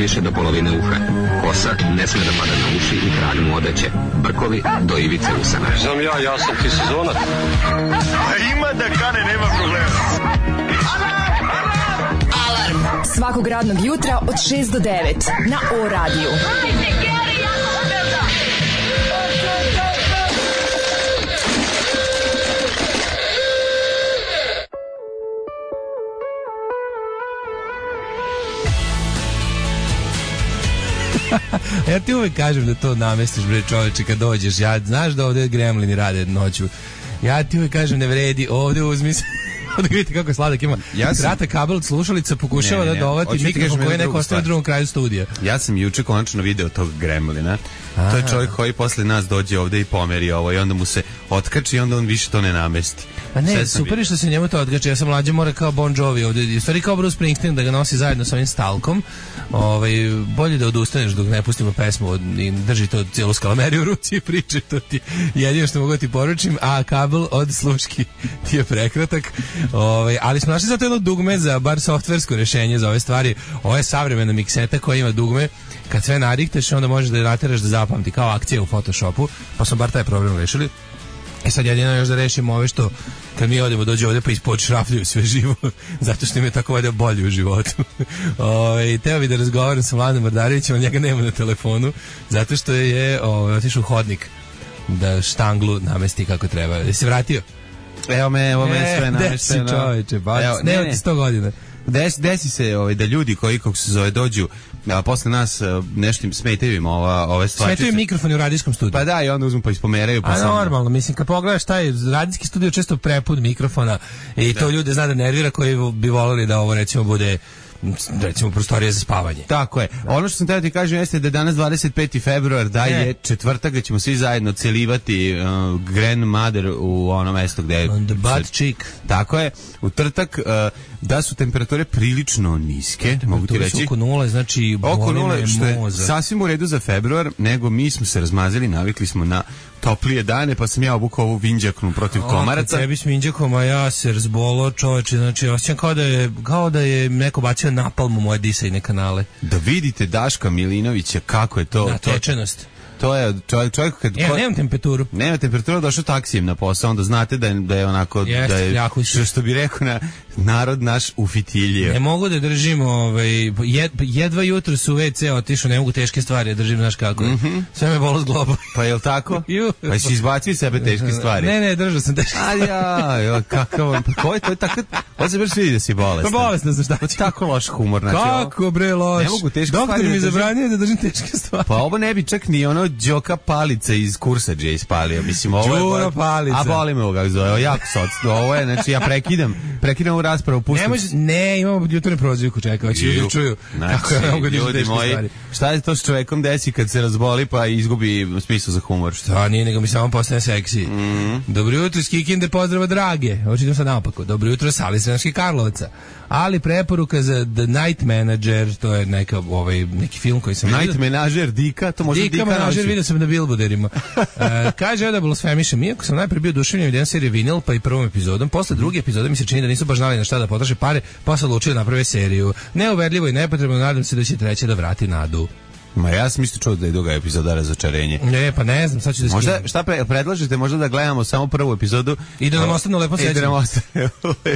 najviše do polovine uha. Kosa ne sme da pada na uši i krag mu odeće. Brkovi do ivice usana. Znam ja sam ti sezonac. Ima da kane, nema problema. Alarm svakog radnog jutra od 6 do 9 na O-radiju. Ja ti uvek kažem da to namestiš, bre čoveče, kad dođeš. Ja, znaš da ovde gremlini rade noću. Ja ti uvek kažem, ne vredi, ovde uzmi se. Da vidite kako je sladak, ima kratak kabel od slušalica, pokušava da dovati mikrofon koji je neko ostavio u drugom kraju studija. Ja sam juče konačno video tog gremlina. To je čovjek koji posle nas dođe ovde i pomeri ovo i onda mu se otkači i onda on više to ne namesti. Pa ne, super je što se njemu to otkači. Ja sam mlađe mora kao Bon Jovi ovde, stvari kao Bruce Springsteen da ga nosi zajedno sa ovim stalkom. Bolje da odustaneš dok ne pustimo pesmu i drži to cijelu skalameriju u ruci i priče, to ti jedino što mogu ti poručim, a kabel od sluški ti je prekratak. Ali smo našli zato jedno dugme za bar softversko rješenje za ove stvari. Ovo je savremena mikseta koja ima dugme. Kad sve nadikteš, onda možeš da je nateraš da zapamti kao akcija u Photoshopu, pa smo bar taj problem rešili. I sad jedino još da rešimo ove što kad mi odemo dođe ovde pa ispod šrafljuju sve živo, zato što im je tako ovdje bolje u životu. Teo bi da razgovaram sa Mladenom Mrdarevićem, ali njega nema na telefonu, zato što je otišao u hodnik da štanglu namesti kako treba. Je se vratio? Evo me sve namešteno. Desi čoveče, ne od 100 godina. Desi se da ljudi koji, kako se zove, dođu, a posle nas nešto im smetaju im ove stvari. Smetaju mikrofoni u radijskom studiju. Pa da, i onda uzmu pa ispomeraju. Pa normalno, mislim, kad pogledaš taj radijski studio često prepun mikrofona i to ljude zna da nervira koji bi volili da ovo recimo bude recimo prostorije za spavanje. Tako je. Ono što sam teo ti kažem jeste da je danas 25. februar, da je četvrtak, da ćemo svi zajedno celivati grandmother u ono mesto gde je... On the butt cheek. Tako je. U trtak da su temperature prilično niske, mogu ti reći. Oko nule, znači oko nule, što je sasvim u redu za februar, nego mi smo se razmazili, navikli smo na toplije dane, pa sam ja obukao ovu vinđaknu protiv komaraca. Tebi s vinđakom, a ja se razbolo, čoveče, znači osjećam kao da je neko bacio napalm u moje disajne kanale. Da vidite Daška Milinovića kako je to... Natečenost. To je čovjek kad... nemam temperaturu. Nema temperaturu, došao taksijem na posao, onda znate da je onako... da je, što bi rekao narod naš ufitiljio. Ne mogu da držim, jedva jutro su u WC otišao, ne mogu teške stvari, držim, znaš kako je. Sve me bolo s globa. Pa je li tako? Pa si izbacio sebe teške stvari? Ne, držao sam teške stvari. Kakav, ko je to tako? Ovo se baš vidi da si bolestan. Pa bolestan sam, šta ću? Tako loš humor. Kako bre loš? Ne mogu teške stvari. Doktor mi zabranio da držim teške stvari. Pa ovo ne bi čak ni ono Đoka Palica iz Kursadže ispalio. Mislim, ovo je... Đuro Palica. A boli me ovoga zove, jako socno. Ovo je, znači ja prekidam u raspravu, pustim... Ne, imamo jutarnju prozivku, čekaj, hoće ljudi čuju. Znači, ljudi moji, šta je to s čovekom desi kad se razboli pa izgubi smisao za humor? Šta nije, nego mi samo postane seksi. Dobro jutro iz Kikinde, pozdrava drage. Očitam sad naopako. Dobro jutro sa Sremskih Karlovaca. Ali preporuka za The Night Manager, to je neki film koji sam vidio. Night Manager, Dika, to može Dika Manager, vidio sam na billboarderima. Kaže da blasfemišem, iako sam najprije bio duševljen jedan serije Vinil, pa i prvom epizodom, posle druge epizode mi se čini da nisu baš znali na šta da potroše pare, pa su odlučili da naprave seriju. Neuverljivo i nepotrebno, nadam se da će treće da vrati nadu. Ma ja sam isto čuo da je druga epizoda razočarenje. Ne, pa ne znam, sad ću da skinem. Možda, šta predlažete, možda da gledamo samo prvu epizodu i da nam ostane lepo sećanje.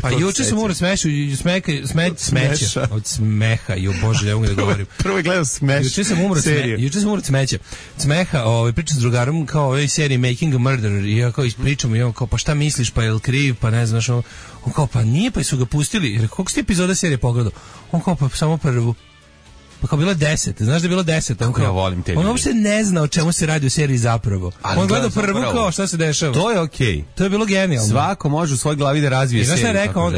Pa juče sam umro smeća. Od smeha, jo bože, ne mogu da govorim. Prvo je gledao smeša. Juče sam umro smeća. Smeha, pričam s drugarom kao ovoj seriji Making a Murderer i ja kao ispričam i on kao pa šta misliš, pa je li kriv, pa ne znaš, on kao pa nije, pa su ga pustili. Jer koliko ste epizoda serije pogledao? On kao pa samo prvu. Pa kao bilo 10, znaš da je bilo 10. Ja volim te. On uopšte ne zna o čemu se radi u seriji zapravo. On gleda prvu kao šta se dešava. To je okej. To je bilo genijalno. Svako može u svojoj glavi da razvije seriju.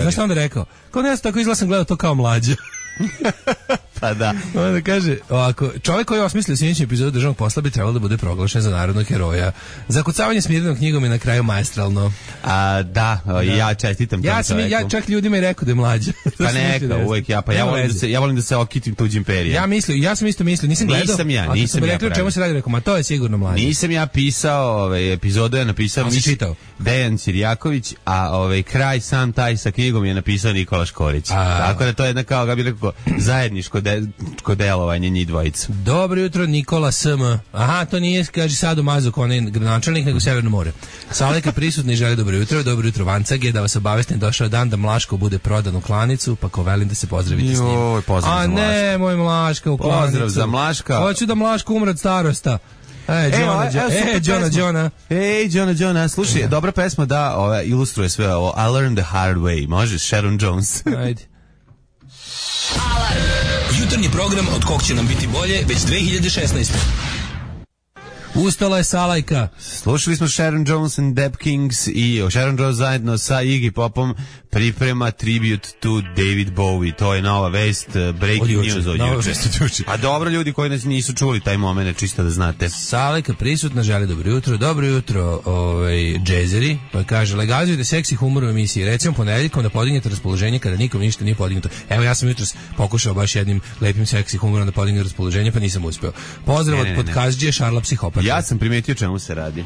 Znaš šta onda rekao? Kao ne znam, tako izgledam gledao to kao mlađa. Pa da. Onda kaže, ovako, čovjek koji je osmislio sljedeću epizodu državnog posla bi trebalo da bude proglašen za narodnog heroja. Zakucavanje Smirnenom knjigom je na kraju maestralno. Ja čestitam tom čovjeku. Ja čak ljudima i rekao da je mlađa. Pa neka, uvijek ja volim da se okitim tuđim perijem. Ja sam isto mislio, nisam gledao. Nisam ja rekao čemu se radi, rekao, ma to je sigurno mlađa. Nisam ja pisao, epizodu je napisao Dejan Cirjaković, a kraj sam taj sa knjigom je napisao Nikola Škorić. Tako da to je jedna kao, ga bi rekao, zajedničko kod delovanja njih dvojica. Dobro jutro, Nikola SM. Aha, to nije, kaže, Sado Mazuk, on je gradonačelnik, nego Severno more. Saleka prisutni želi dobro jutro Vancage, da vas obavestim, došao dan da Mlaško bude prodan u klanicu, pa ko velim da se pozdravite s njim. Joj, pozdrav za Mlaška. A ne, moj Mlaška u klanicu. Pozdrav za Mlaška. Hoću da Mlaško umre od starosta. Johna. Slušaj, dobra pesma da ilustruje sve ovo. I learned the hard way. Može, Sharon Jones. Ajde. Alarm. Jutarnji program od kog će nam biti bolje već 2016. Ustala je Salajka. Slušali smo Sharon Jones and Deb Kings i Sharon Jones zajedno sa Iggy Popom priprema tribute to David Bowie. To je nova vest, breaking news od juče. A dobro, ljudi koji nas nisu čuli taj moment, čisto da znate. Salajka prisutna, želi dobro jutro, džezeri, pa kaže, legalizujte seksi humor u emisiji, recimo ponedeljkom da podignete raspoloženje kada nikom ništa nije podignuto. Evo, ja sam jutros pokušao baš jednim lepim seksi humorom da podignem raspoloženje, pa nisam uspeo. Pozdrav od podkazđije Šarla Psihopata. Ja sam primetio čemu se radi.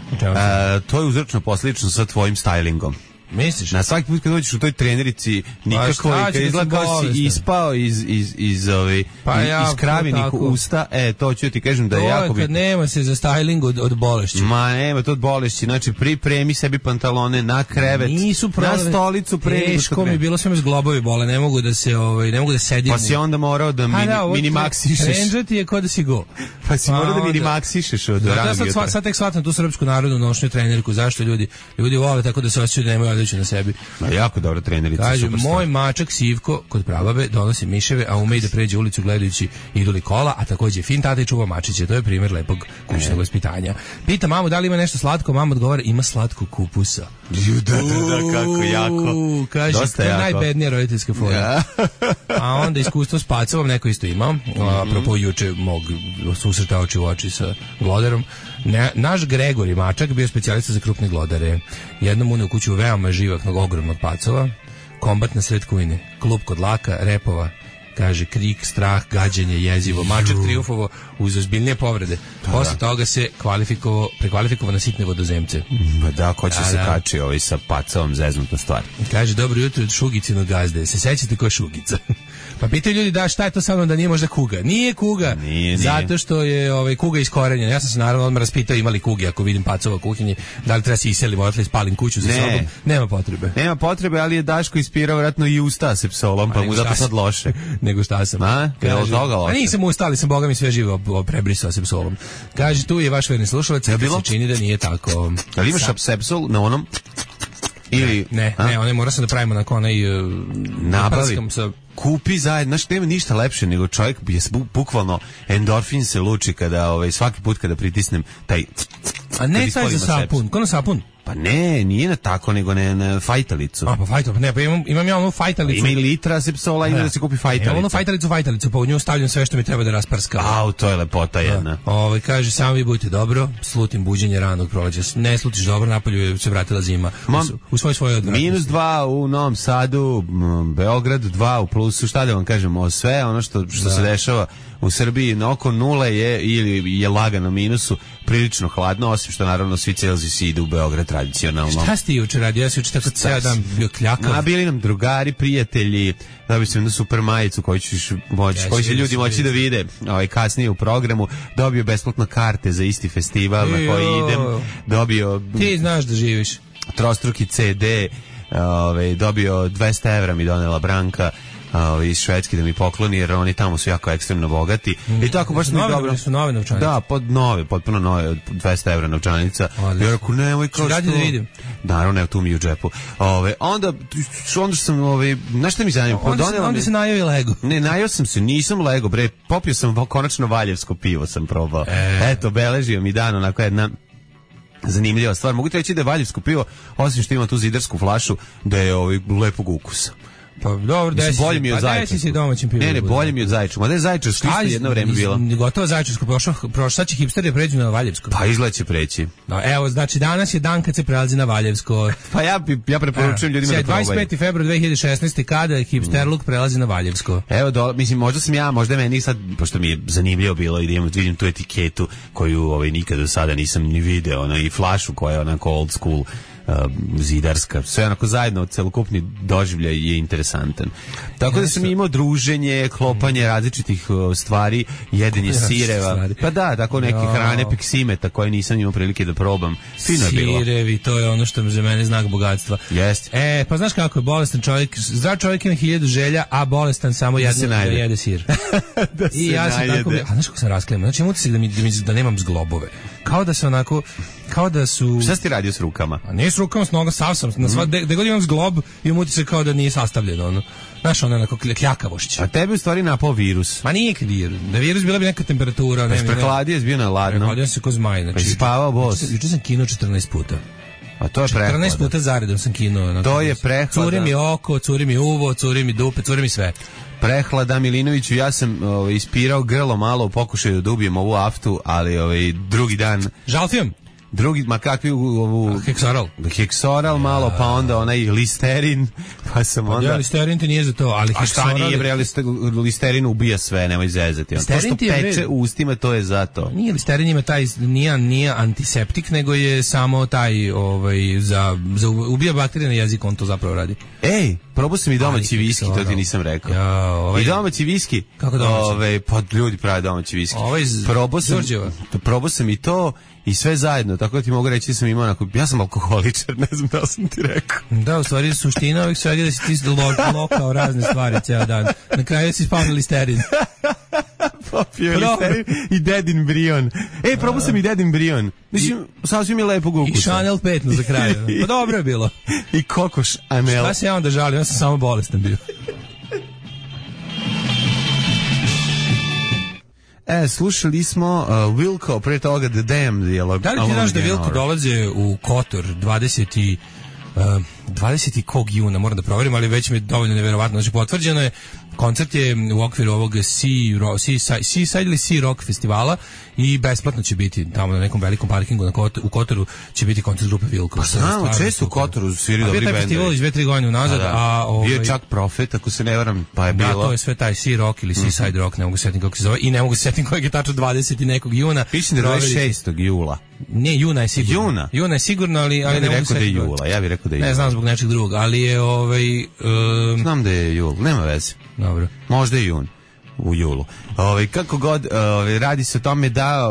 To je uzročno posljedično sa tvojim stylingom. Misliš? Na svaki put kad dođeš u toj trenerici nikako i kad izgleda kao si ispao iz kravenih usta, to ću ti kažem da je jako bitno. To je kad nema se za styling od bolešću. Ma nema to od bolešći, znači pripremi sebi pantalone na krevet, na stolicu pre nego što teško mi bilo, sve me zglobovi bole, ne mogu da sedim. Pa si onda morao da minimaksišeš. Trenđati je kao da si go. Pa si morao da minimaksišeš od ranog jutra. Sad tek shvatam tu srpsku narodnu nošnju treneriku, zašto ljudi vole tako da se osjećaju da nemaju na sebi. Jako dobra trenerica. Kaže, moj mačak Sivko kod prababe donosi miševe, a ume i da pređe ulicu gledajući idu li kola, a takođe fin tata i čuva mačiće. To je primjer lepog kućnog vaspitanja. Pita mamu da li ima nešto slatko, mama odgovara ima slatko kupusa. Da, kako jako. Kaže, to je najbednija roditeljska fora. A onda iskustvo s pacovom neko isto imao. Apropo juče mog susreta oči u oči sa gloderom. Naš Gregori mačak bio specijalista za krupne glodare. Jednom uneo u kuću veoma živahnog, ogromnog pacova, kombat na sred kujne, klub kod laka, repova, kaže krik, strah, gađenje, jezivo, mačak trijumfovo uz ozbiljnije povrede. Posle toga se prekvalifikovao na sitne vodozemce. Da, ko će se kači sa pacovom, zeznuta stvar. Kaže, dobro jutro od Šugicinog gazde. Se sećate ko je Šugica? Pa pitaju ljudi da šta je to sa mnom da nije možda kuga. Nije kuga, zato što je kuga iskorenjena. Ja sam se naravno odmah raspitao imali kuge ako vidim pacova u kuhinji, da li treba se iselim, odatle spalim kuću za sobom. Nema potrebe. Nema potrebe, ali je Daško ispirao vratno i usta se psolom, pa mu zato sad loše. Nego šta sam. A nisam ustali, sam boga mi sve živo prebrisao se psolom. Kaže, tu je vaš verni slušalac, da se čini da nije tako. Ali imaš apsepsol na onom? Ili ne, one mora se da pravimo na onaj nabavi. Kupi zajedno, znaš, nema ništa lepše nego čovjek je bukvalno endorfin se luči kada svaki put kada pritisnem taj. A ne taj za sapun, ko na sapun? Pa ne, nije na tako, nego na fajtalicu. A, pa fajtalicu, ne, pa imam ja onu fajtalicu. Ima i litra sepsola, ima da se kupi fajtalicu. Imam onu fajtalicu, pa u nju stavljam sve što mi treba da rasprska. Au, to je lepota jedna. Kaže, samo vi budite dobro, slutim buđenje ranog proleća. Ne slutiš dobro, napolju se vratila zima. U svoje odvratnosti. -2 u Novom Sadu, Beograd 2 u plusu, šta da vam kažemo, sve ono što se dešava u Srbiji na oko nule je ili je lagano minusu, prilično hladno, osim što naravno svi Celzijsi idu u Beograd tradicionalno. Šta ste juče radio? Ja sam juče tako ceo dan bio kljakav. Bili nam drugari, prijatelji, dobili sam jednu super majicu koju će ljudi moći da vide kasnije u programu, dobio besplatno karte za isti festival na koji idem, dobio... Ti znaš da živiš. Trostruki CD, dobio 200 evra mi donela Branka iz Švedske da mi pokloni, jer oni tamo su jako ekstremno bogati. I tako baš mi dobro. Su nove novčanice. Da, potpuno nove, 200 evra novčanica. I rekao, nemoj kao što... Radi da vidim. Naravno, ne, tu mi u džepu. Onda što sam, znaš šta mi zanima? Onda se najao i Lego. Ne, najao sam se, nisam Lego, bre, popio sam konačno valjevsko pivo sam probao. Eto, beležio mi dan, onako jedna zanimljiva stvar. Mogu ti reći da je valjevsko pivo, osim što ima tu zidarsku flašu, da je lepog ukusa. Pa dobro, bolje mi od Zaječarskog. Ne, bolje mi od Zaječarskog. Ma da je Zaječarsko isto jedno vreme bilo. Gotovo Zaječarsko prošlo, sad će hipsteri pređu na Valjevsko. Pa izgleda će preći. Evo, znači danas je dan kad se prelazi na Valjevsko. Pa ja preporučujem ljudima da probaju. 25. februar 2016. kada je hipsterluk prelazi na Valjevsko. Evo, mislim, možda meni sad, pošto mi je zanimljivo bilo i da vidim tu etiketu koju nikad do sada nisam ni video, i flašu koja je onako old school zidarska, sve onako zajedno, celokupni doživljaj je interesantan. Tako da sam imao druženje, klopanje različitih stvari, jedenje sireva, pa da, tako neke hrane peksimeta koje nisam imao prilike da probam. Fino je bilo. Sirevi, to je ono što je za mene znak bogatstva. Jeste. Pa znaš kako je bolestan čovjek, zdrav čovjek ima 1000 želja, a bolestan samo jede sir. Da i ja sam tako, a znaš kako sam raskleman, znači imam utisak da nemam zglobove. Kao da se onako, kao da su... Šta si ti radio s rukama? A nije s rukama, s noga, sav sam. Gde god imam zglob, imam utisak kao da nije sastavljeno, ono. Znaš, ono onako kljakavošć. A tebi u stvari napao virus. Ma nije virus. Da virus bila bi neka temperatura. Pa prehladio je bio na ladno. Prehladio se ko zmaj. Znači, pa si spavao bos. Juče sam kinuo 14 puta. A to je prehlada. 14 puta zaredom sam kinuo. To je prehlada. Curi mi oko, curi mi uvo, curi mi dupe, curi mi sve. Prehlada Milinoviću, ja sam ispirao grlo malo u pokušaju da ubijem ovu aftu, ali drugi dan... Žalfijom? Ma kakvi ovu... Heksoral. Heksoral malo, pa onda onaj listerin, pa sam onda... Ja, listerin ti nije za to, ali heksoral... A šta nije, bre, listerin ubija sve, nemoj zezati. To što peče u ustima, to je za to. Nije, listerin ima taj, nije antiseptik, nego je samo taj, za ubija bakterije na jeziku, on to zapravo radi. Ej, probao sam i domaći viski, to ti nisam rekao. I domaći viski. Kako domaći? Pa ljudi prave domaći viski. Probao sam i to i sve zajedno, tako da ti mogu reći da sam imao ja sam alkoholičar, ne znam da sam ti rekao. Da, u stvari suština ovih svega da si ti lokao razne stvari ceo dan. Na kraju si spao na listerin. Popio listerin i dedin brion. Probao sam i dedin brion. Mislim, sasvim je lepog ukusa. I Chanel 5 za kraj. Pa dobro je bilo. I Coco Chanel. Šta se ja onda žalim, ja sam samo bolestan bio. Slušali smo Wilco, pre toga The Damned. Da li ti znaš da Wilco dolaze u Kotor 20. kog juna, moram da proverim, ali već mi je dovoljno neverovatno. Znači, potvrđeno je, koncert je u okviru ovog Seaside ili Sea Rock festivala i besplatno će biti tamo na nekom velikom parkingu u Kotoru će biti koncert grupe Wilco. Pa znamo, često u Kotoru sviri dobri bendovi. Bio taj festival iz 2-3 godine unazad. Bio je čak Prophet, ako se ne varam, pa je bilo... Da, to je sve taj Sea Rock ili Seaside Rock, ne mogu se setiti kako se zove, i ne mogu se setiti kojeg je tačno 20. nekog juna. Pišem da je 26. jula. Ne, juna je sigurno. Juna je sigurno, ali ne mogu se setiti. Ja bih rekao da je jula. Ne znam zbog nečeg drugog, ali je znam da je jul, nema veze. Dobro. Možda je jun. U julu. Kako god, radi se o tome da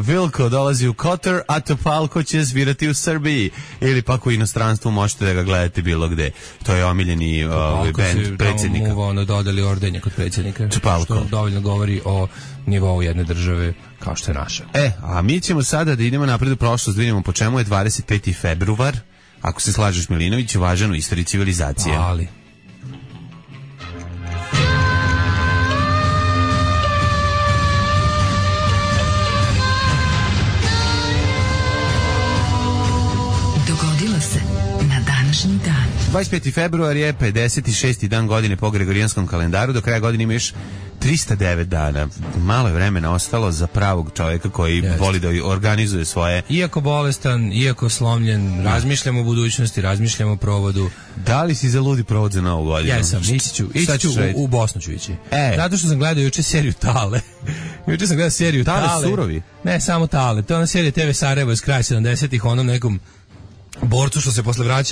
Wilco dolazi u Kotor, a Topalko će svirati u Srbiji. Ili pak u inostranstvu možete da ga gledate bilo gde. To je omiljeni band predsjednika. Topalko se dodali ordenje kod predsjednika. Topalko. Što dovoljno govori o nivou jedne države kao što je naša. A mi ćemo sada da idemo napred u prošlost, da vidimo po čemu je 25. februar. Ako se slažeš, Milinović, važan u istoriji civilizacije. Ali... Dogodilo se na današnji dan. 25. februar je 56. dan godine po Gregorijanskom kalendaru. Do kraja godine ima još 309 dana. Malo je vremena ostalo za pravog čovjeka koji voli da organizuje svoje... Iako bolestan, iako slomljen, razmišljamo o budućnosti, razmišljamo o provodu. Da li si za ludi provod za novu godinu? Jesam, ići ću u Bosnu ću ići. Zato što sam gledao juče seriju Tale. Juče sam gledao seriju Tale. Tale surovi? Ne, samo Tale. To je ona serija TV Sarajevo iz kraja 70-ih, onom nekom borcu što se posle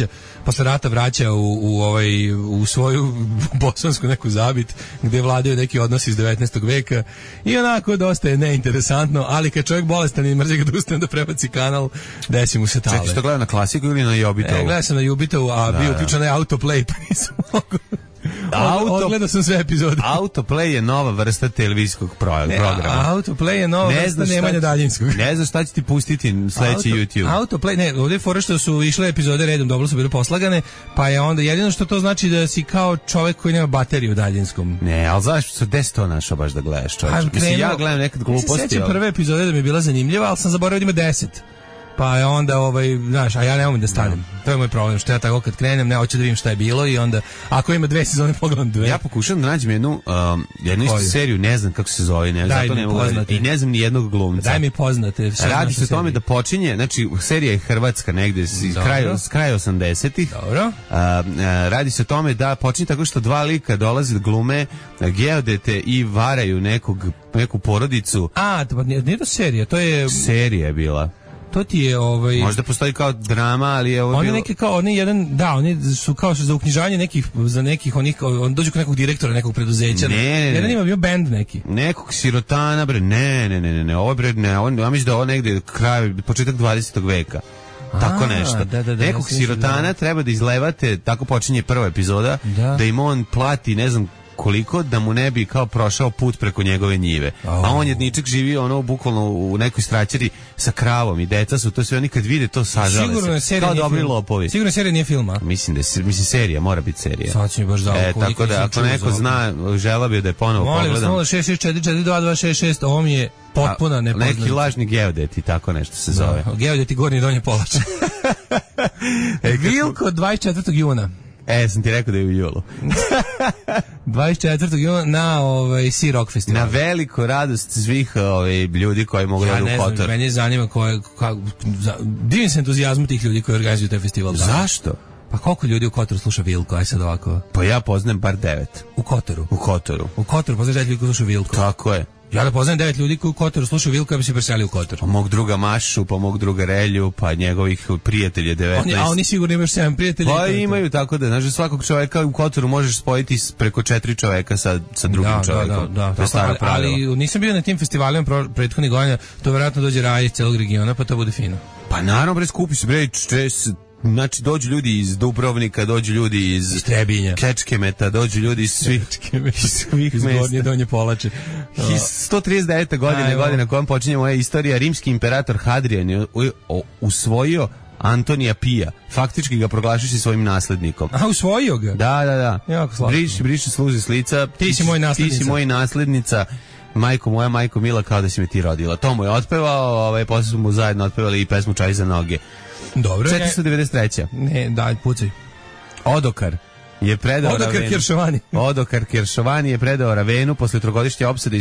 rata vraća u svoju bosansku neku zabit gdje vladaju neki odnosi iz 19. veka i onako dosta je neinteresantno, ali kad čovjek bolestan i mrzi ga da ustane da prebaci kanal, desi mu se Tale. Čekaj, što gleda na klasiku ili na Jobitovu? Gledao sam na Jobitovu, a bio uključen na Autoplay, pa nisam mogu... Odgledao sam sve epizode. Autoplay je nova vrsta televizijskog programa. Autoplay je nova vrsta nemanja daljinskog. Ne znaš šta će ti pustiti sledeći YouTube. Autoplay, ne, ovdje je fora što su išle epizode redom, dobro su bile poslagane, pa je onda jedino što to znači da si kao čovjek koji nema bateriju u daljinskom. Ne, ali znaš što gde si to našao baš da gledaš, čovječ? Mislim, ja gledam nekad gluposti. Ja se sjećam prve epizode da mi je bila zanimljiva, ali sam zaboravio da ima 10. Pa je onda, znaš, a ja ne mogu da stanem. To je moj problem, što ja tako kad krenem, ne hoću da vidim šta je bilo i onda, ako ima 2 sezone, pogledam 2. Ja pokušam da nađem jednu istu seriju, ne znam kako se zove, zato ne mogu i ne znam ni jednog glumca. Daj mi poznate. Radi se o tome da počinje, znači, serija je hrvatska negde, s kraja 80-ih. Dobro. Radi se o tome da počinje tako što 2 lika dolaze da glume geodete i varaju neku porodicu. Nije to serija, to je... Serija je bila. To ti je Možda postoji kao drama, ali je ovo oni bilo... neki kao oni jedan oni su kao za uknjižanje nekih za nekih onih on dođu kod nekog direktora nekog preduzeća. Jedan ima bio bend neki. Nekog sirotana bre. Ne, ovo bre ne, ja mislim da ovo negde kraj početak 20. veka. Tako nešto. Nekog sirotana treba da izlevate, tako počinje prva epizoda, da im on plati, ne znam koliko, da mu ne bi kao prošao put preko njegove njive. A on jedničak živi bukvalno u nekoj straćari sa kravom i deca su, to sve oni kad vide to sažale se. Kao dobri lopovi. Sigurno serija nije filma. Mislim serija, mora biti serija. Sad će mi baš za tako da ako neko zna, želeo bi da je ponovo pogledam. Molim, 066442266, ovo mi je potpuno nepoznato. Neki lažni geodeti, tako nešto se zove. Geodeti Gornji i Donji Polač. Vilko 24. juna. Sam ti rekao da je u julu. 24. juna na Sea Rock festival. Na veliku radost svih ljudi koji mogu da u Kotor. Mene zanima divim se entuzijazmu tih ljudi koji organizuju taj festival. Zašto? Pa koliko ljudi u Kotoru sluša Vilko, aj sad ovako? Pa ja poznajem bar 9. U Kotoru? U Kotoru. U Kotoru poznaš 9 ljudi koji sluša Vilko? Tako je. Ja da poznajem 9 ljudi koji u Kotoru slušaju Vilko, ja bi se preselio u Kotor. Pa mog druga Mašu, pa mog druga Relju, pa njegovih prijatelja 19. A oni sigurno imaju 7 prijatelja. Pa imaju, tako da, znaš, svakog čoveka u Kotoru možeš spojiti preko 4 čoveka sa drugim čovekom. Da, to je staro pravilo. Ali nisam bio na tim festivalima prethodnih godina, to vjerojatno dođe raj iz celog regiona, pa to bude fino. Pa naravno, bre, skupi se, bre, znači dođu ljudi iz Dubrovnika, dođu ljudi iz Trebinja, Kečkemeta, dođu ljudi iz svih iz Gornje Donje Polače. 139. godina kojom počinje moja istorija, rimski imperator Hadrian je usvojio Antonija Pija, faktički ga proglašujući svojim naslednikom. A, usvojio ga? Da. Jako slatko. Briši sluzi s lica. Ti si moj naslednica. Majko moja, majko mila, kao da si me ti rodila. To mu je otpevao, posle su mu zajedno otpevali i pesmu Čaj za noge. Dobro. 493. Ne, daj, pucaj. Odokar je predao Odokar Kiršovani je predao Ravenu posle trogodišnje opsade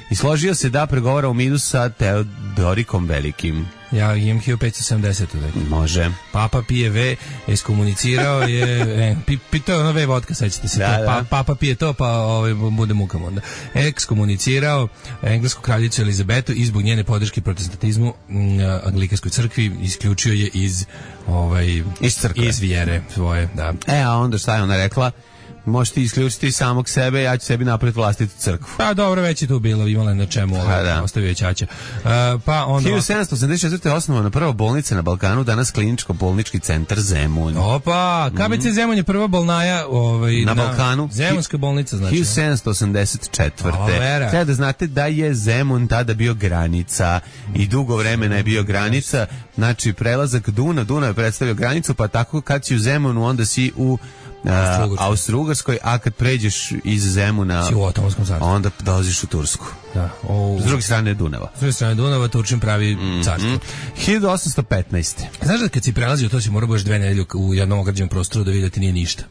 i složio se da pregovara u miru sa Teodorikom Velikim. Ja imam 1570. Može. Papa pije V, ekskomunicirao je, pitao je ono V vodka, sećate se, Papa pije to, pa bude mukam onda. Ekskomunicirao englesku kraljicu Elizabetu i zbog njene podrške protestantizmu Anglikanskoj crkvi isključio je iz crkve, iz vjere svoje, da. A onda šta je ona rekla? Možeš ti isključiti samog sebe, ja ću sebi napraviti vlastitu crkvu. Pa dobro, već je tu bilo, imala na čemu, ostavio je ćaća. Pa onda 1784. je osnovana prva bolnica na Balkanu, danas kliničko-bolnički centar Zemun. Opa, KBC Zemun je prva bolnaja na Balkanu. Zemunska bolnica, znači. 1784. Treba da znate da je Zemun tada bio granica i dugo vremena je bio granica, znači prelazak Dunav je predstavio granicu, pa tako kad si u Zemunu, onda si u Austro-Ugarskoj, a kad pređeš iz Zemuna onda dolaziš u Tursku. Da, s druge strane Dunava. S druge strane Dunava Turčin pravi carstvo. 1815. Znaš da kad si prelazio, to si morao baš 2 nedelje u jednom ograđenom prostoru da vidjeti nije ništa.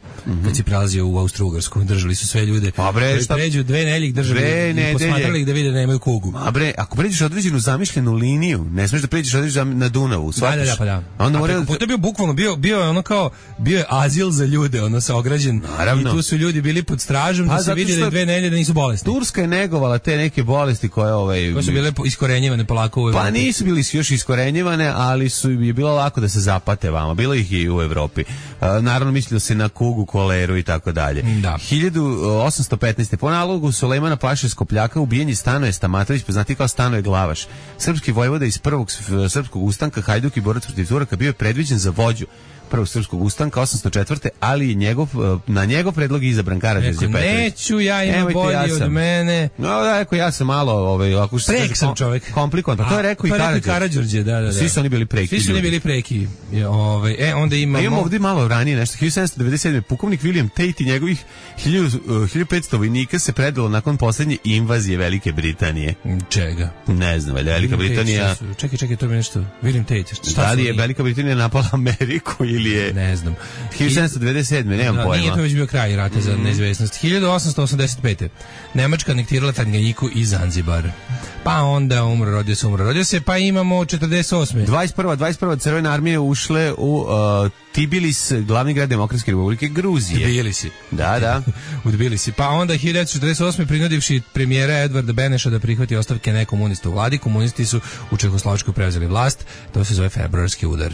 Kad si prelazio u Austro-Ugarsku, držali su sve ljude. Pa bre, pređu 2 nedelje ih držali i posmatrali ih da vide da nemaju kugu. A bre, ako pređeš određenu zamišljenu liniju, ne smiješ da pređeš određenu na Dunavu, shvataš? Da. Onda to je bio bukvalno, bio je ono kao, bio je azil za ljude, ono saograđen. Naravno. I tu su ljudi bili pod stražom da se vidi da 2 nedelje da nisu bolesni. Turska je negovala te neke bolesti koje su bile iskorenjivane polako u Evropi. Pa nisu bili još iskorenjivane, ali je bilo lako da se zapate vama. Bilo ih i u Evropi. Naravno mislilo se na kugu, koleru i tako dalje. 1815. po nalogu Sulejmana Paše Skopljaka ubijen je Stanoje Stamatović, poznati kao Stanoje Glavaš. Srpski vojvoda iz prvog srpskog ustanka, Hajduk i borac protiv Turaka, bio je predviđen za vođu prvog srpskog ustanka 804. ali na njegov predlog izabran Karađorđe Petrović. Neću, ja imam bolji od mene. No, da, rekao, ja sam malo prek sam čovjek. Komplikovan, pa to je rekao i Karađorđe. Da. Svi su oni bili preki. Svi su oni bili preki. Onda imamo ovdje malo ranije nešto. 1797. pukovnik William Tate i njegovih 1500 vojnika se predalo nakon posljednje invazije Velike Britanije. Čega? Ne znam, Velika Britanija. Čekaj, to je nešto. William Tate. Da li je Velika Britanija napala Ameriku ili ili je... Ne znam. 1797. Nemam pojma. Nije to već bio kraj rata za neizvesnost. 1885. Nemačka anektirala Tanganjiku i Zanzibar. Pa onda rodio se, pa imamo 48. 21. Crvene armije ušle u Tbilis, glavni grad Demokratske republike Gruzije. Tbilisi. Da. U Tbilisi. Pa onda 1948. prinudivši premijera Edvarda Beneša da prihvati ostavke nekomunista u vladi, komunisti su u Čehoslovačkoj preuzeli vlast, to se zove februarski udar.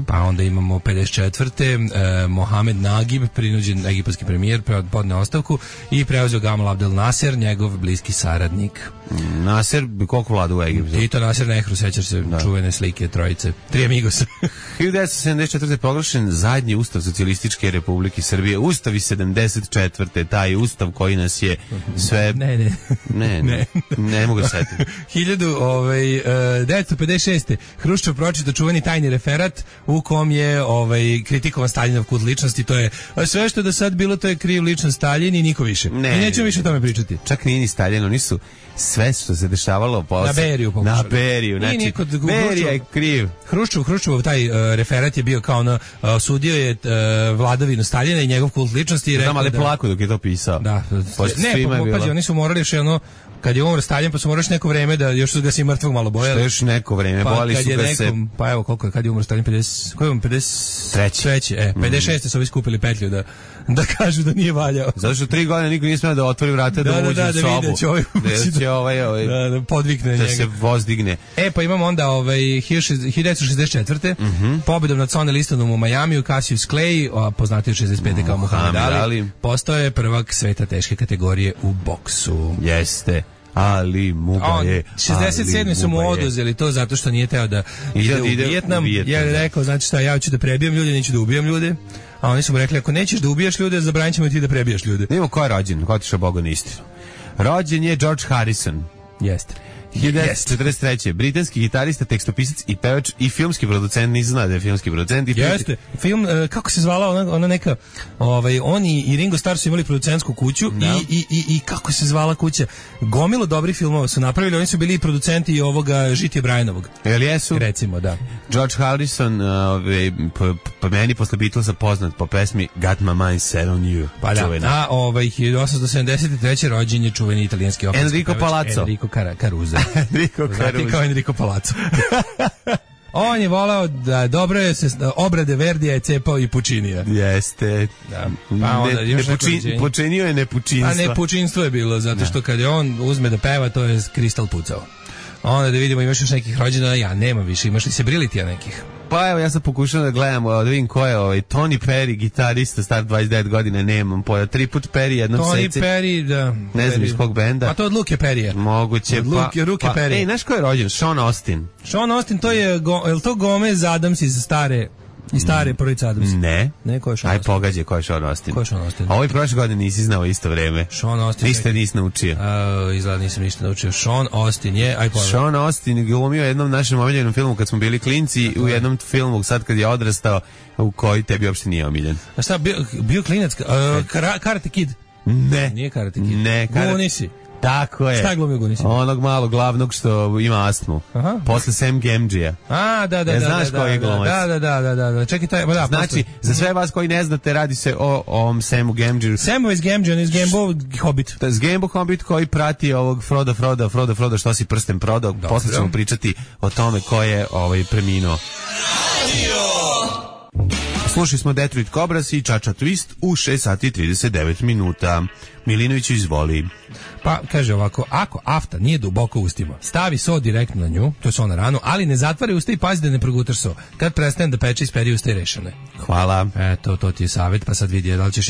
Pa onda imamo 54. Mohamed Nagib, prinuđen egipatski premijer, podneo ostavku i preuzeo Gamal Abdel Nasser, njegov bliski saradnik. Nasser, koliko vlada u Egiptu? Tito, Nasser, Nehru, sećaš se čuvene slike trojice. Tri amigos. 1974. proglašen zadnji ustav Socijalističke Republike Srbije. Ustav iz 74. Taj ustav koji nas je sve... Ne mogu se setiti. 1956. Hruščov pročitao čuveni tajni referat u kom je kritikovan Staljinov kult ličnosti. To je sve što je do sad bilo, to je kriv ličnost Staljin i niko više. I nećemo više o tome pričati. Čak nije ni Staljin, oni su sve što se dešavalo na Beriju pokušali. Na Beriju, znači Berija je kriv. Hruščov taj referat je bio kao osudio je vladavinu Staljina i njegov kult ličnosti i rekao ali polako dok je to pisao. Da. Pazi, oni su morali još kad je umro Stalin, pa su morali neko vreme da još su ga se mrtvog malo bojali. Što još neko vreme, bojali su ga se. Pa evo koliko kad je umro Stalin, 53. 56. su ovi skupili petlju da kažu da nije valjao. Zato što 3 godine niko nije smeo da otvori vrata da uđe u sobu. Da će da podvikne njega. Da se voz digne. Pa imamo onda 1964. Pobedom nad Sonny Listonom u Majamiju, Cassius Clay, poznatiji od 65. kao Muhammed Ali, postao je prvak sveta teške kategorije u boksu. Jeste. Ali Muga je 67. su mu oduzeli to zato što nije teo da ide u Vijetnam. Ja je rekao, znači šta, ja ću da prebijem ljude, neću da ubijam ljude. A oni su mu rekli, ako nećeš da ubijaš ljude, zabranit ćemo ti da prebijaš ljude. Nemo ko je rođen, ko otišao Boga na istinu. Rođen je George Harrison. Jeste. 1943. Britanski gitarista, tekstopisac i pevač i filmski producent, nisam znao da je filmski producent. Jeste. Film, kako se zvala ona neka, oni i Ringo Starr su imali producentsku kuću i kako se zvala kuća? Gomilo dobrih filmova su napravili, oni su bili i producenti i ovoga Žitije Brajanovog. Jel jesu? Recimo, da. George Harrison, po meni posle Beatlesa poznat po pesmi Got My Mind Set On You. Pa da, a 1873. rođen je čuveni italijanski operski Enrico Palazzo. Enrico Caruso. Enrico Caruso. Kao Enrico Palazzo. On je volao da dobro je se obrade Verdija je cepao i Pučinija. Jeste. Da. Pa onda počinio je nepučinstvo. Pa nepučinstvo je bilo, zato što kad je on uzme da peva, to je kristal pucao. Onda da vidimo, imaš još nekih rođena, ja nemam više, imaš li se Brilitija nekih? Pa evo, ja sam pokušao da gledam, da vidim ko je Tony Perry, gitarista, star 29 godine, nemam pojma, 3 put Perry, jednom seci. Tony Perry, da. Ne znam iz kog benda. Pa to od Luke Perrya. Moguće, Luke Perry. Ej, znaš ko je rođen? Sean Austin. Sean Austin, to je to Gomez Adams iz stare porodice Adams. Ne. Ne, ko je Sean Austin? Aj, pogađaj, ko je Sean Austin? Ko je Sean Austin? A ovo i prošle godine nisi znao isto vreme. Sean Austin. Nisi naučio. Izgleda nisam ništa naučio. Sean Austin je, Sean Austin glumio u jednom našem omiljenom filmu kad smo bili klinci, u jednom filmu sad kad je odrastao, u koji tebi uopšte nije omiljen. A šta, bio klinac? Karate Kid? Ne. Nije Karate Kid. Ne. Gunisi. Tako je. Šta glumio Gunisi? Onog malog glavnog što ima astmu. Aha. Posle Sam Gamgee-a. Da. Znaš koji je glumac? Da. Čekaj, da. Znači, za sve vas koji ne znate, radi se o ovom Samu Gamgee. Samu iz Gamgee, on iz Gambo Hobbit. To je Gambo Hobbit koji prati ovog Frodo, što si prsten prodao. Posle ćemo pričati o tome ko je preminuo. Slušali smo Detroit Cobras i Čača Twist u 6 sati i 39 minuta. Milinović izvoli. Pa, kaže ovako, ako afta nije duboko u ustima, stavi so direktno na nju, to je so na ranu, ali ne zatvori usta i pazi da ne progutaš so. Kad prestane da peče, isperi usta i rešene. Hvala. Eto, to ti je savjet, pa sad vidi da li ćeš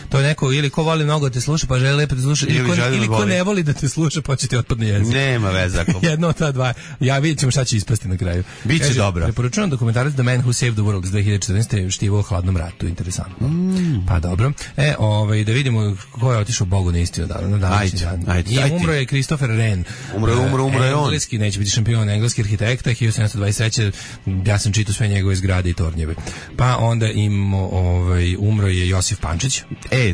to je neko, ili ko voli mnogo da te sluša, pa želi lepo da te sluša, ili ko ne voli da te sluša, pa će ti otpadne jezik. Nema veze. Jedno od ta dva. Ja vidjet ćemo šta će ispasti na kraju. Biće dobro. Preporučujem dokumentarac The Man Who Saved the World iz 2014. Štivo učestvovao u hladnom ratu, interesantno. Pa dobro. Da vidimo ko je otišao Bogu na istinu na današnji dan. I umro je Christopher Wren. Umro je on. Engleski, neće biti šampion, engleski arhitekta, 1723. Ja sam čitao sve njegove zgrade i tornjeve. Pa onda umro je Josif Pančić.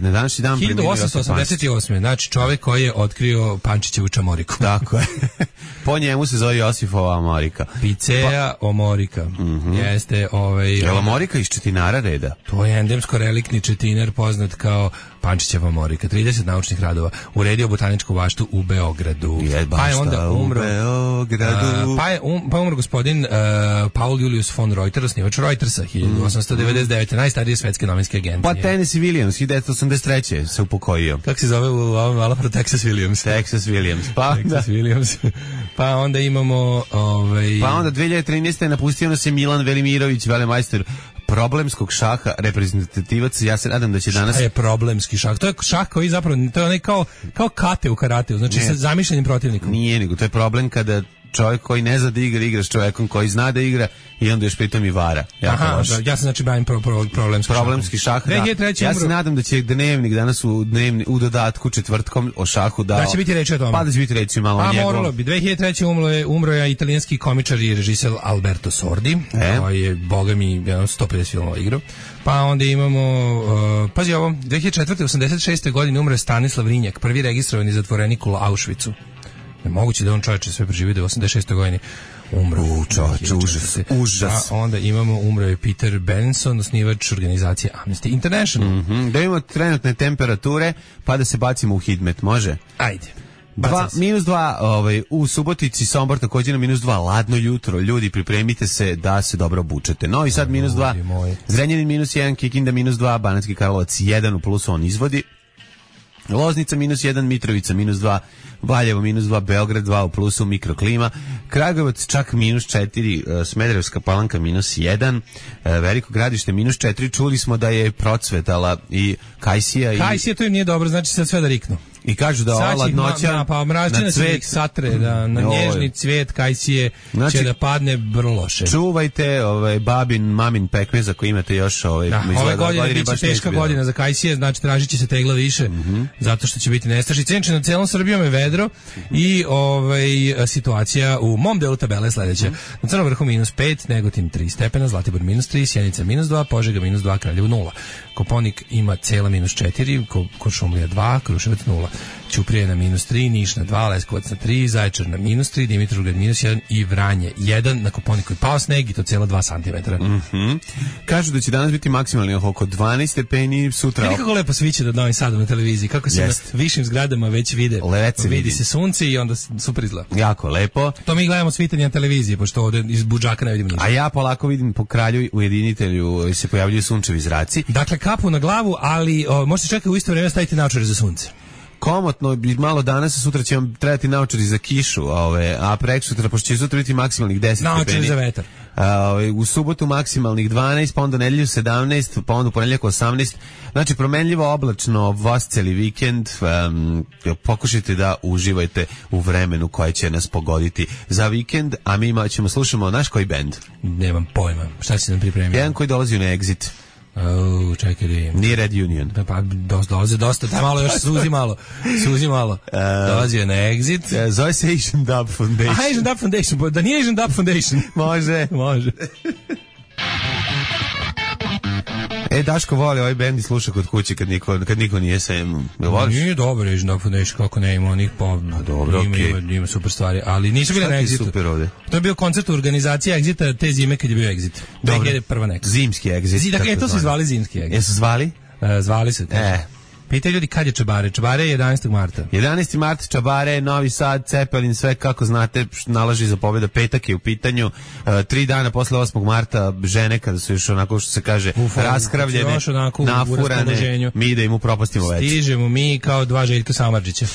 Na današnji dan 1888. Znači čovjek koji je otkrio Pančićevu čamoriku. Tako je. Po njemu se zove Josifova Amorika. Picea Omorika. Jeste Je li Amorika iz Četinara reda? To je endemsko reliktni četinar poznat kao Pančićeva Amorika. 30 naučnih radova. Uredio botaničku baštu u Beogradu. Pa je onda umro umro gospodin Paul Julius von Reuter, osnivač Reutersa 1899. Najstarije svetske novinske agencije. Pa Tennessee Williams 1983. se upokojio. Kako se zove u ovom malapro Texas Williams? Texas Williams. Texas Williams. Pa onda imamo Pa onda 2013. napustio nas je Milan Velimirović, velemajster problemskog šaha, reprezentativac. Ja se nadam da će danas... Šta je problemski šah? To je šah koji zapravo, to je onaj kao kate u karateu, znači sa zamišljenim protivnikom. Nije, nego to je problem kada čovjek koji ne zna da igra s čovjekom koji zna da igra i onda još pritom i vara. Ja sam znači bavim problemski šah. Ja se nadam da će Dnevnik danas u dodatku četvrtkom o šahu da će biti reći o tome. Pa da će biti reći malo o njegov. Moralo bi. 2003. umro je italijanski komičar i režiser Alberto Sordi, koji je, boga mi, 150 filmova igrao. Pa onda imamo, pazi ovo, 2004. 86. godine umro je Stanislav Rinjak, prvi registrovani zatvorenik u Auschwitzu. Nemoguće da on čovječe sve preživio, da je 86. godini umro. Užas. A onda umro je Peter Benson, osnivač organizacije Amnesty International. Da imamo trenutne temperature, pa da se bacimo u hidmet, može? Ajde. -2 u Subotici, Sombor također na -2, ladno jutro, ljudi pripremite se da se dobro obučete. Novi Sad -2, Zrenjanin -1, Kikinda -2, Banatski Karlovac 1 u plusu, on izvodi. Loznica -1, Mitrovica -2, Valjevo -2, Beograd 2 u plusu, mikroklima, Kragujevac čak -4, Smederevska Palanka -1, Veliko Gradište -4, čuli smo da je procvetala i Kajsija. Kajsija, to im nije dobro, znači sad sve da riknu. I kažu da ova ladnoća na cvet satre, da na nježni cvijet Kajsije će da padne vrlo loše. Čuvajte mamin pekmez ako imate još ove godine biće teška godina za Kajsije, znači tražit će se tegla više, zato što će biti nestašice. Inače, na celom Srbijom je vedro i situacija u mom delu tabele je sledeća. Na Crnom vrhu -5, Negotin 3 stepena, Zlatibor -3, Sjenica -2, Požega -2, Kraljevo 0. Koponik ima cela -4, Kuršumlija 2, Kruševac 0. Ćuprije na -3, Niš na 2, Leskovac na 3, Zaječar na -3, Dimitrovgrad -1 i Vranje 1. Na Koponiku je pao sneg i to cijela 2 cm. Kažu da će danas biti maksimalni oko 12 stepeni, sutra... Kako lepo sviće nad Novim Sadom na televiziji, kako se na višim zgradama već vidi se sunce i onda super izgleda. Jako lepo. To mi gledamo svitanje na televiziji, pošto ovdje iz budžaka ne vidimo ništa. A ja polako vidim po kralju ujedinitelju se pojavljuju sunčevi zraci. Dakle, kapu na glavu, ali možete čekati u isto vrijeme staviti naočare za sunce. Komotno bi malo danas, sutra će vam trebati naočari za kišu, a preksutra, pošto će sutra biti maksimalnih 10 stepeni. Naočari za vetar. U subotu maksimalnih 12, pa onda nedelju 17, pa onda u ponedjeljak 18. Znači, promenljivo oblačno vas celi vikend. Pokušajte da uživajte u vremenu koje će nas pogoditi za vikend, a mi slušamo naš koji bend. Nemam pojma. Šta si nam pripremio? Jedan koji dolazi na Exit. Čekaj da im. Nije Red Union. Pa dolaze dosta, daj malo još suzi malo. Dolazi je na Exit. Zove se Asian Dub Foundation. Asian Dub Foundation, da nije Asian Dub Foundation. Može. Daško voli ovaj bend i sluša kod kuće kad niko nije sem. Nije dobro Asian Dub Foundation, kako ne ima onih dobro, ima super stvari, ali nisu bili na Exitu. Super ovde. To je bio koncert u organizaciji Exita te zime kad je bio Exit. 2001. neka. Zimski Exit. Dakle, to su zvali zimski Exit. Jesu zvali? Zvali su. Pitaju ljudi kad je Čabare. Čabare je 11. marta. 11. mart, Čabare, Novi Sad, Cepelin, sve kako znate, nalaži za pobjeda, petak je u pitanju. 3 dana posle 8. marta, žene kada su još onako što se kaže raskravljene, nafurane, mi da im upropastimo već. Stižemo mi kao dva Željka Samardžića.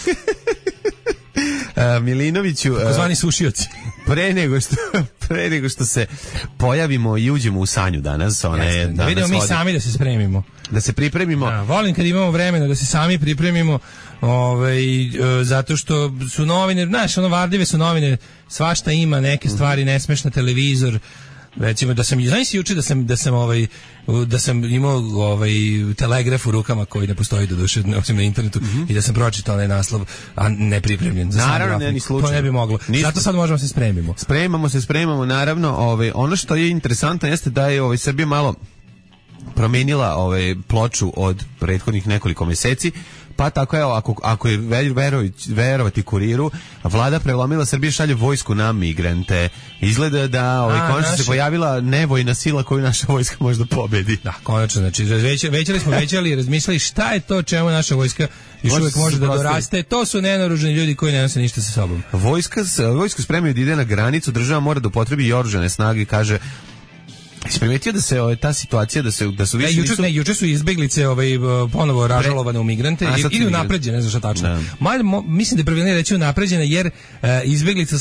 Milinoviću, zvani sušioci. Pre nego što se pojavimo i uđemo u sanju danas, da vidimo mi sami da se spremimo. Da se pripremimo. Volim kad imamo vremena da se sami pripremimo, zato što su novine, varljive su novine, svašta ima, neke stvari nesmešne, televizor, Recimo da sam znaš juče da sam imao telegraf u rukama koji ne postoji doduše osim na internetu i da sam pročitao onaj naslov, a nepripremljen za naravno ne, ni slučajno. To ne bi moglo. Zato sad možemo se spremimo. Spremamo naravno. Ono što je interesantno jeste da je Srbija malo promenila ploču od prethodnih nekoliko meseci. Pa tako je, ako je verovati Kuriru, vlada prelomila, Srbija šalje vojsku na migrante. Izgleda da konačno se pojavila nevojna sila koju naša vojska možda pobedi. Da, konačno, znači većali i razmišljali šta je to čemu naša vojska još uvijek može da doraste. To su nenaoružani ljudi koji ne nose ništa sa sobom. Vojsku spremaju da ide na granicu, država mora da upotrebi i oružane snage, kaže. Isprimetio da se ta situacija da su više juče su izbeglice ponovo ražalovane u migrante ili unapređene, ne znam šta tačno. Mislim da je pravilnije reći unapređene jer izbeglica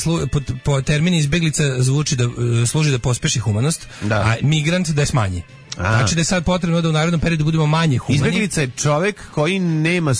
po terminu izbeglica zvuči da služi da pospeši humanost, a migrant da je smanji. Znači da je sad potrebno da u narednom periodu budemo manje humani. Izbeglica je čovjek koji nema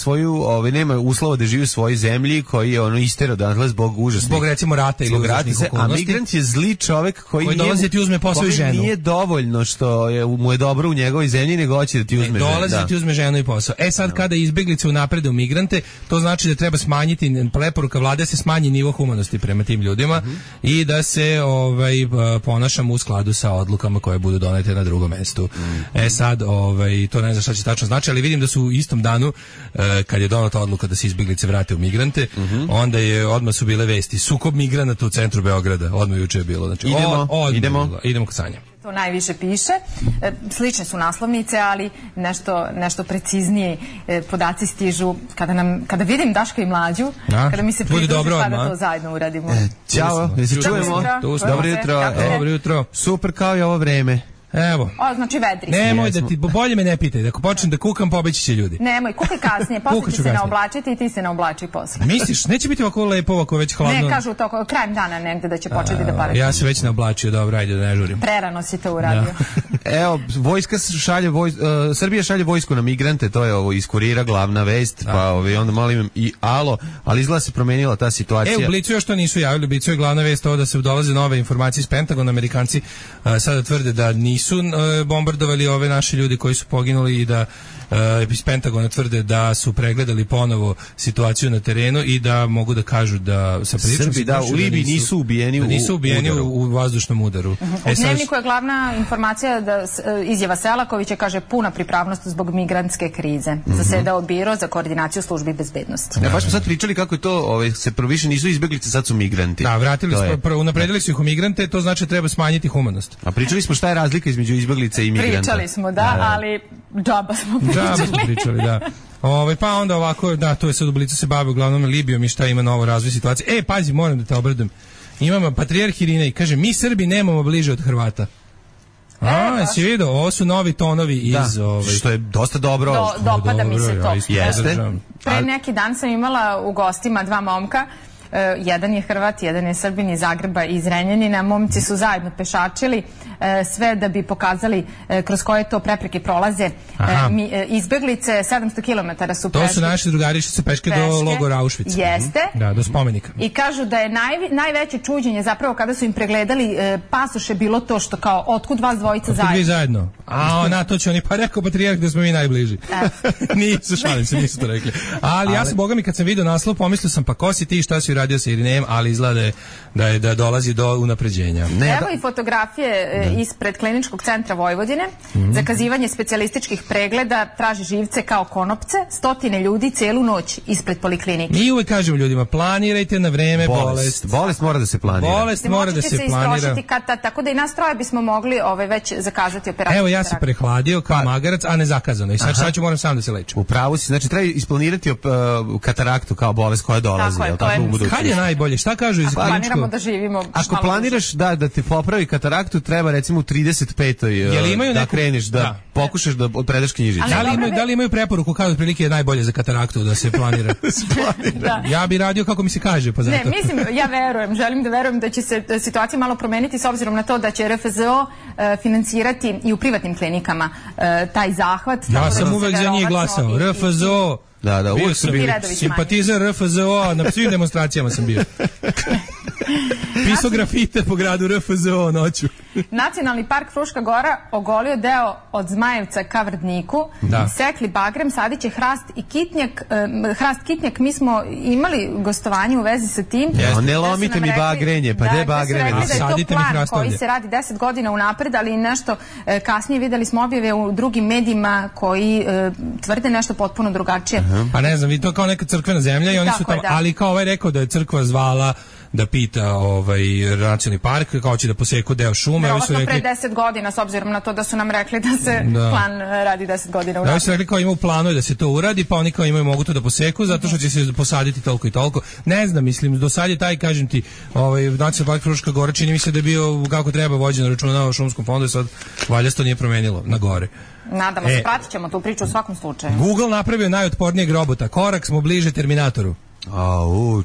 nema uslova da živi u svojoj zemlji, koji je isterao odatle zbog užasnih. Zbog recimo rata ili užasnih okolnosti. A migrant je zli čovjek koji dolazi da ti uzme posao i ženu. Nije dovoljno što mu je dobro u njegovoj zemlji, nego hoće da ti uzme ženu. Dolazi da ti uzme ženu i posao. Sad kada izbeglice unaprede u migrante, to znači da treba smanjiti, preporuka vlade se smanji nivo humanosti prema tim ljudima i da se ponašamo u skladu sa odlukama koje budu donete na drugom mestu. Sad, to ne znam šta će tačno znači, ali vidim da su u istom danu, kad je donata odluka da se izbeglice vrate u migrante, onda odmah su bile vesti. Sukob migranata u centru Beograda, odmah juče je bilo. Znači, idemo kod Sanja. To najviše piše. Slične su naslovnice, ali nešto preciznije podaci stižu kada vidim Daška i Mlađu, kada mi se pridruži pa da to zajedno uradimo. Ćao, se čujemo. Dobro jutro. Super kao i ovo vreme. Evo. Znači vedri. Nemoj da ti, bolje me ne pitaj, ako počnem da kukam, pobeći će ljudi. Nemoj, kukaj kasnije, posle će se naoblačiti i ti se naoblači posle. Misliš, neće biti ovako lepo, ovako već hladno? Ne, kažu to krajem dana negde da će početi da pada. Ja se već naoblačio, dobro, ajde da ne žurim. Prerano si to uradio. Evo, Srbija šalje vojsku na migrante, to je iz Kurira glavna vest, pa onda malo imam i alo, ali izgleda se promenila ta situacija. U Blicu još to nisu javili, u Blicu je glavna vest ovo da se dolaze nove informacije iz Pentagona, Amerikanci sada tvrde da nisu bombardovali ove naše ljudi koji su poginuli i da iz Pentagona tvrde da su pregledali ponovo situaciju na terenu i da mogu da kažu da sa priličnom u Libiji nisu ubijeni u vazdušnom udaru. U Dnevniku je glavna informacija da izjava Selakovića kaže puna pripravnost zbog migrantske krize. Zasedao biro za koordinaciju službi bezbednosti. Baš smo sad pričali kako je to, se više nisu izbeglice, sad su migranti. Da, vratili su, unapredili su ih u migrante, to znači da treba smanjiti humanost. A pričali smo šta je razlika između izbeglice i migranta. Pričali smo, ali džaba smo pričali, da. Pa onda ovako, da, to je sad u Blicu se bavi uglavnom Libijom i šta ima novo razvoj situacije. Pazi, moram da te obradujem. Imamo patrijarh Irinej, kaže, mi Srbi nemamo bliže od Hrvata. Si vidio, ovo su novi tonovi iz... što je dosta dobro. Dopada mi se to. Jeste. Pre neki dan sam imala u gostima dva momka. Jedan je Hrvat, jedan je Srbin iz Zagreba i iz Renjanina. Momci su zajedno pešačili sve da bi pokazali kroz koje to prepreke prolaze. Izbeglice 700 km su prešli. To su naši drugari što se peške do logora Auschwitz. Jeste. Da, do spomenika. I kažu da je najveće čuđenje zapravo kada su im pregledali pasoše bilo to što kao otkud vas dvojica zajedno. Otkud vi zajedno? Na to će oni pa rekao patrijarh da smo mi najbliži. Nisu, šalim se, nisu to rekli. Ali ja sam, boga mi, kad sam vidio naslov, pomislio sam pa ko si ti, šta si uradio sa Irinejem, ali izgleda da dolazi do unapređenja. Evo i fotografije ispred Kliničkog centra Vojvodine. Zakazivanje specijalističkih pregleda, traži živce kao konopce, stotine ljudi celu noć ispred poliklinike. Mi uvek kažemo ljudima, planirajte na vreme bolest. Bolest mora da se planira. Bolest mora da se planira. Tako da i nas troje bismo mogli već zakazati operaciju. Evo, ja se prehladio kao magarac, a ne zakazano. I sad ću moram sam da se lečim. Upravo si, znači treba isplanirati kataraktu kao bolest koja dolazi. Kad je najbolje? Šta kažu iz kliničkog? Planiramo da živimo. Ako planiraš da ti popravi kataraktu, treba recimo u 35. da kreneš, da pokušaš da predaš knjižicu. Da li imaju preporuku kao otprilike je najbolje za kataraktu da se planira? Ja bi radio kako mi se kaže, pa zato. Ne, mislim, ja želim da verujem da će se situacija malo promeniti s obzirom na to da će RFZO finansirati i u privatnim klinikama taj zahvat. Ja sam uvek za njih glasao. RFZO. Da, uvijek sam bio simpatizer RFZO, na svim demonstracijama sam bio. Pisao grafite po gradu RFZO noću. Nacionalni park Fruška Gora ogolio deo od Zmajevca ka Vrdniku, sekli bagrem, sadit će hrast kitnjak. Mi smo imali gostovanje u vezi sa tim. Ne lomite mi bagrenje, pa gde bagrenje? Da je to plan koji se radi 10 godina unapred, ali nešto kasnije videli smo objave u drugim medijima koji tvrde nešto potpuno drugačije. Pa ne znam, to kao neka crkvena zemlja i oni su tamo, ali kao ovaj rekao da je crkva zvala da pita nacionalni park, kao će da poseku deo šume. Verovatno pre 10 godina, s obzirom na to da su nam rekli da se plan radi 10 godina unapred. Da, su rekli kao ima u planu da se to uradi, pa oni kao imaju mogu to da poseku, zato što će se posaditi toliko i toliko. Ne znam, mislim, do sad je taj, kažem ti, nacionalni park Fruška Gora, čini mi se da je bio kako treba vođen računa o šumskom fondu i sad valjda se to nije promenilo na gore. Nadamo se, pratit ćemo tu priču u svakom slučaju. Google napravio najotpornijeg robota. Korak smo bliže Terminatoru.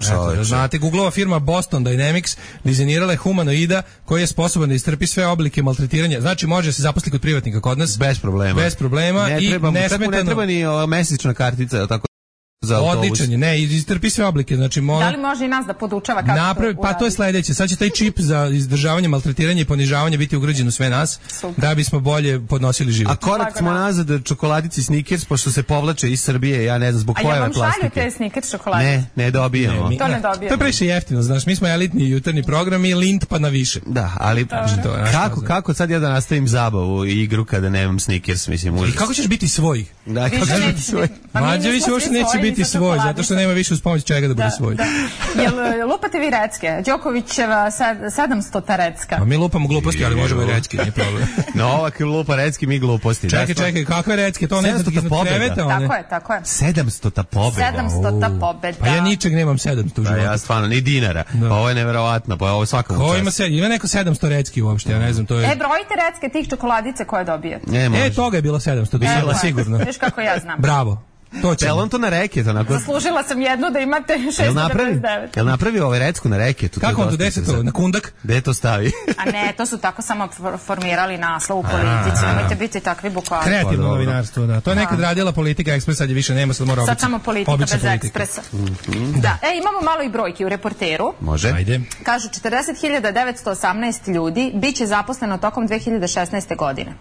Čovječe. Znate, Googleova firma Boston Dynamics dizajnirala je humanoida koji je sposoban da istrpi sve oblike maltretiranja. Znači, može se zaposliti kod privatnika kod nas. Bez problema. Ne treba ni mesečna kartica, tako. Odličan je, ne, istrpi sve oblike, znači da li može i nas da podučava kako pa to je sledeće, sad će taj čip za izdržavanje, maltretiranje i ponižavanje biti ugrađen u sve nas, da bismo bolje podnosili život. A korak smo nazad čokoladici Snickers, pošto se povlače iz Srbije, ja ne znam zbog pojave plastike. A ja vam šalju te Snickers čokoladice? Ne dobijemo. To ne dobijemo. To je previše jeftino, znaš, mi smo elitni jutarnji program i Lind pa na više. Da, ali kako sad ja da nastavim zabavu i igru kada nemam Snickers, mislim. I kako ćeš biti svoj? Da, kako ćeš biti svoj? Mađević uopšte neće biti svoj, zato što nema više uz pomoć čega da bude svoj. Jel lupate vi recke? Đokovićeva 700 recka. A mi lupamo gluposti, ali možemo i recke, nije problem. Novak lupa recki, mi gluposti. Čekaj, kakve recke? To ne znam iznad kreveta. Tako je. 700 pobeda. 700 pobeda. Pa ja ničeg nemam 700 u životu. Ja stvarno, ni dinara. Pa ovo je neverovatno, pa ovo je svakom čast. Ima neko 700 recki uopšte, ja ne znam, to je... Brojite recke tih čokoladice koje dobijete. Toga je bilo 700, bila sigurno. Viš kako ja znam. Bravo. Jel on to na reket? Zaslužila sam jednu da imate 699. Jel napravio ovaj recku na reketu? Kako on to deseto? Na kundak? Gde to stavi? A ne, to su tako samo formirali naslov u politici. Nemojte biti takvi bukvalni. Kreativno novinarstvo, da. To je nekad radila Politika Ekspres, sad je više nema, sad mora obično. Sad samo politika bez Ekspresa. Da, imamo malo i brojki u Reporteru. Može. Ajde. Kažu 40.918 ljudi biće zaposleno tokom 2016. godine.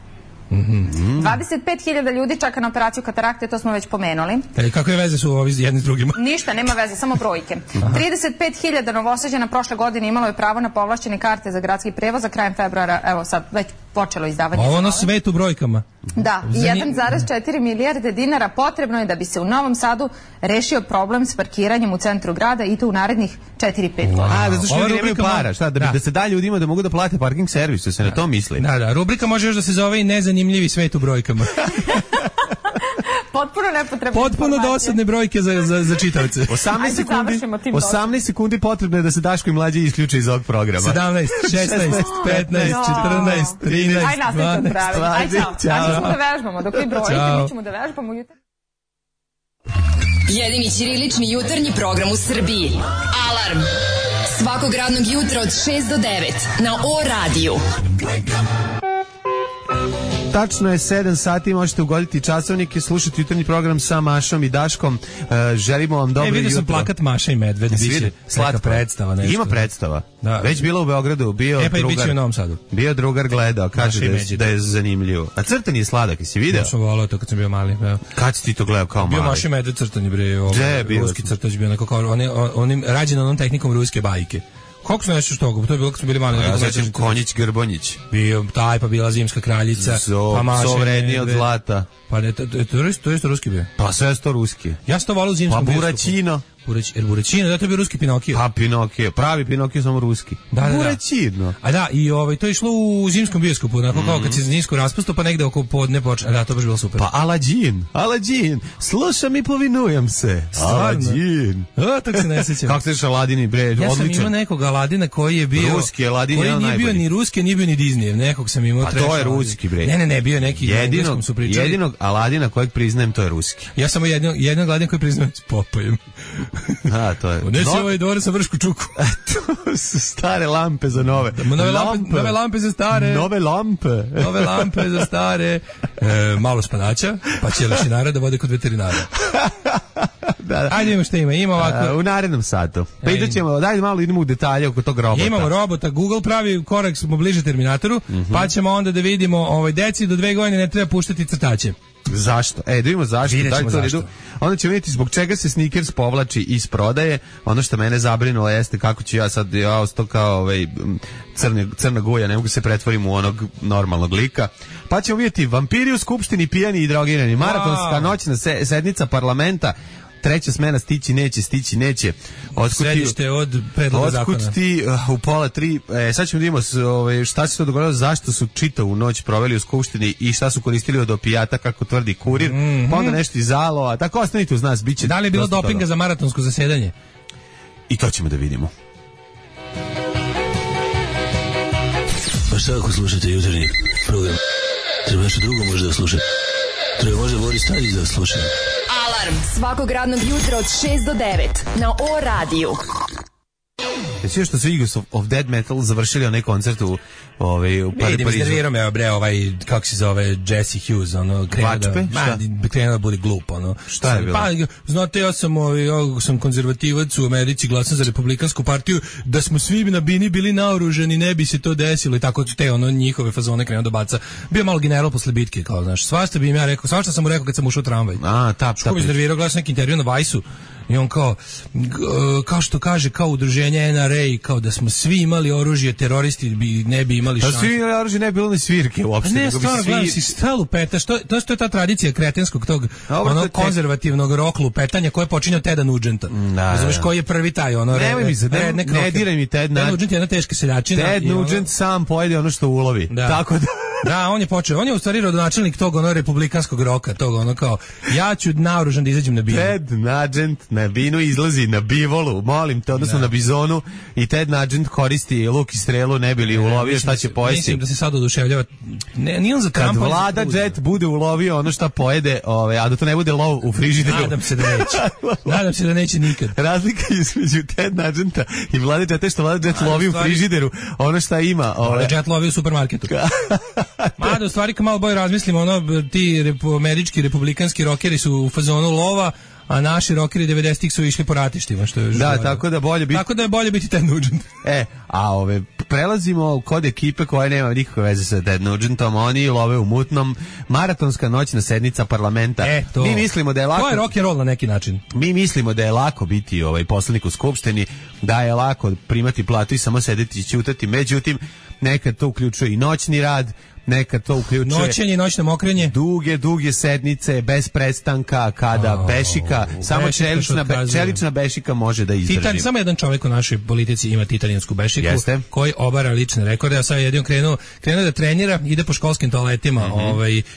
25.000 ljudi čeka na operaciju katarakte, to smo već pomenuli. Kakve veze su ovi jedni s drugima? Ništa, nema veze, samo brojke. 35.000 Novosađana prošle godine imalo je pravo na povlašćene karte za gradski prevoz, a krajem februara, evo sad, već počelo izdavanje. Ovo na svet u brojkama. Da, 1,4 milijarde dinara potrebno je da bi se u Novom Sadu rešio problem s parkiranjem u centru grada i to u narednih 4-5 godina. Zato što ljudi nemaju para, šta, da se da ljudima da mogu da plate parking servis, da se na to misli. Da, rubrika može još da se zove i nezanimljivi svet u brojkama. Potpuno nepotrebne. Potpuno dosadne brojke za čitavce. 18 sekundi potrebno je da se Daško i Mlađe isključe iz ovog programa. 17, 16, 15, 14, 13, 12. Ajde, ćemo da vežbamo. Dok vi brojite, mi ćemo da vežbamo jutar. Jedini ćirilični jutarnji program u Srbiji. Alarm. Svakog radnog jutra od 6 do 9 na O-radiju. Tačno je 7 sati, možete ugoditi časovnike, slušati jutarnji program sa Mašom i Daškom. Želimo vam dobro jutro. Vidio sam plakat Maša i Medved, biće slatka predstava. Nešto. Ima predstava. Da. Već bilo u Beogradu, bio pa drugar. U Novom Sadu. Bio drugar gledao, kaže da je zanimljivo. A crtan je sladak, jesi video? Ja sam volao to kad sam bio mali. Ja. Kad si ti to gledao kao mali? Bio Maša i Medved crtani bre, ruski crtač bio onako kao onim rađen onom tehnikom ruske bajke. Kako se nešto toga? To je bilo kad smo bili mali. Ja sećam Konjić Grbonjić. Bio taj, pa bila Zimska kraljica. Pa Maša. Sovredniji od zlata. Pa ne, to je isto ruski bio. Pa sve je to ruski. Ja sam to volao u Zimskom biskupu. Pa Buraćino. Buraćino, da to je bio ruski Pinokio. Pa Pinokio, pravi Pinokio, samo ruski. Buraćino. A da, i to je išlo u Zimskom biskupu, onako kao kad se Zimsko raspusto, pa negde oko podne počne. Da, to baš bilo super. Pa Aladžin, slušam i povinujem se. Aladžin. Tako se ne sjećam. Kako se ješ Aladini, bre, odličan. Ja sam imao nekog Aladina koji je bio... Ruski Aladin je koji nije bio ni ruski, nije bio ni Disneyev. Nekog sam imao treći. A to je ruski, bre. Ne, bio neki. Jedinog Aladina kojeg priznajem, to je ruski. Ja sam jednog Aladina koji priznajem s Popojem. A, to je. Nesi ovaj dvore sa vršku čuku. To su stare lampe za nove. Nove lampe za stare. Nove lampe za stare. Malo spanaća, pa će lešinara da vode kod veterinara. Da. Ajde imamo šta ima ovako. U narednom satu. Pa idemo, daj malo idemo u detalje oko tog robota. Imamo robota, Google pravi korak, smo bliže Terminatoru, pa ćemo onda da vidimo, deci do 2 godine ne treba puštati crtače. Zašto? Da vidimo zašto. Vidjet ćemo zašto. Onda ćemo vidjeti zbog čega se Snickers povlači iz prodaje. Ono što mene zabrinulo jeste kako ću ja sad, ostao kao crna guja, ne mogu se pretvorim u onog normalnog lika. Pa ćemo vidjeti vampiri u skupštini pijani i drogirani. Maratonska noćna sednica parlamenta. Treća smena stići neće. Središte od predloga zakona. Otkud ti u 2:30. Sad ćemo da vidimo šta se to dogodilo, zašto su čitavu noć proveli u skupštini i šta su koristili od opijata, kako tvrdi Kurir. Pa onda nešto iz Aloa. Tako ostanite uz nas, biće. Da li je bilo dopinga za maratonsko zasedanje? I to ćemo da vidimo. Pa šta ako slušate jutarnji program? Treba nešto drugo možda da slušate. Treba možda Boris Tadić da sluša. Alarm svakog radnog jutra od 6 do 9 na O-radiju. Jesi što su Eagles of Dead Metal završili onaj koncert u Parizu? Iznervirao me, kako se zove, Jesse Hughes, krenuo da bude glup, Šta je bilo? Pa, znate, ja sam konzervativac u Americi, glasam za Republikansku partiju, da smo svi na bini bili naoružani, ne bi se to desilo i tako te njihove fazone krenuo da baca. Bio malo general posle bitke, kao, znaš, svašta bi im ja rekao, svašta sam mu rekao kad sam ušao u tramvaj. Što bi iznervirao, gledao sam neki intervju na Vajsu, i on kao što kaže, kao udruženje NRA, kao da smo svi imali oružje, teroristi ne bi imali šanse. Da svi imali oružje, ne bi bilo ni svirke uopšte. Ne, stvarno, gledam si stalu peta, to je ta tradicija kretenskog tog, konzervativnog rock lupetanja koje počinje od Teda Nugenta. Znaš koji je prvi taj, Nemoj mi se, ne diraj mi Ted Nugent je jedna teška seljačina. Ted Nugent sam pojede ono što ulovi. Tako da... Da, on je u stvari rodonačelnik tog republikanskog roka, tog kao, ja ću naoružan da izađem na binu. Ted Nugent na binu izlazi na bivolu, molim te, odnosno na bizonu, i Ted Nugent koristi luk i strelu, ne bi li ulovio šta će pojesti. Mislim da se sad oduševljava. Nije on za Trumpa. Kad Vlada Jet bude ulovio ono šta pojede, a da to ne bude lov u frižideru. Nadam se da neće nikad. Razlika između Ted Nugenta i Vlada Jet je što Vlada Jet lovi u frižideru ono šta ima. Vlada Jet lovi u supermarketu. Mada, u stvari, kad malo bolje razmislimo, ti američki republikanski rokeri su u fazonu lova, a naši rokeri 90-ih su išli po ratištima, što je tako da je bolje biti Ted Nugent. Prelazimo kod ekipe koja nema nikakve veze sa Ted Nugentom, oni love u mutnom. Maratonska noćna sednica parlamenta. Mi mislimo da je lako. To je rock and roll na neki način. Mi mislimo da je lako biti poslanik u skupštini, da je lako primati platu i samo sedeti i ćutati. Međutim, nekad to uključuje i noćni rad, nekad to uključuje noćenje i noćno mokrenje, duge sednice bez prestanka, kada bešika, samo čelična bešika može da izdrži. Samo jedan čovjek u našoj politici ima titanijansku bešiku, koji obara lične rekorde, a sad je jedino krenuo da trenira, ide po školskim toaletima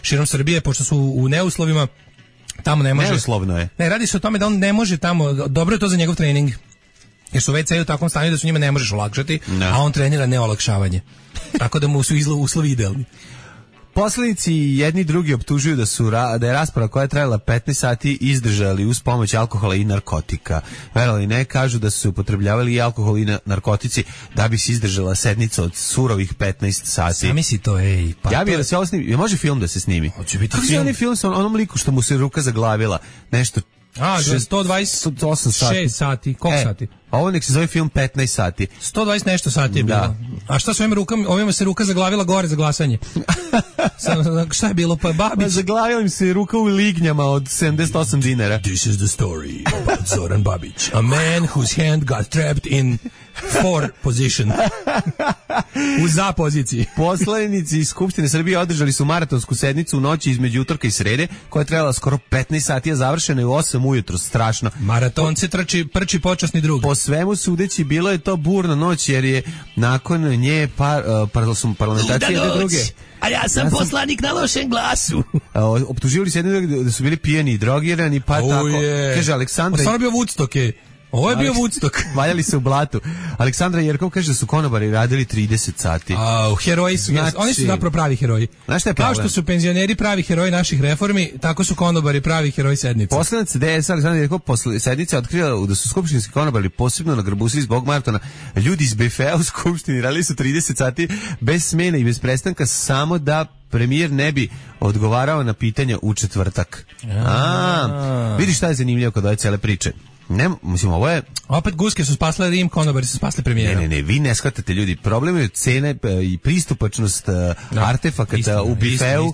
širom Srbije, pošto su u neuslovima, tamo ne može. Neuslovno je. Ne, radi se o tome da on ne može tamo, dobro je to za njegov trening. Jer su WC u takvom stanju da su njima ne možeš olakšati, a on trenira neolakšavanje. Tako da mu su uslovi idealni. Poslanici jedni drugi optužuju da je rasprava koja je trajala 15 sati izdržali uz pomoć alkohola i narkotika. Verovali ne, kažu da su se upotrebljavali i alkohol i narkotici da bi se izdržala sednica od surovih 15 sati. Sami si to, pa ja bih da se ovo snimi. Može film da se snimi? Hoće biti film. Kako je film sa onom liku što mu se ruka zaglavila? Nešto 126 sati. Koliko sati? Ovo nek se zove film 15 sati. 120 nešto sati je bilo. A šta s ovima se ruka zaglavila gore za glasanje? Šta je bilo? Pa Babić. Zaglavila im se ruka u lignjama od 78 dinara. This is the story about Zoran Babić. A man whose hand got trapped in 4 position. U za poziciji. Poslanici iz Skupštine Srbije održali su maratonsku sednicu u noći između utorka i srede, koja je trajala skoro 15 sati, a završena je u 8 ujutro. Strašno. Maratonce prči počasni drug. Po svemu sudeći, bilo je to burna noć, jer je nakon nje parlamentarci jedne druge. A ja sam poslanik na lošem glasu. Optuživali se jedne druge da su bili pijeni i drogirani, pa tako. Kaže Aleksandra... Stvarno bio Woodstock, Ovo je bio Woodstock. Valjali se u blatu. Aleksandra Jerkov kaže da su konobari radili 30 sati. Heroji su, oni su zapravo pravi heroji. Znaš šta je problem? Kao što su penzioneri pravi heroji naših reformi, tako su konobari pravi heroji sednice. Poslanic DS Aleksandra Jerkov posle sednice otkrila da su skupštinski konobari posebno nagrbusili zbog maratona. Ljudi iz BFA u skupštini radili su 30 sati bez smene i bez prestanka samo da premijer ne bi odgovarao na pitanja u četvrtak. Vidiš šta je zanimljivo kod ove cele priče. Ne, mislim, ovo je... Opet guske su spasle Rim, konobari su spasle premijera. Ne, vi ne shvatate, ljudi. Problem je cene i pristupačnost artefakata u bifeu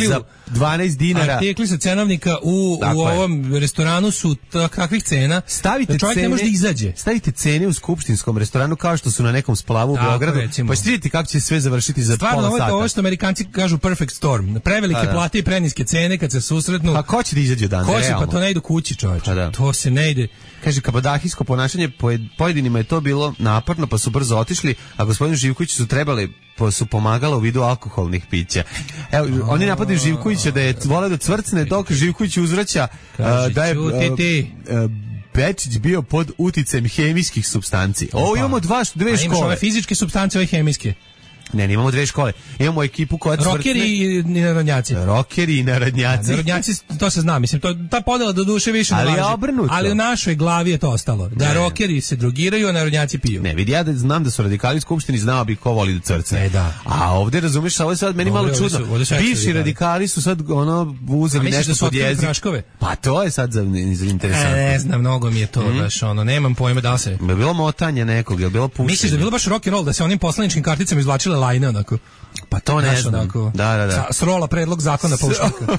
za 12 dinara. Artikli sa cenovnika u ovom restoranu su kakvih cena stavite da čovjek cene, ne može da izađe. Stavite cene u skupštinskom restoranu kao što su na nekom splavu u Beogradu, pa ćete vidjeti kako će sve završiti za pola sata. Stvarno, ovo što Amerikanci kažu perfect storm. Prevelike plate i preniske cene kad se susretnu. A ko će da izađe dan? Ko će, pa to ne ide kući, čovječe. To se ne ide. Kaže, kabadahijsko ponašanje pojedinima je to bilo naporno, pa su brzo otišli, a gospodinu Živkoviću su trebali, pa su pomagala u vidu alkoholnih pića. Evo, oni napadaju Živkovića da je voleo da cvrcne, dok Živković uzvraća da je Bečić bio pod uticajem hemijskih supstanci. Ovo imamo dve škole. A imaš ove fizičke supstance, ove hemijske. Ne, imamo dve škole. Imamo ekipu koja cvrtne. Rokeri i narodnjaci. Rokeri i narodnjaci. Narodnjaci, to se zna, mislim, ta podela do duše više ne važi. Ali u našoj glavi je to ostalo. Da rokeri se drogiraju, a narodnjaci piju. Ne, vidi, ja da znam da su radikali u skupštini, znao bi ko voli da crcne. Da. A ovde, razumiješ, ovo je sad meni malo čudno. Bivši radikali su sad uzeli nešto pod jezik. Pa to je sad za interesantno. Ne znam, mnogo mi je to baš, nemam pojma da se. Je bilo motanje nekog, je bilo pušenje. Misliš da je bilo baš rock and roll, da se onim poslaničkim karticama izvlačile lajne onako? Pa to ne znam. Onako, da. Srola predlog zakona paušnika.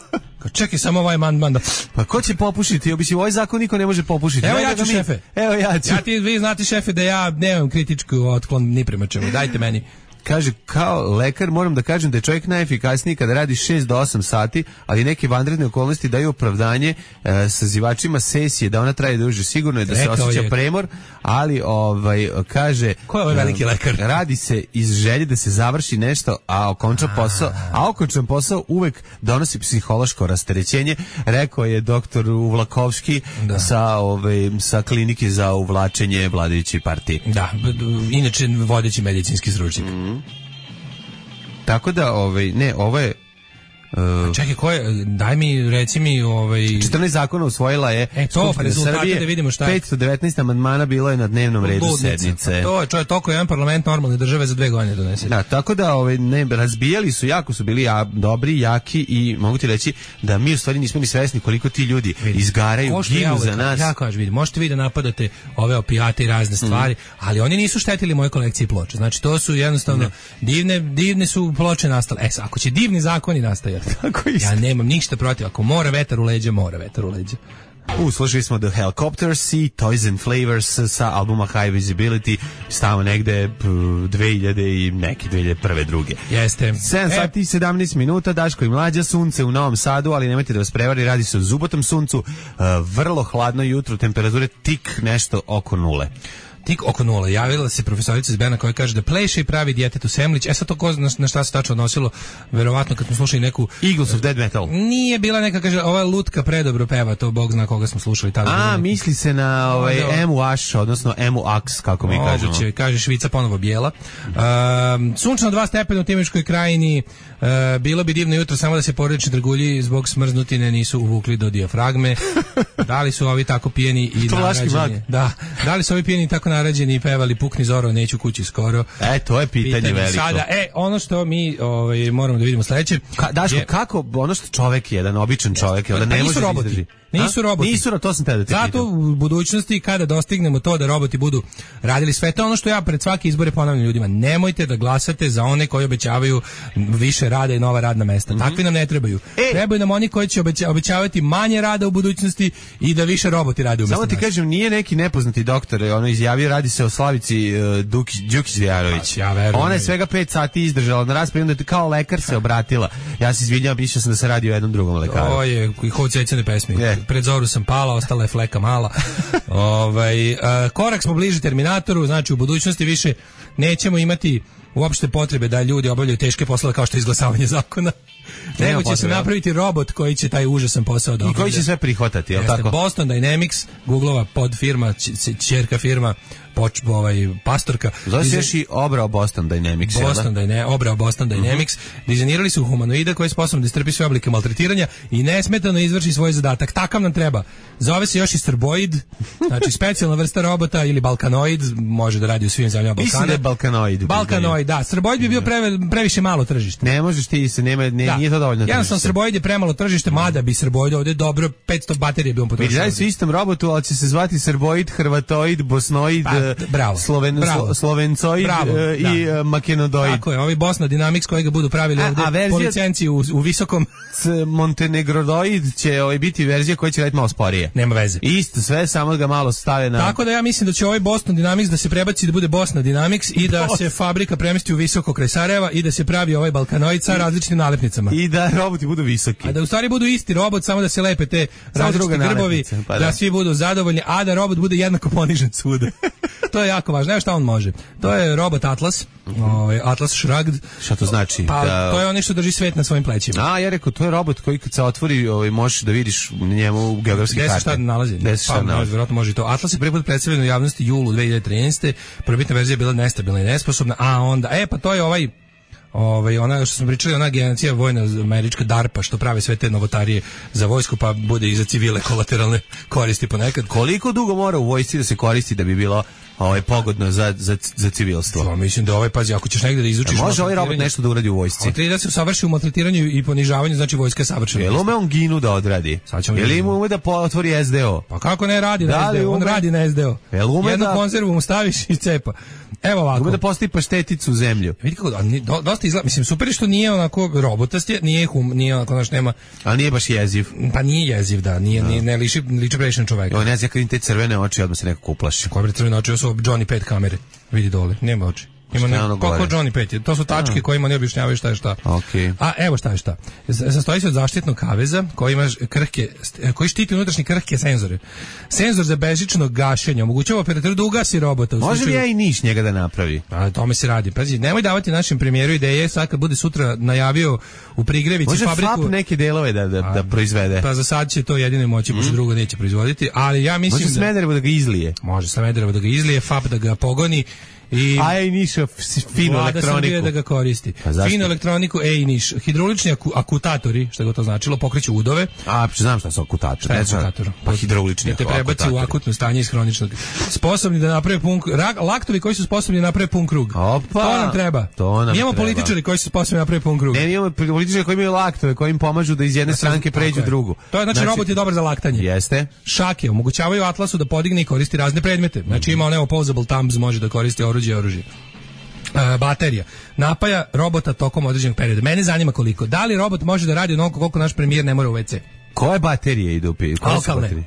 Čekaj samo ovaj amandman da... Pa ko će popušiti? Obično ovaj zakon niko ne može popušiti. Evo ja ću, šefe. Evo ja ću. Vi znate, šefe, da ja nemam kritičku otklon ni prema čemu. Dajte meni. Kaže, kao lekar moram da kažem da je čovjek najefikasniji kada radi 6 do 8 sati, ali neke vanredne okolnosti daju opravdanje sazivačima sesije da ona traje duže. Sigurno je da se osjeća premor, ali kaže... Ko je ovaj veliki lekar? Radi se iz želje da se završi nešto, a okončan posao uvek donosi psihološko rasterećenje, rekao je doktor Uvlakovski sa klinike za uvlačenje vladajuće partije. Da, inače vodeći medicinski stručnjak. Tako da, ovo je... Čekaj, ko je, daj mi, reci mi... 14 zakona usvojila je Skupština Srbije, da vidimo šta je. 519 amandmana bilo je na dnevnom redu sednice. To je toliko jedan parlament normalne države za 2 godine donese. Da, tako da razbijali su, jako su bili dobri, jaki i mogu ti reći da mi u stvari nismo ni svesni koliko ti ljudi izgaraju, ginu za nas. Ja kažem, vidi, možete vi da napadate ove opijate i razne stvari, ali oni nisu štetili moje kolekcije ploča. Znači, to su jednostavno divne su ploče nastale. Ako će divni zakoni nastajati, ja nemam ništa protiv. Ako mora vetar u leđa, mora vetar u leđa. Slušali smo The Helicopters i Toys and Flavors sa albuma High Visibility, stava negde 2000 i neke 2001. druge. Jeste. 7 sati i 17 minuta, Daško i Mlađa, sunce u Novom Sadu, ali nemojte da vas prevari, radi se o zubotom suncu, vrlo hladno jutro, temperature tik nešto oko nule. Tik oko nula. Javila se profesorica iz Berna koja kaže da pleše i pravi djetetu semlić. Sad to na šta se tačno odnosilo? Verovatno kad smo slušali neku... Eagles of Dead Metal. Nije bila neka, kaže, ova lutka predobro peva, to Bog zna koga smo slušali tada. Misli se na Emu Ash, odnosno Emu Ax, kako mi kažemo. Moguće, kaže Švica ponovo bijela. Sunčano 2 stepena u Timočkoj krajini. Bilo bi divno jutro samo da se porodični dragulji zbog smrznutine nisu uvukli do dijafragme. Da li su ovi tako pijeni i narađeni? Da li su ovi pijeni tako narađeni i pevali Pukni Zoro, neću kući skoro? To je pitanje veliko. Sada, ono što mi moramo da vidimo sledeće. Daško, kako ono što čovek je, jedan običan čovek, da ne može roboti. Nisu roboti. To sam te da te pitam. Zato u budućnosti kada dostignemo to da roboti budu radili sve, to ono što ja pred svake izbore ponavljam ljudima, nemojte da glasate za one koji obećavaju više rada i nova radna mesta. Takvi nam ne trebaju. Trebaju nam oni koji će obećavati manje rada u budućnosti i da više roboti rade umjesto nas. Samo ti kažem, nije neki nepoznati doktor, izjavio, radi se o Slavici Đukić-Vjarović. Ona je svega 5 sati izdržala na raspravi, onda kao lekar se obratila. Ja se izvinjavam, mislio sam da se radi o jednom drugom lekaru. Ovo je Hod Cecene pesmi. Pred zoru sam pala, ostala je fleka mala. Korak smo bliže Terminatoru, znači u budućnosti više nećemo imati uopšte potrebe da ljudi obavljaju teške poslove kao što je izglasavanje zakona. Nego će se napraviti robot koji će taj užasan posao da obavlja. I koji će sve prihvatati, je li tako? Boston Dynamics, Googleova podfirma, ćerka firma, pastorka. Zove se još i obrao Boston Dynamics. Obrao Boston Dynamics. Dizajnirali su humanoida koji je sposoban da istrpi sve oblike maltretiranja i nesmetano izvrši svoj zadatak. Takav nam treba. Zove se još i Srboid, znači specijalna vrsta robota ili Balkanoid, može da radi u svim zemljama Balkana. Mislim da je Srboid, da. Srboid bi bio previše malo tržište. Ne možeš ti se, nije to dovoljno tržište. Jednostavno Srboid je premalo tržište, mada bi Srboid ovdje dobro 500 baterije bi on potrošio. Vidjeli su istom robotu, ali će se zvati Srboid, Hrvatoid, Bosnoid, Slovencoid i Makenodoid. Tako je, ovaj Bosna Dynamics kojega budu pravili ovdje po licenciji u visokom. Montenegrodoid će biti verzija koja će raditi malo sporije. Nema veze. Isto, sve, samo ga malo stave na... Tako da ja mislim da će ovaj Boston Dynamics da se prebaci da bude Bosna Dynamics i da se fabrika premesti u visoko kraj Sarajeva i da se pravi ovaj Balkanoid sa različitim nalepnicama. I da roboti budu visoki. A da u stvari budu isti robot, samo da se lepe te različite grbovi, da svi budu zadovoljni, a da robot bude jednako ponižen svuda. To je jako važno. Evo šta on može. To je robot Atlas, Atlas Shrugged. Šta to znači? Pa to je on što drži svet na svojim plećima. A ja rekao, to je robot koji kad se otvori, možeš da vidiš njemu geografske karte. Gde se šta nalazi? Vjerojatno može to. Atlas je prvi put predstavljen u javnosti julu 2013. Prvobitna verzija je bila nestabilna i nesposobna, a onda, pa to je ona što smo pričali, ona agencija vojna američka DARPA što pravi sve te novotarije za vojsku, pa bude i za civile kolateralne koristi ponekad. Koliko dugo mora u vojsci da se koristi da bi bilo pogodno za civilstvo? To, mislim da pazi, ako ćeš negde da izučiš... Može ovaj robot nešto da uradi u vojsci? On treba da se usavrši u maltretiranju i ponižavanju, znači vojska je savršena. Jel ume on ginu da odradi? Jel ima ume da otvori SDO? Pa kako ne radi na SDO? On radi na SDO. Jednu konzervu mu staviš i cepa. Evo ovako. Ume da postavi pašteticu u zemlju. Vidi kako, dosta izgleda, mislim, super je što nije onako robotast, nije onako, znaš, nema... Ali nije baš jeziv. Pa nije jeziv, da, ne liči previše na čoveka. Evo, ne znam, kad im te crvene oči, odmah se nekako uplaši. Koje bre crvene oči, ovo su Johnny 5 kamere, vidi dole, nema oči. Koliko Johnny 5 to su tačke kojima ne objašnjavaju šta je šta. Okay. A evo šta je šta. Sastoji se od zaštitnog kaveza koji štiti unutrašnje krhke senzore. Senzor za bežično gašenje omogućava operatoru da ugasi robota. Može li ja i niš njega da napravi? A tome se radi. Pazi, nemoj davati našem premijeru ideje, sad kad bude sutra najavio u Prigrevici fabriku. Može FAP neke delove da proizvede. Pa za sad će to jedino moći, pošto drugo neće proizvoditi, ali ja mislim može Smederevo da ga izlije. Može Smederevo da ga izlije, FAP da ga pogoni. I niša finu elektroniku. Da ga koristi. Finu elektroniku, niš. Hidraulični akutatori, što je to značilo, pokreću udove. Znam šta su akutatori. Šta je akutator? Pa hidraulični akutatori. Te prebaci u akutno stanje iz hroničnog. Sposobni da naprave pun krug. Laktovi koji su sposobni da naprave pun krug. Opa, to nam treba. Imamo političari koji su sposobni da naprave pun krug. Ne, imamo političari koji imaju laktove, koji im pomažu da iz jedne stranke pređu drugu. To je, znači, robot je dobar za laktanje. Jeste. Šake omogućavaju Atlasu da podigne i koristi razne predmete. Znači ima onaj opposable thumbs, može da koristi oružje. Baterija napaja robota tokom određenog perioda. Mene zanima koliko. Da li robot može da radi onoliko koliko naš premijer ne mora u WC? Koje baterije idu? Alkalne.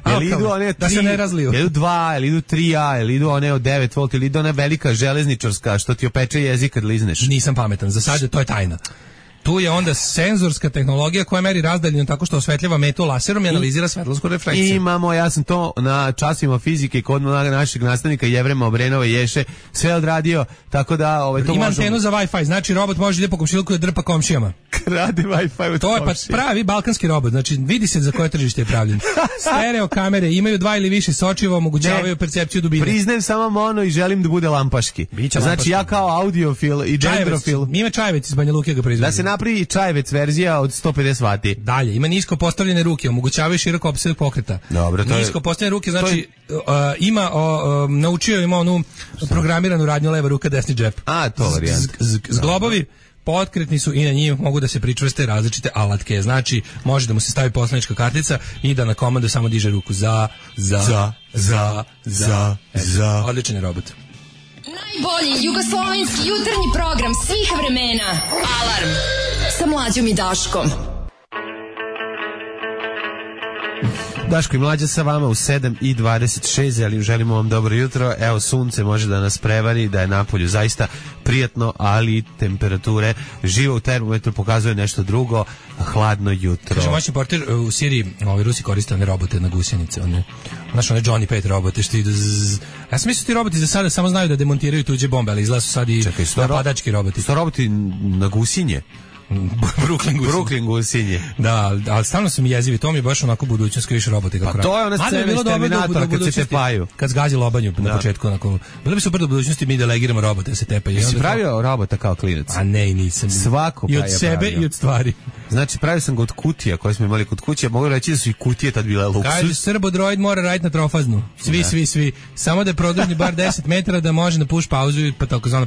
Jel idu one 3, da se ne razliju. Jel idu 2, jel idu 3A, jel idu one od 9 volt, jel idu ona velika železničarska što ti opeče jezik kad lizneš? Nisam pametan, za sad to je tajna. Tu je onda senzorska tehnologija koja meri razdaljinu tako što osvetljava metu laserom i analizira svetlosku refleksiju. Imamo, ja sam to na časima fizike kod našeg nastavnika Jevrema Obrenova Ješe sve odradio, tako da to možemo... Ima antenu za Wi-Fi, znači robot može ide po komšiluku da drpa komšijama. Radi Wi-Fi od to je pa pravi balkanski robot, znači vidi se za koje tržište je pravljen. Stereo kamere imaju 2 ili više sočiva, omogućavaju percepciju dubine. Priznajem samo mono i želim da bude lampaški. Znači ja kao audiofil i dendrofil. Ima Čajevec iz Banja Luke ga proizvodi. Da se napravi Čajevec verzija od 150 vati. Dalje, ima nisko postavljene ruke, omogućavaju široko opseg pokreta. Dobro, to je... Nisko postavljene ruke, znači naučio ima onu programiranu radnju leva ruka, desni džep. To varijant. Zglobovi potkretni su i na njih mogu da se pričvrste različite alatke. Znači, može da mu se stavi poslanička kartica i da na komandu samo diže ruku za. Odličan je robot. Najbolji jugoslovenski jutarnji program svih vremena. Alarm sa Mlađom i Daškom. Daško i Mlađa sa vama u 7:26, ali želimo vam dobro jutro. Evo, sunce može da nas prevari, da je napolju zaista prijatno, ali temperature živo u termometru pokazuje nešto drugo, hladno jutro. Kaže, moćni portir u Siriji, Rusi koriste one robote na gusjenice, znaš, one Johnny 5 robote što idu ja sam mislio ti roboti za sada samo znaju da demontiraju tuđe bombe, ali izgleda su sad i napadački roboti. Sto roboti na gusinje? Brooklyn gusinje. Da, ali stalno su mi jezivi, to mi je baš onako budućnost koji više robote kako radi. Pa to je ona scena iz Terminatora kad se tepaju. Kad zgazi lobanju na početku. Bilo bi super do budućnosti mi delegiramo robote da se tepaju. Si pravio robota kao klinac? A ne, nisam. Svako i od sebe i od stvari. Znači, pravio sam ga od kutija koje smo imali kod kuće. Mogu reći da su i kutije tad bile luksus. Kaže, Srbodroid mora raditi na trofaznu. Svi. Samo da je produžni bar 10 metara da može da puš pauzu, pa takozvana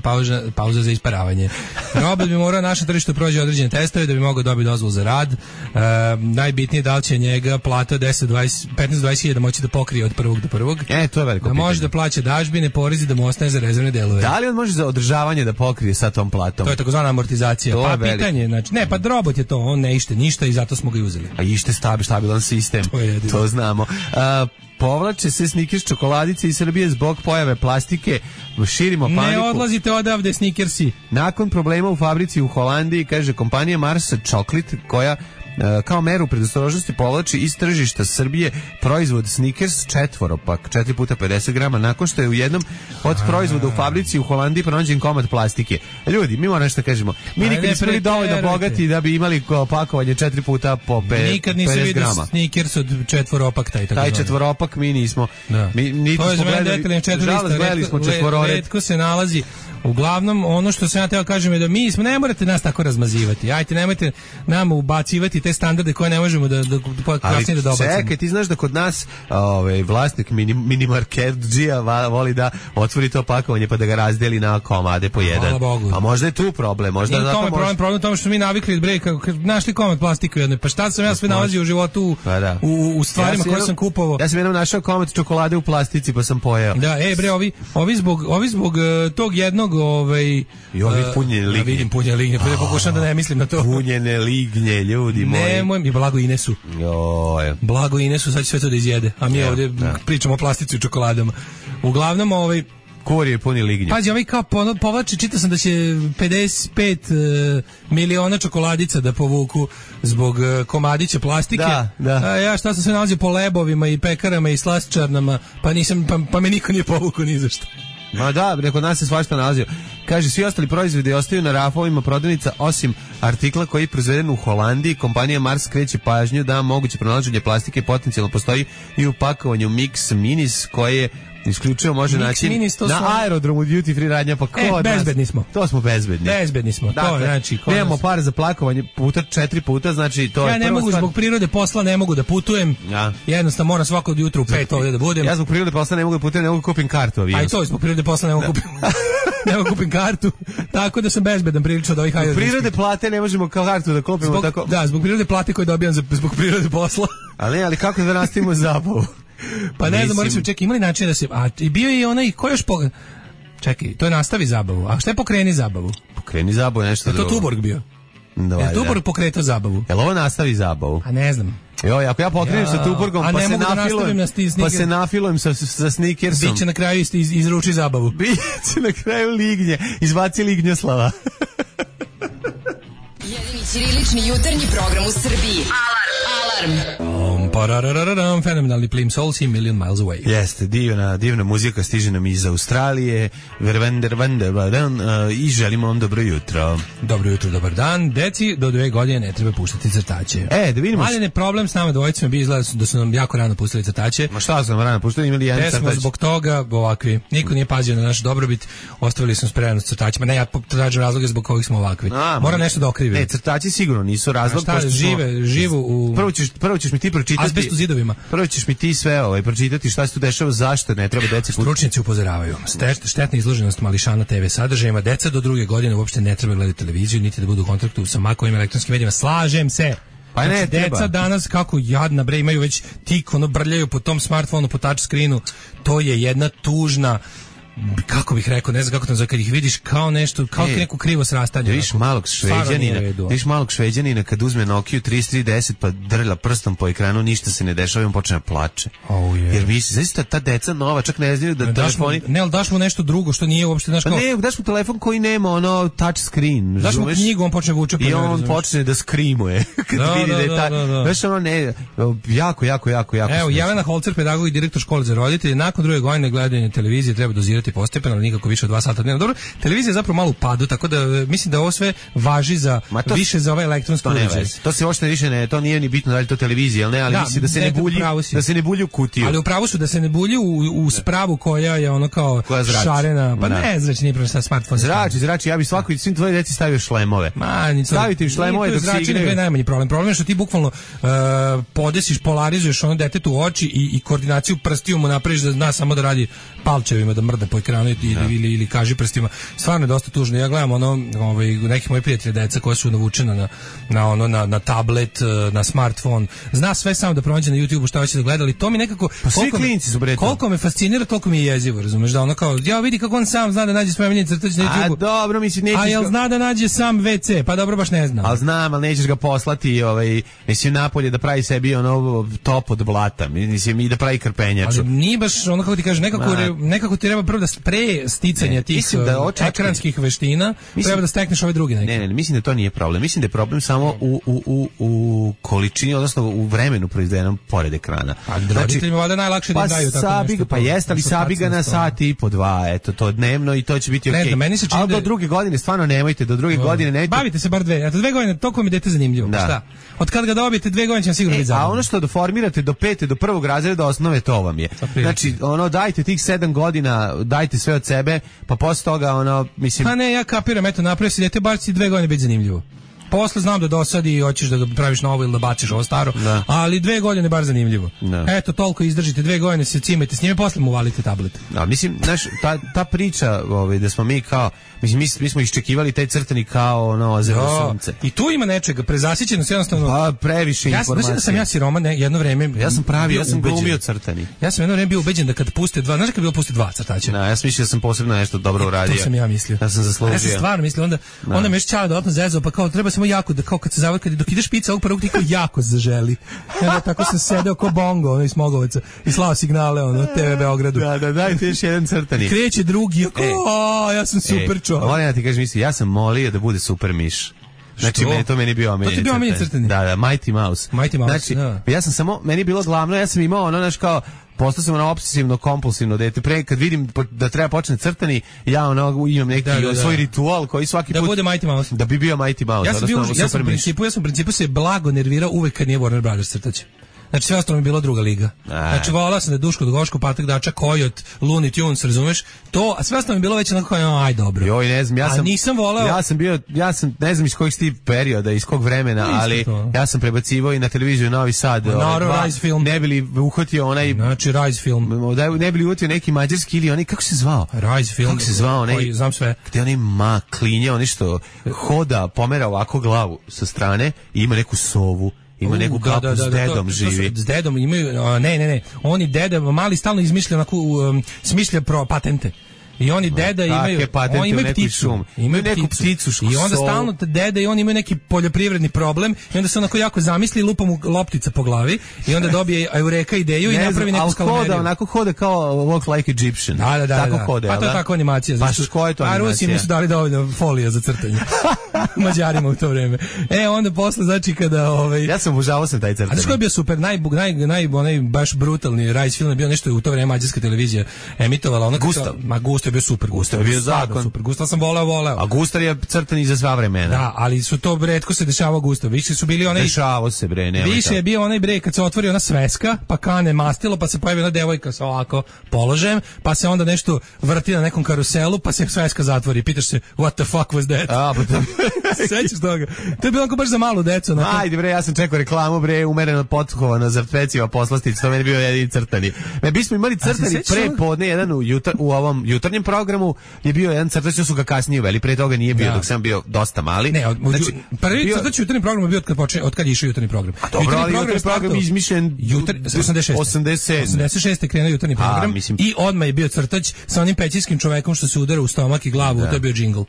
pauza za isparavanje. Robot bi morao naše tržište prođe određene testove da bi mogao dobiti dozvolu za rad. Najbitnije da li će njega plata 15-20 da moći da pokrije od prvog do prvog. To je veliko pitanje. Da može da plaća dažbine, porezi, da mu ostane za rezervne delove. Da li on može za održavanje da pokrije sa tom platom? To je takozvana amortizacija. To pa je pitanje, znači, ne, pa robot je to, on ne ište ništa i zato smo ga i uzeli. A ište stabilan sistem, to znamo. Povlače se Snickers čokoladice iz Srbije zbog pojave plastike, širimo paniku. Ne odlazite odavde, Snickersi. Nakon problema u fabrici u Holandiji, kaže kompanija Mars Chocolate, koja kao meru predostrožnosti povlači iz tržišta Srbije proizvod Snickers četvoropak, 4 puta 50 grama, nakon što je u jednom od proizvoda u fabrici u Holandiji pronađen komad plastike. Ljudi, mi moramo nešto kažemo. Mi nikad nismo bili dovoljno bogati da bi imali pakovanje 4 puta po 50 grama. Nikad nisam vidio Snickers od četvoropak taj četvoropak mi nismo. To je za mene detaljno četvorista. Retko se nalazi. Uglavnom, ono što sam ja teo kažem je da ne morate nas tako razmazivati. Ajte, nemojte nam ubacivati te standarde koje ne možemo da kasnije da dobacimo. Čekaj, ti znaš da kod nas vlasnik minimarketđija voli da otvori to pakovanje pa da ga razdeli na komade po jedan. Hvala Bogu. A možda je tu problem. Možda nije tome problem tome što mi navikli našli komad plastike u jednoj. Pa šta sam ja sve nalazio u životu u stvarima koje sam kupovao. Ja sam jednom našao komad čokolade u plastici pa sam pojeo. Da, ovi zbog tog jednog i ovi punjene lignje. Ja vidim punjene lignje, pa pokušam da ne mislim na to. Punjene lignje, ljudi moji. Nemoj mi, blago Inesu. Blago Inesu, sad će sve to da izjede. A mi ovdje pričamo o plastici i čokoladama. Uglavnom, Kur je puni lignje. Pazi, kao povlači, čitao sam da će 55 miliona čokoladica da povuku zbog komadića plastike. Da. Ja šta sam sve nalazio po lebovima i pekarama i slastičarnama, pa me niko nije povukao ni za što. Ma da, kod nas se svašta nalazio. Kaže, svi ostali proizvodi ostaju na rafovima prodavnica, osim artikla koji je proizveden u Holandiji. Kompanija Mars skreće pažnju da moguće pronalaženje plastike potencijalno postoji i u pakovanju Mix Minis, koje isključivo može naći na aerodromu duty free radnja, pa bezbedni smo. To smo bezbedni. Dakle, to znači nemamo par za plakovanje puta 4 puta, znači to ja ne mogu zbog prirode posla ne mogu da putujem. Jednostavno moram svako jutro u 5 ovdje da budem. Ja zbog prirode posla ne mogu da putujem, ne mogu kupim kartu avionski. Aj to zbog prirode posla ne mogu kupim. Ne mogu kupim kartu. Tako da sam bezbedan prilično od ovih aerodromskih. Prirode plate ne možemo kao kartu da kupimo tako. Da, zbog prirode plate koju dobijam zbog prirode posla. Ali kako da nastavimo zabavu? Pa ne znam, moram se čekaj, imali način da se... I bio je onaj, ko još Čekaj, to je nastavi zabavu. A šta je pokreni zabavu? Pokreni zabavu je nešto drugo. Je to Tuborg bio? Je Tuborg pokretao zabavu? Jel ovo nastavi zabavu? A ne znam. Joj, ako ja pokrenem sa Tuborgom, pa se nafilujem sa Snickersom. Biće na kraju izruči zabavu. Biće na kraju lignje. Izbaci lignjoslava. Jedini ćirilični jutarnji program u Srbiji. Alarm. Fenomenalni Plim Souls i Million Miles Away. Jeste, divna muzika stiže nam iz Australije. I želimo vam dobro jutro. Dobro jutro, dobar dan. Deci do 2 godine ne treba puštati crtače. Da vidimo. Ali ne problem s nama dvojicama bi izgleda da su nam jako rano pustili crtače. Ma šta su nam rano pustili, imali jedan crtač. Smo zbog toga ovakvi. Niko nije pazio na naš dobrobit. Ostavili smo spremno s crtačima. Ne, ja tražim razloge zbog kojih smo ovakvi. Moram nešto da okrivim. Ne, crtači sigurno nisu razlog. Šta, živu u... Prvo ćeš mi ti pročitati. Azbestu zidovima. Prvo ćeš mi ti sve pročitati šta se tu dešava, zašto ne treba deci. Stručnjaci upozoravaju. Štetna izloženost mališana TV sadržajima. Deca do 2 godine uopšte ne treba gledati televiziju, niti da budu u kontaktu sa makovim elektronskim medijima. Slažem se. Pa ne, deca danas kako jadna bre imaju već tik brljaju po tom smartfonu, po touch screenu. To je jedna tužna, kako bih rekao, ne znam kako to zove, kad ih vidiš kao nešto, kao neko krivo srastanje. Vidiš malog Šveđanina kad uzme Nokia 3310 pa drlja prstom po ekranu, ništa se ne dešava i on počne da plače. Jer misli, zaista ta deca nova čak ne znaju da telefoni... Ne, ali daš mu nešto drugo što nije uopšte, znaš kao... Ne, daš mu telefon koji nema touch screen. Daš mu knjigu, on počne vuče po njoj. I on počne da skrimuje. Kad vidi da je ta... Znaš, jako. Evo, Jelena Holcer, pedagog i direktor škole za roditelje, nakon 2 godine gledanja televizije treba dozirati smanjivati postepeno, ali nikako više od 2 sata dnevno. Dobro, televizija je zapravo malo u padu, tako da mislim da ovo sve važi za više za ovaj elektronski uređaj. To se uopšte više ne, to nije ni bitno da li to televizija, ali ne, ali mislim da se ne bulji, da se ne bulji u kutiju. Ali upravo su da se ne bulji u spravu koja je ono kao šarena, pa ne zrači, nije prosto smartfon. Zrači, ja bih svim tvoje deci stavio šlemove. Stavite im šlemove dok se igraju. To je najmanji problem. Problem je što ti bukvalno podesiš, polarizuješ ono detetu u oči i koordinaciju prstiju mu napraviš da zna samo da radi palčevima, da mrda po ekranu ili kaži prstima. Stvarno je dosta tužno. Ja gledam nekih mojih prijatelja deca koja su navučena na tablet, na smartfon. Zna sve samo da pronađe na YouTubeu šta hoće da gleda, ali to mi nekako koliko me fascinira, toliko mi je jezivo, razumeš, da ono kao ja vidi kako on sam zna da nađe svoje omiljene crtače na YouTubeu. A dobro, mislim nećeš. A jel zna da nađe sam WC? Pa dobro, baš ne znam. Al znam, al nećeš ga poslati, mislim napolje da pravi sebi top od blata, mislim i da pravi krpenjaču. Ali nije baš ono kako ti kaže, nekako ti treba prvo da pre sticanja tih ekranskih veština treba da stekneš ove druge neke. Ne, mislim da to nije problem. Mislim da je problem samo u količini, odnosno u vremenu proizvedenom pored ekrana. A roditeljima valjda najlakše da daju tako nešto. Pa jeste, ali sabi ga na sat i po 2, eto, to dnevno i to će biti okej. Ali do druge godine stvarno nemojte, do druge godine nemojte. Bavite se bar 2, eto 2 godine, toliko mi dete zanimljivo. Šta? Od kad ga dobijete 2 godine će vam sigurno biti zabavno. A ono što formirate do 5. do 1. razreda osnove, to vam je. Znači, dajte tih 7 godina, dajte sve od sebe, pa posle toga, mislim... Pa ne, ja kapiram, eto, napravio si dete, bar si 2 godine biti zanimljivo. Posle znam da dosadi i hoćeš da ga praviš novo ili da baciš ovo staro, ali 2 godine bar zanimljivo. Eto, toliko izdržite, 2 godine se cimajte s njime, posle mu valite tablet. Mislim, znaš, ta priča da smo mi kao, mislim, mi smo iščekivali taj crtani kao ozero sunce. I tu ima nečega, prezasićenost jednostavno. Pa, previše informacija. Mislim da sam ja siroman jedno vreme. Ja sam glumio crtani. Ja sam jedno vreme bio ubeđen da kad puste 2, znaš kad bilo puste 2 crtača. Ja sam mislio da sam posebno nešto dobro uradio. To sam ja mislio. Ja sam zaslužio. Ja sam stvarno mislio, onda me šćala dodatno zezao, pa kao treba samo jako da kao kad se zavrka, dok ideš pica ovog prvog tiko jako zaželi. Ja tako sam sedeo ko bongo, iz Smogovaca i slao signale TV Beogradu. Da, dajte još jedan crtani. Kreće drugi, ja sam super čovjek. Moram da ti kažem, ja sam molio da bude super miš. Znači, to meni bio omiljeni crtani. Da, Mighty Mouse. Znači, ja sam samo, meni je bilo glavno, ja sam imao postao sam obsesivno kompulsivno dete. Pre kad vidim da treba počne crtani, ja imam neki svoj ritual koji svaki put da bude Mighty Mouse. Da bi bio Mighty Mouse. Ja sam u principu se blago nervirao uvek kad nije Warner Brothers crtač. Znači sve ostalo mi je bilo druga liga. Znači volao sam da je Duško Dugoško, Patak Dača, Kojot, Looney Tunes, razumeš? To, a sve ostalo mi je bilo već onako aj dobro. Joj, ne znam, nisam voleo. Ja sam ne znam iz kojih ti perioda, iz kog vremena, ali ja sam prebacivao i na televiziju Novi Sad. Rise film. Ne bili uhvatio onaj, znači Rise film. Ne bili uhvatio neki mađarski ili oni, kako se zvao? Rise film. Kako se zvao onaj? Znam sve. Gde onaj klinje, oni što hoda, pomera ovako glavu sa strane i ima neku sovu. Ima neku kapu s dedom živi. S dedom imaju, ne. Oni deda, mali stalno izmišlja onako, smišlja patente. I oni deda imaju, oni imaju pticu. Imaju neku pticu. I onda stalno deda i oni imaju neki poljoprivredni problem i onda se onako jako zamisli i lupa mu loptica po glavi i onda dobije Eureka ideju i napravi neku skalameriju. Onako hode kao Walk Like Egyptian. Tako hode. Pa to je tako animacija. Pa što je to animacija? A Rusi nisu dali dovoljno folija za crtanje. Mađarima u to vreme. Onda posle, znači kada... Ja sam obožavao sam taj crtanje. A znaš koji je bio super? Onaj baš brutalni Rise film je bio nešto u to vreme mađarska televizija emitovala. Gustav je bio super, Gustav je bio zakon. Super, Gustav sam voleo. A Gustav je crtan i za sva vremena. Da, ali su to retko se dešavao Gustav. Više su bili onaj... Dešavao se, bre, nemoj. Više je bio onaj kad se otvori ona sveska, pa kane mastilo, pa se pojavi ona devojka sa ovako položajem, pa se onda nešto vrti na nekom karuselu, pa se sveska zatvori. Pitaš se, what the fuck was that? Sećaš toga? To je bilo baš za malu decu. Ajde, bre, ja sam čekao reklamu, bre, umereno potkovano za peciva poslastica, to meni bio jedini crtani. Mi smo imali crtani pre podne, jedan u ovom jutarnjem programu je bio jedan crtač, su ga kasnije uveli, pre toga nije bio, dok sam bio dosta mali. Ne, prvi crtač jutarnji program je bio od kad je išao jutarnji program. A dobro, ali jutarnji program izmišljen 86. je krenuo jutarnji program i odmah je bio crtač sa onim pećinskim čovekom što se udara u stomak i glavu, to je bio džingl.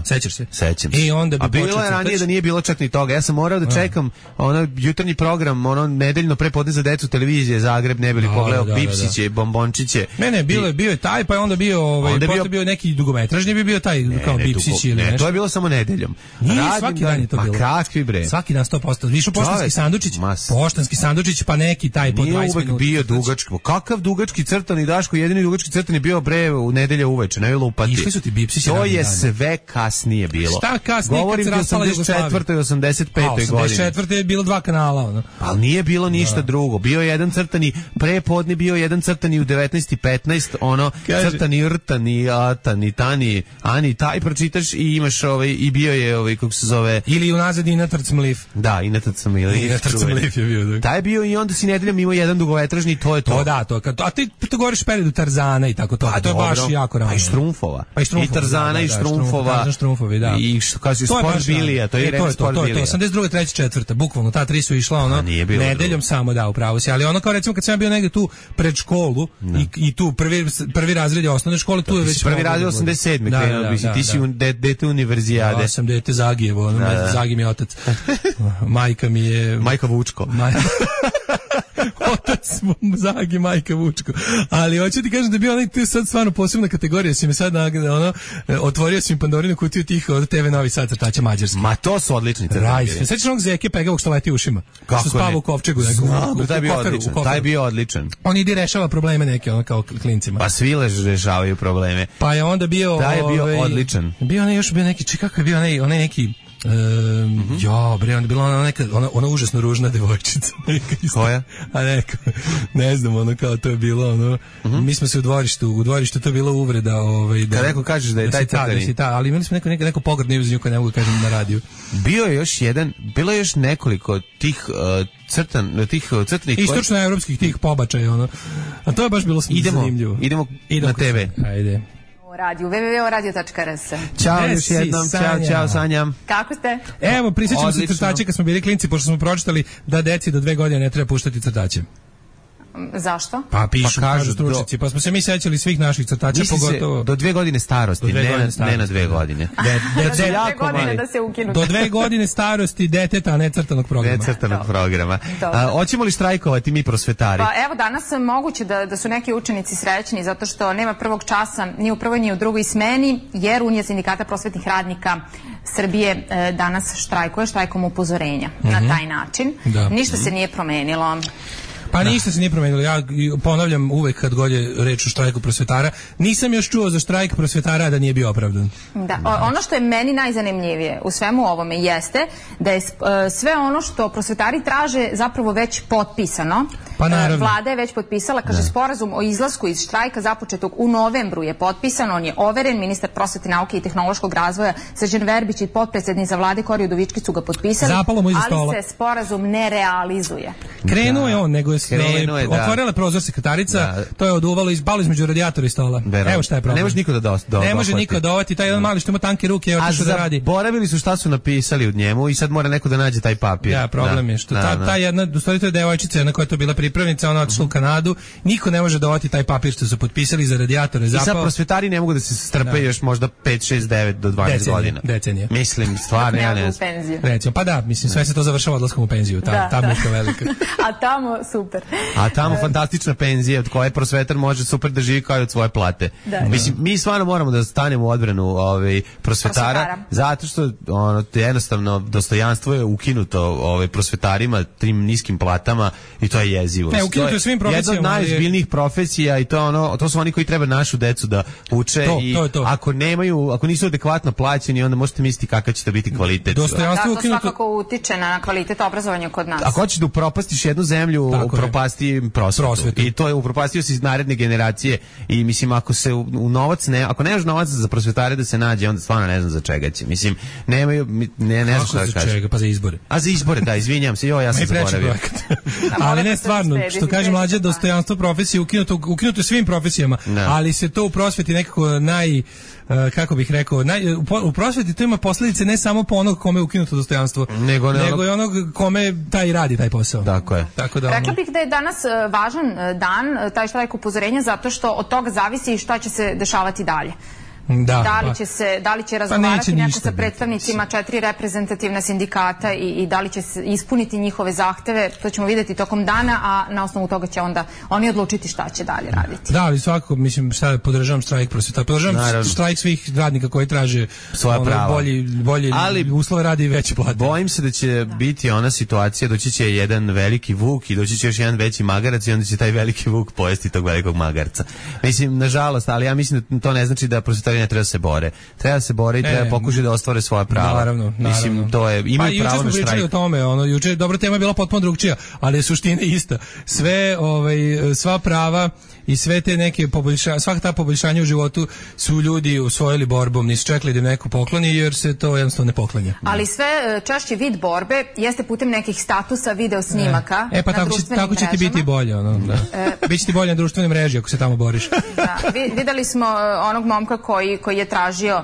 Sećaš se? Sećam se. A bilo je ranije da nije bilo čak ni toga. Ja sam morao da čekam jutarnji program, nedeljno prepodne za decu televizije Zagreb, ne bili pogledao Pipsiće, bombončiće. Ne, bio je taj, pa je onda bio onda je bio neki dugometražni, bi bio taj kao Bipsić ili nešto. Ne, to je bilo samo nedeljom. Nije, svaki dan je to bilo. Ma kakvi bre? Svaki dan 100%. Više poštanski sandučić, pa neki taj po 20 minuta. Nije uvek bio dugački. Kakav dugački crtani, Daško, jedini dugački crtani bio bre u nedelja uveče, ne lupati. Išli su ti Bipsići. To je sve kasnije bilo. Šta kasnije? Govorim kad se raspala 84. i 85. godine. 84. je bilo 2 kanala, ono. Ali nije bilo ništa drugo. Bio je jedan crtani prepodne, bio jedan crtani u 19:15, ono crtani rtani, atani, tani, ani taj pročitaš i imaš i bio je kako se zove, ili unazad i Natrcmlif. Da, i Natrcmlif je bio. Taj je bio i onda si nedeljom imao jedan dugometražni, to je to. A ti to govoriš periodu Tarzana i tako to. A to je baš jako rano. Pa i Štrumfova. I Tarzana i Štrumfova. Da. I što kaže Sport Bilija, to je Irena Sport Bilija. To 82. 3. 4. bukvalno ta tri su išla ono nedeljom samo upravo se, ali ono kao recimo kad sam bio negde tu pred školu i tu prvi razred osnovne škole, tu je već prvi razred 87. krenuo, ti si dete univerzijade. Ja sam dete Zagijevo, Zagi mi je otac. Majka mi je Majka Vučko. Otac Zagi, majka Vučko. Ali hoću ti kažem da je bio onaj tu sad stvarno posebna kategorija, si me sad otvorio si mi Pandorinu kutiju tih od TV Novi Sad crtača mađarski. Ma to su odlični crtači. Sećaš onog Zeke Pegavog što leti ušima? Kako što spava u kovčegu nekom. Taj je bio odličan. On ide rešava probleme neke kao klincima. Pa svi rešavaju probleme. Pa je onda bio taj je bio odličan. Bio onaj još bio neki, kako je bio onaj neki ja, bre, onda je bila ona užasno ružna devojčica. Koja? A neka, ne znam, ono kao to je bilo, mi smo se u dvorištu to je bila uvreda. Kad neko kažeš da je taj crtani. Ali imali smo neko pogrdno ime za nju koje ne mogu kažem na radiju. Bilo je još nekoliko tih crtanih istočnoevropskih tih pobačaja, ono. A to je baš bilo zanimljivo. Idemo na TV. Ajde. Radio, www.radio.rs. Ćao još jednom, čao Sanja. Kako ste? Evo, prisjećamo se crtače kad smo bili klinci, pošto smo pročitali da deci do 2 godine ne treba puštati crtače. Zašto? Pa kažu stručnjaci, pa smo se mi sećali svih naših crtača, pogotovo do 2 godine starosti, ne na 2 godine. Da se ukinu. Do 2 godine starosti deteta, a ne crtanog programa. Hoćemo li štrajkovati mi prosvetari? Pa evo, danas moguće da su neki učenici srećni zato što nema prvog časa ni u prvoj ni u drugoj smeni, jer Unija sindikata prosvetnih radnika Srbije danas štrajkuje štrajkom upozorenja na taj način. Ništa se nije promenilo. Pa ništa se nije promenilo. Ja ponavljam uvek kad god je reč o štrajku prosvetara, nisam još čuo za štrajk prosvetara da nije bio opravdan. Da, ono što je meni najzanimljivije u svemu ovome jeste da je sve ono što prosvetari traže zapravo već potpisano. Pa naravno. Vlada je već potpisala, kaže sporazum o izlasku iz štrajka započetog u novembru je potpisan, on je overen, ministar prosvete, nauke i tehnološkog razvoja Srđan Verbić i potpredsednik za Vlade Kori Udovički su ga potpisali, ali se sporazum ne realizuje. Krenuo je on, nego je otvorila prozor sekretarica, to je oduvalo izbalo između radijatora i stola. Evo šta je problem. Ne može niko da ne može niko dovati, taj jedan mali što ima tanke ruke je otišao da radi. A zaboravili su šta su napisali u njemu i sad mora neko da nađe taj papir. Ja, problem je što ta jedna, u stvari to je devojčica na koja je to bila pripravnica, ona otišla u Kanadu, niko ne može dovati taj papir što su potpisali za radijatore. I sad prosvetari ne mogu da se strpe još možda 5, 6, 9 do 12 godina. Decenije. Mislim, stvarno, ja ne znam. Recimo, pa da, mislim, sve se to završava odlaskom u penziju, tamo je to velika. A tamo super. A tamo fantastična penzija od koje prosvetar može super da živi kao i od svoje plate. Mislim, mi stvarno moramo da stanemo u odbranu prosvetara, zato što jednostavno dostojanstvo je ukinuto prosvetarima, tim niskim platama i to je jezivo. Ne, ukinuto je svim profesijama. Jedna od najozbiljnijih profesija i to su oni koji treba našu decu da uče i ako nisu adekvatno plaćeni, onda možete misliti kakav će to biti kvalitet. Dostojanstvo je ukinuto. To svakako utiče na kvalitet obrazovanja kod nas. Ako hoćeš da upropastiš jednu zemlju, upropasti prosvetu. I to je upropastio se iz naredne generacije i mislim ako nemaš novac za prosvetare da se nađe, onda stvarno ne znam za čega će. Mislim, nemaju, ne znam šta da kažem. Za čega? Pa za izbore. A za izbore, da, izvinjam se, ja sam zaboravio. Ali ne stvarno, što kaže mlađe, dostojanstvo profesije ukinuto svim profesijama, ali se to u prosveti nekako kako bih rekao, u prosveti to ima posljedice ne samo po onog kome je ukinuto dostojanstvo, nego i onog kome taj radi taj posao. Tako je. Rekla bih da je danas važan dan, taj štrajk upozorenja, zato što od toga zavisi šta će se dešavati dalje. Da li će razgovarati neko sa predstavnicima 4 reprezentativna sindikata i da li će ispuniti njihove zahteve, to ćemo vidjeti tokom dana, a na osnovu toga će onda oni odlučiti šta će dalje raditi. Da, ali svakako, mislim, podržavam štrajk prosvjetara, podržavam štrajk svih radnika koji traže svoja prava. Bolje uslove radi i veće plate. Bojim se da će biti ona situacija, doći će jedan veliki vuk i doći će još jedan veći magarac i onda će taj veliki vuk pojesti tog velikog magarca. Mislim, nažalost, ali ja mislim da to ne znači da prosvjetari ne treba da se bore. Treba da se bore i treba pokušati da ostvare svoja prava. Naravno. Mislim, to je, imaju pravo na štrajk. Juče smo pričali o tome, juče dobra tema je bila potpuno drugčija, ali je suština ista. Sva prava i sve te neke svaka ta poboljšanja u životu su ljudi usvojili borbom, nisu čekali da im neko pokloni, jer se to jednostavno ne poklanja. Ali sve češći vid borbe jeste putem nekih statusa, video snimaka pa na društvenim tako će ti biti bolje. Biće ti bolje na društvenim mreži ako se tamo boriš. Da, videli smo onog momka koji je tražio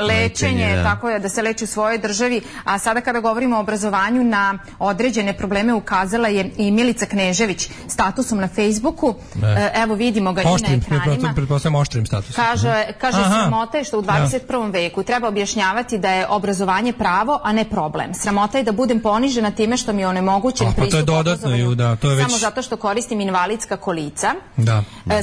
lečenje, tako je, da se leči u svojoj državi, a sada kada govorimo o obrazovanju, na određene probleme ukazala je i Milica Knežević statusom na Facebooku. Evo vidimo ga i na ekranima. Pretpostavljam oštrim statusom. Kaže sramota je što u 21. veku treba objašnjavati da je obrazovanje pravo, a ne problem. Sramota je da budem ponižena time što mi je onemogućen pristup obrazovanju samo zato što koristim invalidska kolica.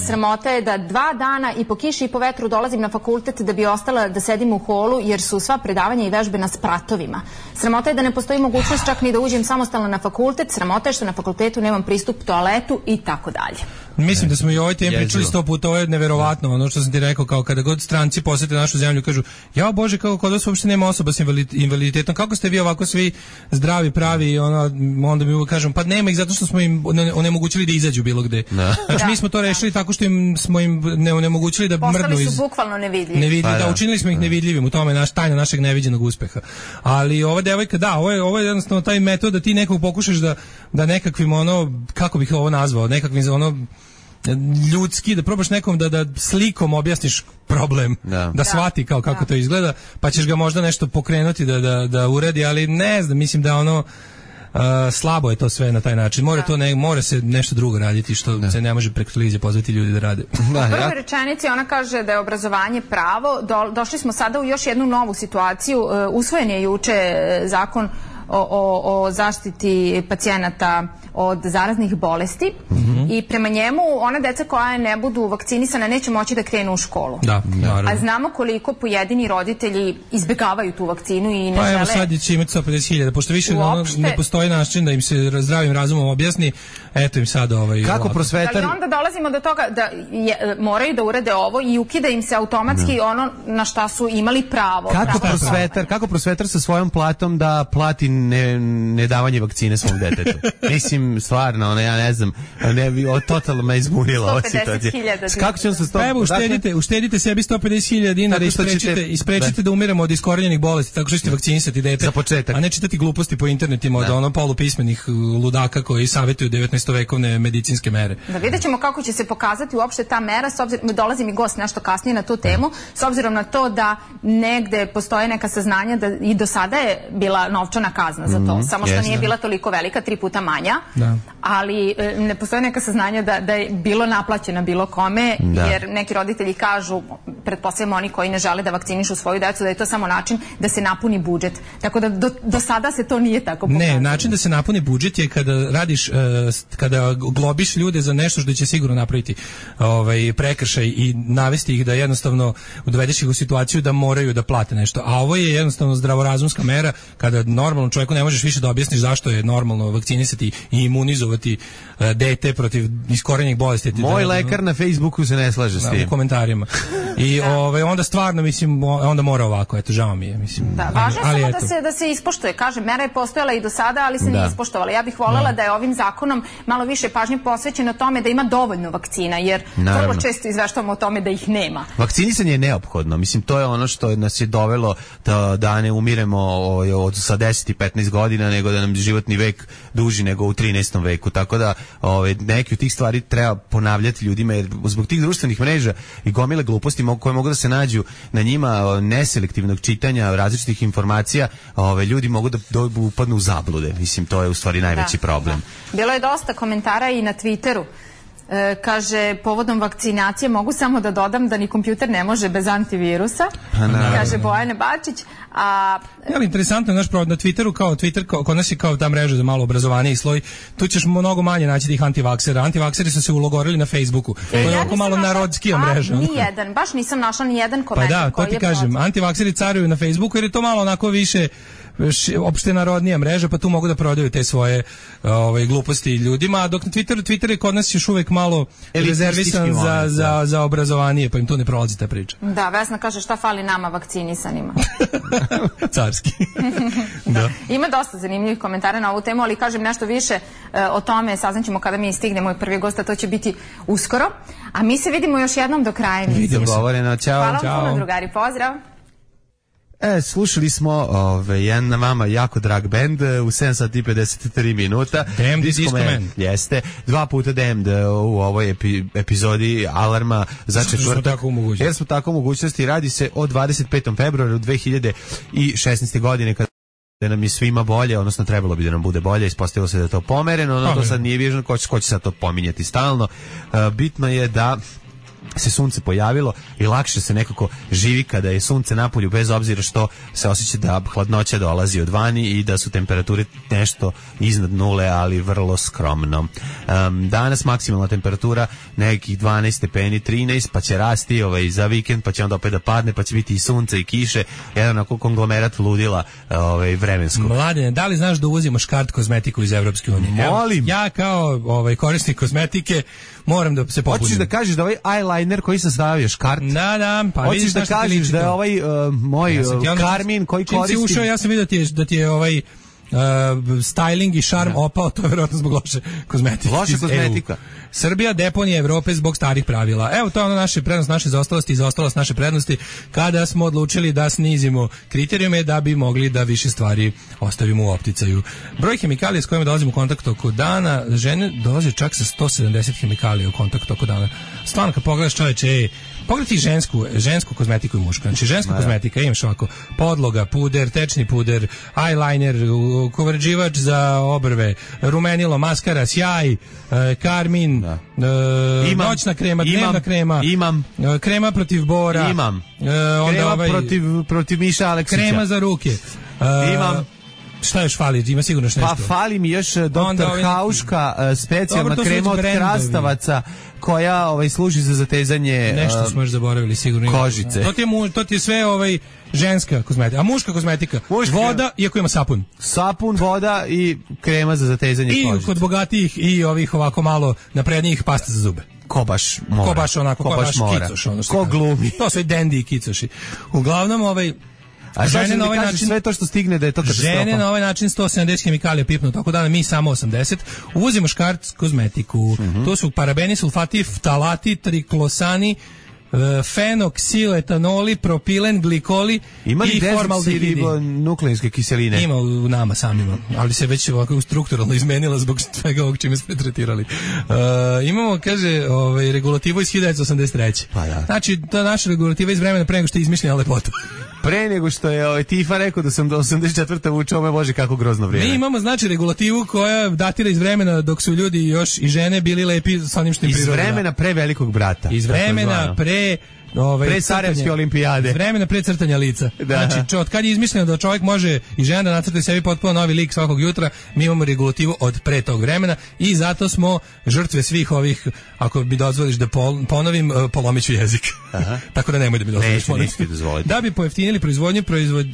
Sramota je da 2 dana i po kiši i po vetru dolazim na fakultet da bi ostala da sedim u holu jer su sva predavanja i vežbe na spratovima. Sramota je da ne postoji mogućnost čak ni da uđem samostalno na fakultet. Sramota je što na fakultetu nemam pristup toaletu i tako dalje. Mislim da smo i o ovoj temi pričali 100 puta, ovo je neverovatno, ono što sam ti rekao, kao kada god stranci posete našu zemlju, kažu, ja Bože, kako kod vas uopšte nema osoba s invaliditetom, kako ste vi ovako svi zdravi, pravi, onda mi uvijek kažem, pa nema ih zato što smo im onemogućili da izađu bilo gde. Znači mi smo to rešili tako što smo im onemogućili da mrdnu postali su bukvalno nevidljivi. Da, učinili smo ih nevidljivim, u tome je tajna našeg neviđenog uspeha. Ali ova devojka, ovo je jednostavno taj metod da ti nekog pokušaš da nekakvim kako bih ovo nazvao, nekakvim ljudski, da probaš nekom da slikom objasniš problem, da shvati kako to izgleda, pa ćeš ga možda nešto pokrenuti da uredi, ali ne znam, mislim da slabo je to sve na taj način. Mora se nešto drugo raditi što se ne može preko televizije pozvati ljudi da rade. U prvoj rečenici ona kaže da je obrazovanje pravo. Došli smo sada u još jednu novu situaciju. Usvojen je juče zakon o zaštiti pacijenata od zaraznih bolesti i prema njemu ona deca koja ne budu vakcinisana neće moći da krenu u školu. A znamo koliko pojedini roditelji izbegavaju tu vakcinu i ne žele. Pa evo sad će imati 150.000, pošto više ne postoji način da im se zdravim razumom objasni, eto im sad kako prosvetar... Ali onda dolazimo do toga da moraju da urade ovo i ukida im se automatski ono na šta su imali pravo. Kako prosvetar sa svojom platom da plati nedavanje vakcine svom detetu? Mislim, stvarno, ja ne znam, totalno me izbunila ova situacija. Kako ćemo se pa evo, uštedite sebi 150.000 dinara i sprečite da umiramo od iskorenjenih bolesti, tako što ćete vakcinisati dete. Za početak. A ne čitati gluposti po internetima od polupismenih ludaka koji savjetuju 19-vekovne medicinske mere. Da vidjet ćemo kako će se pokazati uopšte ta mera, dolazi mi gost nešto kasnije na tu temu, s obzirom na to da negde postoje neka saznanja da i do sada je bila novčana kazna za to, samo što nije bila toliko velika, 3 puta manja, ali ne postoje neka saznanja da je bilo naplaćena bilo kome, jer neki roditelji kažu, pretpostavljamo oni koji ne žele da vakcinišu svoju decu, da je to samo način da se napuni budžet. Tako da do sada se to nije tako pokazalo. Ne, način da se napuni budžet je kada radiš, kada globiš ljude za nešto što će sigurno napraviti prekršaj i navesti ih da jednostavno dovedeš ih u situaciju da moraju da plate nešto. A ovo je jednostavno zdravorazumska mera kada normalnom čovjeku ne možeš više da objasniš zašto je normalno vakcinisati i imunizovati dete protiv iskorenjenih bolesti. Moj lekar na Facebooku se ne slaže s tim. U komentarima. I onda stvarno, mislim, onda mora ovako, eto, žao mi je, mislim. Da, važno je samo da se ispoštuje. Kažem, mera je postojala i do sada, ali se nije ispoštovala. Ja bih voljela da je ovim zakonom malo više pažnje posvećeno tome da ima dovoljno vakcina, jer vrlo često izveštavamo o tome da ih nema. Vakcinisanje je neophodno. Mislim, to je ono što nas je dovelo da ne umiremo sa 10 i 15 godina, nego da nam životni vek duži nego u 13. veku. Tako da neke od tih stvari treba ponavljati ljudima, jer zbog tih društvenih mreža i gomile gluposti koje mogu da se nađu na njima, neselektivnog čitanja različitih informacija, ljudi mogu da upadnu u zablude. Mislim, to je u stvari najveći problem. Bilo je dosta komentara i na Twitteru Kaže, povodom vakcinacije mogu samo da dodam da ni kompjuter ne može bez antivirusa. Kaže Bojana Bačić. Ali interesantno je naš provod na Twitteru, kao Twitter, kod nas je kao ta mreža za malo obrazovaniji sloj, tu ćeš mnogo manje naći tih antivaksera. Antivakseri su se ulogorili na Facebooku. To je oko malo narodskija mreža. Nijedan, baš nisam našla nijedan komentar koji je... Pa da, to ti kažem, antivakseri caruju na Facebooku jer je to malo onako više opšte narodnija mreža, pa tu mogu da prodaju te svoje gluposti ljudima, dok na Twitter je kod nas još uvek malo rezervisan za obrazovanije, pa im tu ne prolazi ta priča. Da, Vesna kaže šta fali nama vakcinisanima. Carski. Da. Ima dosta zanimljivih komentara na ovu temu, ali kažem nešto više o tome saznaćemo kada mi stignemo i prvi gost, a to će biti uskoro. A mi se vidimo još jednom do kraja emisije. Vidimo se. Hvala vam puno, drugari, pozdrav. Slušali smo jedan na vama jako drag band u 7 sati i 53 minuta. Damned Disco Man. Jeste. 2 puta Damned u ovoj epizodi Alarma za četvrtak. Jer smo tako u mogućnosti. Radi se o 25. februaru 2016. godine kada nam je svima bolje, odnosno trebalo bi da nam bude bolje, ispostavilo se da je to pomereno, no to sad nije važno, ko će sad to pominjati stalno. Bitno je da se sunce pojavilo i lakše se nekako živi kada je sunce napolju, bez obzira što se osjeća da hladnoća dolazi od vani i da su temperature nešto iznad nule, ali vrlo skromno. Danas maksimalna temperatura nekih 12 stepeni, 13, pa će rasti za vikend, pa će onda opet da padne, pa će biti i sunce i kiše, jedan onako konglomerat ludila vremenskog. Mladene, da li znaš da uvozimo škart kozmetiku iz Evropske unije? Molim. Ja kao korisnik kozmetike moram da se popunim. Hoćeš da kažeš da eyeliner koji sam stavio škart? Da, pa hoćeš da kažeš da je moj Karmin koji koristi... Čim si ušao, ja sam vidio da ti je styling i šarm opao, to je vjerojatno zbog loše kozmetike. Loša kozmetika. Srbija deponija Evrope zbog starih pravila. Evo, to je ono naše prednost, naše zaostalosti i zaostalost naše prednosti kada smo odlučili da snizimo kriterijume da bi mogli da više stvari ostavimo u opticaju. Broj hemikalija s kojima dolazimo u kontakt oko dana, žene dolaze čak sa 170 hemikalija u kontakt oko dana. Stvarno, kad pogledaš čoveče, pogledaj žensku kozmetiku i mušku. Znači, ženska kozmetika, imaš ovako podloga, puder, tečni puder, eyeliner, kovređivač za obrve, rumenilo, maskara, sjaj, karmin, noćna krema, dnevna krema, krema protiv bora, krema protiv Miša Aleksića, krema za ruke, šta još fali? Ima sigurno nešto. Pa fali mi još Dr. Hauška specijalna krema od krastavaca koja služi za zatezanje nešto smo još zaboravili sigurno kožice. To ti je sve ženska kozmetika. A muška kozmetika? Voda, iako ima sapun. Sapun, voda i krema za zatezanje kožice. I kod bogatijih i ovih ovako malo naprednijih pasta za zube. Ko baš mora. Ko baš onako, ko baš kicoš. Ko glumi. To su i dendi i kicoši. Uglavnom a žene na ovaj način sve to što stigne da je to katastrofa. Žene na ovaj način 170 hemikalija pipnu tako da mi samo 80. Uvozimo škart kozmetiku. To su parabeni, sulfati, ftalati, triklosani, fenoksiletanoli, propilen, glikoli i formaldehidi. Nukleinske kiseline. Ima u nama samima, ali se već ovako strukturalno izmenila zbog svega ovog čime smo tretirali. Imamo, kaže, regulativu iz 1983. Pa da. Znači, ta naša regulativa iz vremena pre nego što je izmišljena lepota. Pre nego što je Tifa rekao da sam do 84. vučao, me bože kako grozno vrijeme. Mi imamo znači regulativu koja datira iz vremena dok su ljudi još i žene bili lepi sa onim što im priroda. Iz vremena pre Velikog brata. Iz vremena pre Sarajevske olimpijade. Iz vremena pre crtanja lica. Da. Znači, od kad je izmišljeno da čovjek može i žena da nacrta sebi potpuno novi lik svakog jutra, mi imamo regulativu od pre tog vremena i zato smo žrtve svih ovih, ako mi dozvoliš da ponovim, polomiću jezik. Tako da nemoj da mi dozvoliš. Da bi pojeftinili proizvodnju,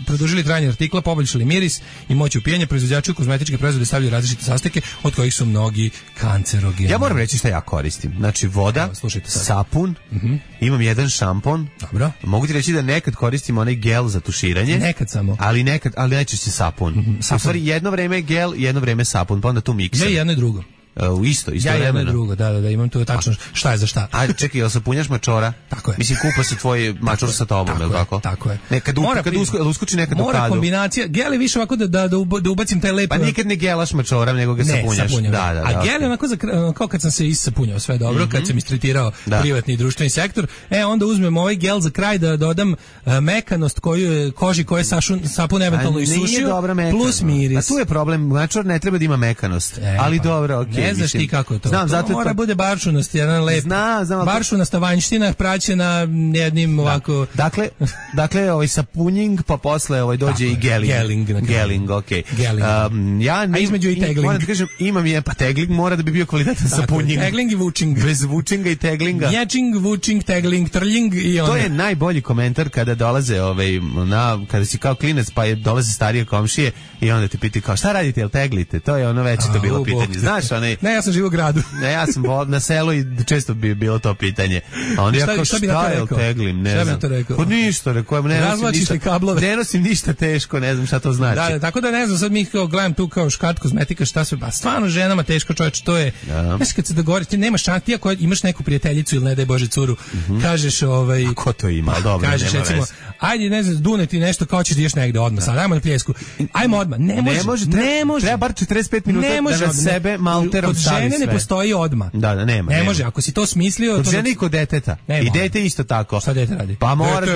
produžili trajanje artikla, poboljšali miris i moć upijanja, proizvođači kozmetičke proizvode stavljaju različite sastojke od kojih su mnogi kancerogeni. Ja moram reći šta ja koristim. Znači voda, sapun, imam jedan šampon. Dobro. Mogu ti reći da nekad koristim onaj gel za tuširanje. Nekad samo. Ali najčešće sapun. U stvari jedno vreme gel, jedno vreme sapun, pa onda tu miksam. Ja jedno i drugo. Isto ja vremena. Jedno i drugo, da, imam tu tačno šta je za šta. A čekaj, jel sapunjaš mačora? Tako je. Mislim, kupa se tvoj mačor sa tobom, je li tako? Tako je. Kad uskoči nekad u kadu. Mora kombinacija, gel je više ovako da ubacim taj lep... Pa nikad ne gelaš mačora, nego ga sapunjaš. Da. A gel je onako, kao kad sam se isapunjao sve dobro, kad sam istretirao privatni i društveni sektor, onda uzmem ovaj gel za kraj da dodam mekanost koži koje sapun eventualno isušio, plus miris. A tu je problem, mačor ne treba da ima mekanost, ali dobro, okej. Ne znaš ti kako je to. Znam, zato mora bude baršunast, jedan lep. Znam. Baršunasta vanjština praćena jednim ovako. Dakle, sapunjing, pa posle dođe i geling. Geling, okej. A između i tegling. Moram da kažem, imam je, pa tegling mora da bi bio kvalitetan sapunjing. Tegling i vučing. Bez vučinga i teglinga. Ječing, vučing, tegling, trljing i ono. To je najbolji komentar kada dolaze, kada si kao klinac, pa dolaze starije komšije i onda te piti kao, šta radite, jel teglite? To je ono već to bilo pitanje. Znaš, Ne, ja sam živo u gradu. Ne, ja sam na selu i često bi bilo to pitanje. A onda ja kao, šta je, teglim, ne znam. Pa ništa, rekao, ne nosim ništa teško, ne znam šta to znači. Da, tako da ne znam, sad mi kao gledam tu kao škart kozmetika, šta sve, ba stvarno ženama teško, čoveče, to je. Znaš, kad se dogovoriš, ti nemaš šanse, ti ako imaš neku prijateljicu ili ne daj Bože curu, kažeš A ko to ima? Dobro, kažeš recimo, ajde, ne znam, dune ti nešto, kao ćeš da ideš negde odmah, sad, ajmo na pljesku. Ajmo odmah. Ne može. Treba bar 45 minuta da na sebe malterom stavi sve. Kod žene ne postoji odmah. Da, nema. Ne može, ako si to smislio. Kod žene i kod deteta. I dete isto tako. Šta dete radi? Pa moraš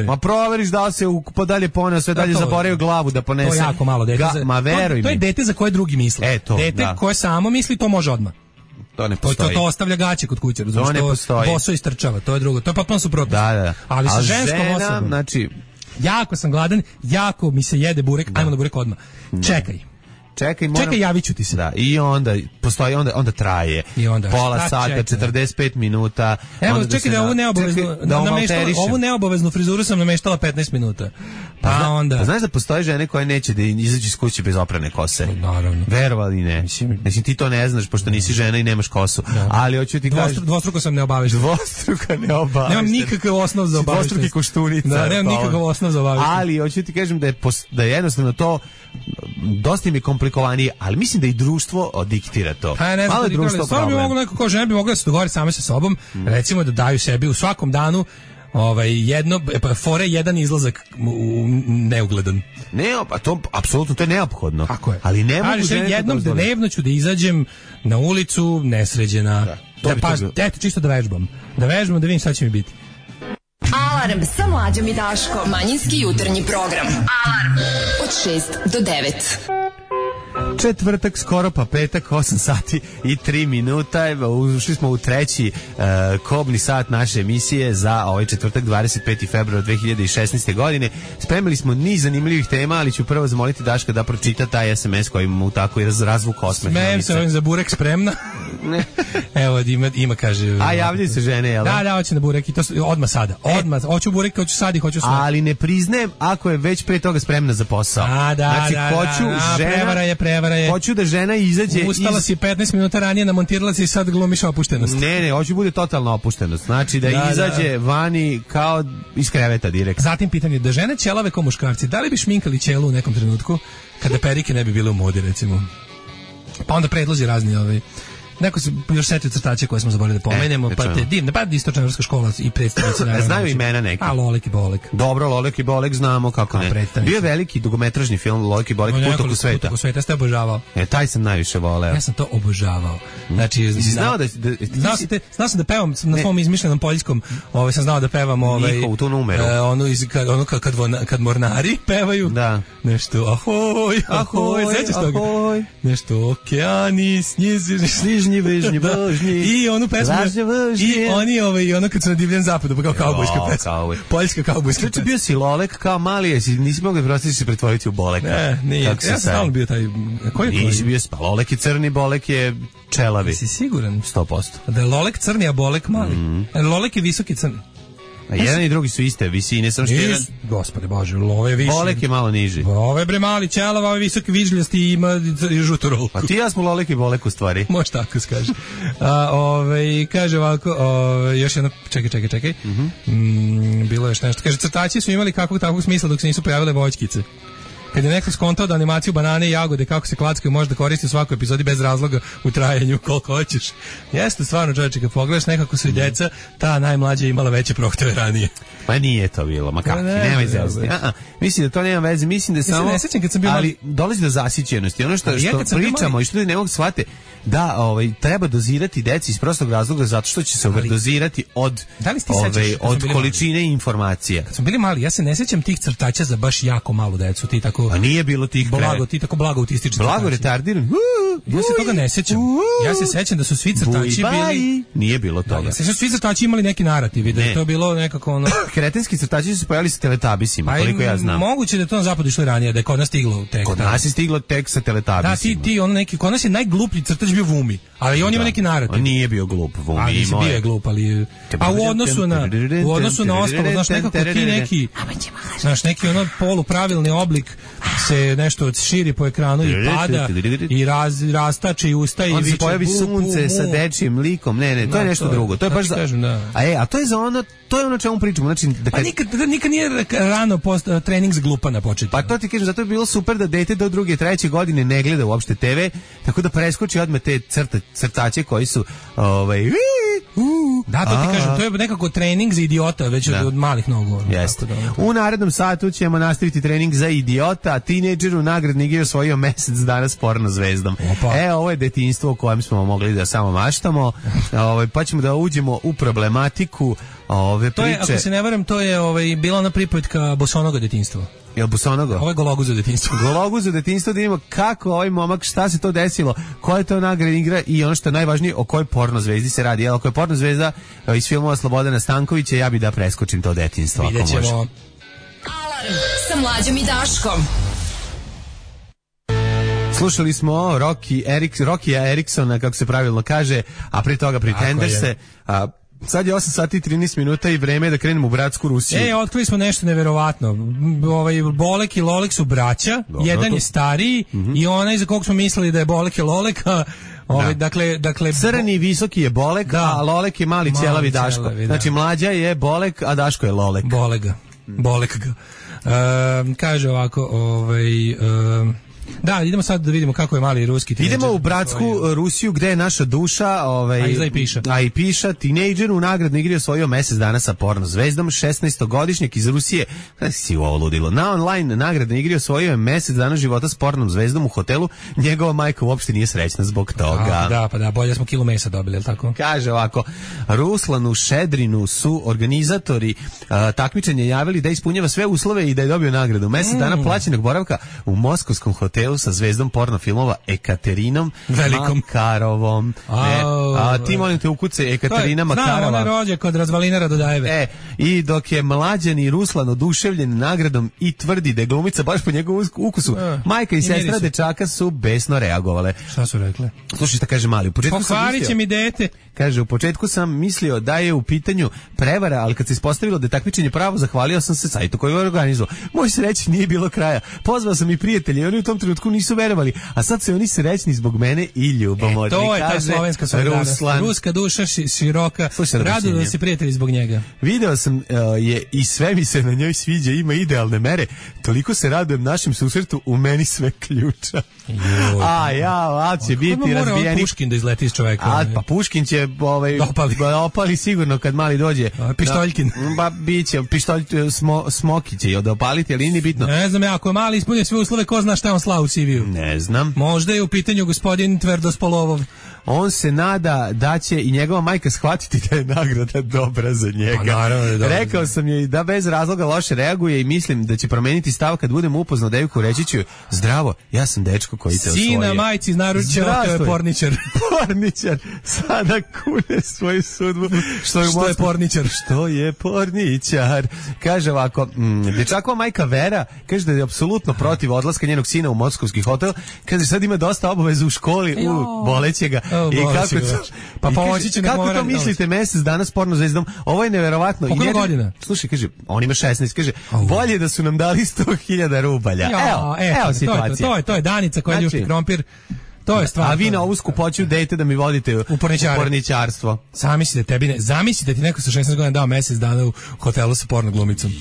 da proveriš da li se dalje poneo, sve dalje zaboravio glavu da ponese. To je jako malo dete. Ma veruj mi. To je dete za koje drugi misle. Dete koje samo misli, to može odmah. To ne postoji. To ostavlja gaće kod kuće, razumiješ? To ne postoji. Boso istrčava, to je drugo. To je potpuno suprotno. Da. Ali sa ženskom osobom. Znači, jako sam gladan, jako mi se jede burek, ajmo na burek odmah. Čekaj, javit ću ti se. Da, i onda postoji, onda traje. I onda, pola sata, 45 minuta. Evo, čekaj da ovu neobaveznu frizuru sam nameštala 15 minuta. Pa onda. Znaš da postoje žene koje neće da izađu iz kuće bez oprane kose? Naravno. Verovali ne. Mislim, ti to ne znaš, pošto nisi žena i nemaš kosu. Ali hoću ti kažem... Dvostruko sam neobavešten. Nemam nikakav osnov za obavešten. Dvostruki koštunica. Da, nemam nikakav osnov za obavešten. Ali hoću ti kažem da je jednostavno to dosta mi je komplikovanije, ali mislim da i društvo diktira to. Malo društvo problem. Bi moglo neko kao žena bi mogla da se dogovori same sa sobom, recimo da daju sebi u svakom danu jedan izlazak neugledan. Ne, pa to apsolutno to je neophodno. Tako je. Ali ne mogu žene jednom dnevno ću da izađem na ulicu nesređena. Eto, čisto da vežbam. Da vidim šta će mi biti. Alarm sa Mlađom i Daškom. Manjinski jutarnji program. Alarm od 6 do 9. Četvrtak, skoro pa petak, 8 sati i 3 minuta. Ušli smo u treći kobni sat naše emisije za ovaj četvrtak, 25. februar 2016. godine. Spremili smo niz zanimljivih tema, ali ću prvo zamoliti Daška da pročita taj SMS koji mu tako i razvuk osmeh. Smejem se ovim za burek, spremna. Evo, ima kaže... A javljaju se žene, jel? Da, hoće na burek i to odmah sada. Odmah, hoću burek, hoću sad i hoću sve. Ali ne priznajem ako je već pre toga spremna za posao. Prevara je. Hoću da žena izađe Ustala si 15 minuta ranije, namontirala si i sad glumiš opuštenost. Ne, hoću bude totalna opuštenost. Znači da izađe vani kao iz kreveta direkt. Zatim pitanje, da žene ćelave kao muškarci, da li bi šminkali ćelu u nekom trenutku kada perike ne bi bile u modi, recimo? Pa onda predlozi razni neko se još setio crtače koje smo zaboravili da pomenemo, pa te divne, pa istočnoevropska škola i predstavnici naravno. Znaju imena neki. A Lolek i Bolek. Dobro, Lolek i Bolek znamo kako ne. Bio je veliki dugometražni film Lolek i Bolek, Put oko sveta. Put oko sveta, ste obožavao. Taj sam najviše voleo. Ja sam to obožavao. Znači, znao sam da pevam na svom izmišljenom poljskom, sam znao da pevam njihovu tu numeru. Ono kad mornari pevaju. Da. Nešto ahoj, sećaš toga? Nešto okeani, snižni Vežnji, i onu pesmu i ono kad su na divljem zapadu, pa kao kaubojska pesma, poljska kaubojska pesma. Bio si Lolek kao mali, nisi mogli prostiti se pretvoriti u Boleka. Ne, nije, ja sam stalno bio taj nisi bio Lolek je crni, Bolek je čelavi. Si siguran? 100%. Da je Lolek crni, a Bolek mali. Lolek je visoki crni. A jedan i drugi su iste visine, samo što jedan... Gospode Bože, Love je više. Bolek je malo niži. Ove bre mali ćelava, ove visoki vižljasti i ima žutu rolku. Pa ti ja smo Lolek i Bolek u stvari. Može tako se kaže. Kaže ovako, još jedno, čekaj. Bilo je još nešto. Kaže, crtači su imali kakvog takvog smisla dok se nisu pojavile voćkice. Kad je neko skontao da animaciju banane i jagode kako se klackaju može da koristi u svakoj epizodi bez razloga u trajanju koliko hoćeš. Jeste stvarno, čovječe, kad pogledaš nekako su i deca, ta najmlađa imala veće prohteve ranije. Pa nije to bilo, ma kakvi, nema veze. Mislim da to nema veze, mislim da samo... Ne sećam kad sam bio... Ali dolazi do zasićenosti. Ono što pričamo i što ljudi ne mogu shvate, da treba dozirati deci iz prostog razloga zato što će se overdozirati od količine informacija. Kad smo bili mali, ja se ne sećam tih crtača za baš jako malu decu, ti tako tako... A nije bilo tih blago, ti tako blago autistični blago crtači. retardiran. Ja se toga ne sećam. Ja se sećam da su svi crtači bili... Nije bilo toga. Ja se sećam da su svi crtači imali neki narativ, da je to bilo nekako ono... Kretenski crtači su se pojavili sa Teletabisima, koliko ja znam. Moguće da je to na zapadu išlo ranije, da je kod nas stiglo tek. Kod nas je stiglo tek sa Teletabisima. Da, ti ono neki, kod nas je najgluplji crtač bio Vumi, ali on ima neki narativ. On nije bio glup, Vumi imao bio je glup, ali... A u odnosu na ostalo, znaš, nekako ti neki... Znaš, neki ono polupravilni oblik se nešto širi po ekranu i pada i rastače i ustaje i viče. On se pojavi sunce sa dečijim likom. Ne, to je nešto drugo. To je baš za... A to je za ono, to je ono čemu pričamo. Znači, pa nikad nije rano trening za glupa na početku. Pa to ti kažem, zato je bilo super da dete do 2. 3. godine ne gleda uopšte TV, tako da preskoči odmah te crtače koji su da, to ti kažem, to je nekako trening za idiota već od malih nogu. Jeste. U narednom satu ćemo nastaviti trening za idiota, tinejdžer u nagradni igri osvojio mesec dana s porno zvezdom. Ovo je detinjstvo o kojem smo mogli da samo maštamo, pa ćemo da uđemo u problematiku ove priče. To je, ako se ne varam, to je bila ona pripovetka Bosonoga detinjstva. Jel Busonogo? Ovo je Gologuzo detinjstvo. Gologuzo detinjstvo, da vidimo kako ovaj momak, šta se to desilo, koja je to nagradna igra i ono što je najvažnije, o kojoj porno zvezdi se radi. Jel, ako je porno zvezda iz filmova Slobodana Stankovića, ja bi da preskočim to detinjstvo. Vidjet ćemo. Alarm sa Mlađom i Daškom. Slušali smo Rokija Eriksona, kako se pravilno kaže, a pri toga Pretenderse. Sad je 8 sati i 13 minuta i vreme je da krenemo u bratsku Rusiju. Otkrili smo nešto neverovatno. Bolek i Lolek su braća, jedan je stariji i onaj za kog smo mislili da je Bolek i Lolek, dakle crni visoki je Bolek, a Lolek je mali ćelavi Daško. Znači mlađa je Bolek, a Daško je Lolek. Bolek ga. Kaže ovako, da, idemo sad da vidimo kako je mali ruski tinejdžer. Idemo u bratsku Rusiju gde je naša duša, a i piša, tinejdžer u nagradnoj igri osvojio mesec dana sa porno zvezdom, 16-godišnjak iz Rusije, kada si ovo ludilo, na online nagradnoj igri osvojio je mesec dana života s pornom zvezdom u hotelu, njegova majka uopšte nije srećna zbog toga. Da, bolje smo kilu mesa dobili, je li tako? Kaže ovako, Ruslanu Šedrinu su organizatori takmičenja javili da ispunjava sve uslove i da je dobio nagradu. Mesec dana plaćenog boravka u moskovskom hotelu sa zvezdom porno filmova Ekaterinom Makarovom. Ti molim te ukuce Ekaterina Makarova. Znam, ona rođe kod Razvalinara Dodajeve. I dok je mlađani Ruslan oduševljen nagradom i tvrdi da je glumica baš po njegovom ukusu, majka i sestra dečaka su besno reagovale. Šta su rekle? Slušaj šta kaže mali. Pokvarit će mi dete. Kaže, u početku sam mislio da je u pitanju prevara, ali kad se ispostavilo da je takmičenje pravo, zahvalio sam se sajtu koji je organizovao. Moj sreći nije bilo kraja. Pozvao sam i prijatelje i oni u tom trenutku nisu verovali, a sad su oni srećni zbog mene i ljubomorni. To je ta slovenska solidarnost. Ruska duša široka. Rado da si prijatelji zbog njega. Video sam je i sve mi se na njoj sviđa, ima idealne mere. Toliko se radujem našem susretu, u meni sve ključa. Će biti razbijeni. Mora Puškin da izleti iz čoveka. Pa Puškin će opali sigurno kad mali dođe. Pištoljkin. Biće pištolj Smoki će da opaliti, ali nije bitno. Ne znam, ako je mali ispunio sve uslove, ko zna šta on slao u CV-u. Ne znam. Možda je u pitanju gospodin Tverdospolovov. On se nada da će i njegova majka shvatiti da je nagrada dobra za njega. Naravno, rekao sam joj da bez razloga loše reaguje i mislim da će promeniti stav kad budem upoznao devojku, reći ću zdravo, ja sam dečko koji te osvojio. Sina majci iz naručja, to je porničar. Porničar sada kune svoju sudbu. Što je porničar? Što je porničar? Kaže ovako, dečakova majka Vera kaže da je apsolutno protiv odlaska njenog sina u moskovski hotel. Kaže sad ima dosta obaveza u školi, boleće ga. I kako to mislite mesec dana s porno zvezdom? Ovo je neverovatno. Koliko godina? Slušaj, kaže, on ima 16, kaže, bolje da su nam dali 100.000 rubalja. Evo situacija. To je Danica koja ljušti krompir. To je stvar. A vi na ovu skupoću dejte da mi vodite u porničarstvo. Zamislite ti neko sa 16 godina dao mesec dana u hotelu sa porno glumicom.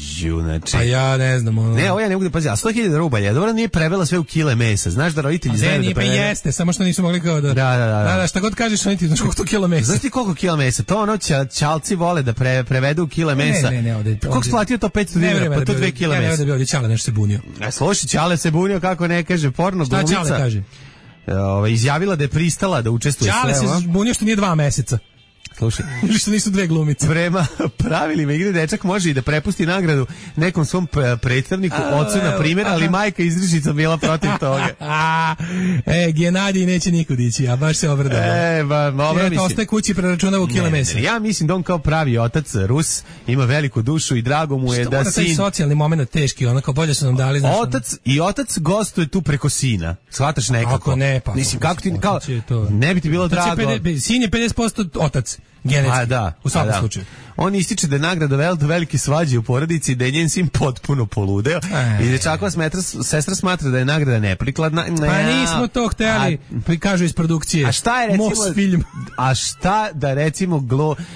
Znači. A ja ne znam. Ne, ovo ja ne mogu da pazim. A 100.000 rubalja, dobro nije prevela sve u kile mesa. Znaš da roditelji znaju da prevela. Jeste, samo što nisu mogli kao da... Da, šta god kažeš, oni ti znaš koliko to kilo mesa. Znaš ti koliko kila mesa? To ono čalci vole da prevedu u kile mesa. Koliko splatio to 500 dinara? Pa to 2 kila mesa. Ne, da bi ovdje Čale nešto se bunio. Slušaj, Čale se bunio kako ne kaže porno glumica. Šta Čale kaže? Izjavila da je pristala da učestvuje sve. Čale se bunio što nije 2 meseca. Slušaj. Što nisu dve glumice. Prema pravilima igre dečak može i da prepusti nagradu nekom svom predstavniku, ocu na primjer, ali majka izričica bila protiv toga. Genadij neće nikud ići, a baš se obradao. Ostaje kući preračunava u kile mesa. Ja mislim da on kao pravi otac Rus ima veliku dušu i drago mu je što da sin... Taj socijalni moment teški, onako bolje su nam dali. Otac gostuje tu preko sina. Shvataš nekako? Ako ne, pa. Mislim, kako ti, kao, ne bi ti bilo drago. Sin je 50% otac. Genetski, u svakom slučaju. On ističe da je nagrada velike svađe u porodici i da je njen sin potpuno poludeo. I dečakova sestra smatra da je nagrada neprikladna. Pa nismo to hteli, kažu iz produkcije. A šta je recimo... Most film. A šta da recimo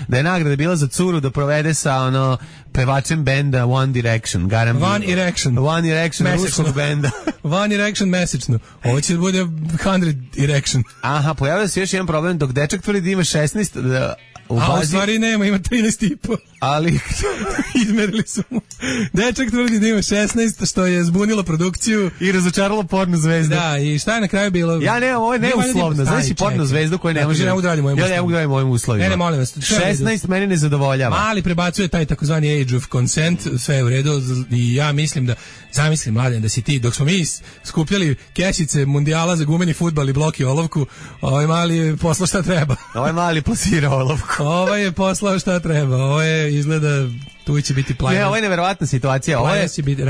da je nagrada bila za curu da provede sa pevačem benda One Direction. One Erection ruskog benda. One Erection mesečno. Ovo će da bude 100 Erection. Aha, pojavio se još jedan problem, dok dečak tvrdi da ima 16... A u stvari nema, ima 13,5. Ali izmerili su mu. Dečak tvrdi da ima 16, što je zbunilo produkciju i razočaralo porno zvezdu. Da, i šta je na kraju bilo? Ja nemam, ovo je neuslovno. Znaš si porno zvezdu koju ne može. Ja ne mogu da radim mojim uslovima. Ne, molim vas. 16 meni ne zadovoljava. Mali prebacuje taj takozvani age of consent, sve je u redu i ja mislim da, zamislim Mladen da si ti, dok smo mi skupljali kesice mundijala za gumeni fudbal i bloki olovku, ovaj mali je poslao šta treba. Ovaj mali plasira olovku. Ovaj je poslao šta treba. Ovo je izgleda tu će biti plajno. Ne, ovo je neverovatna situacija.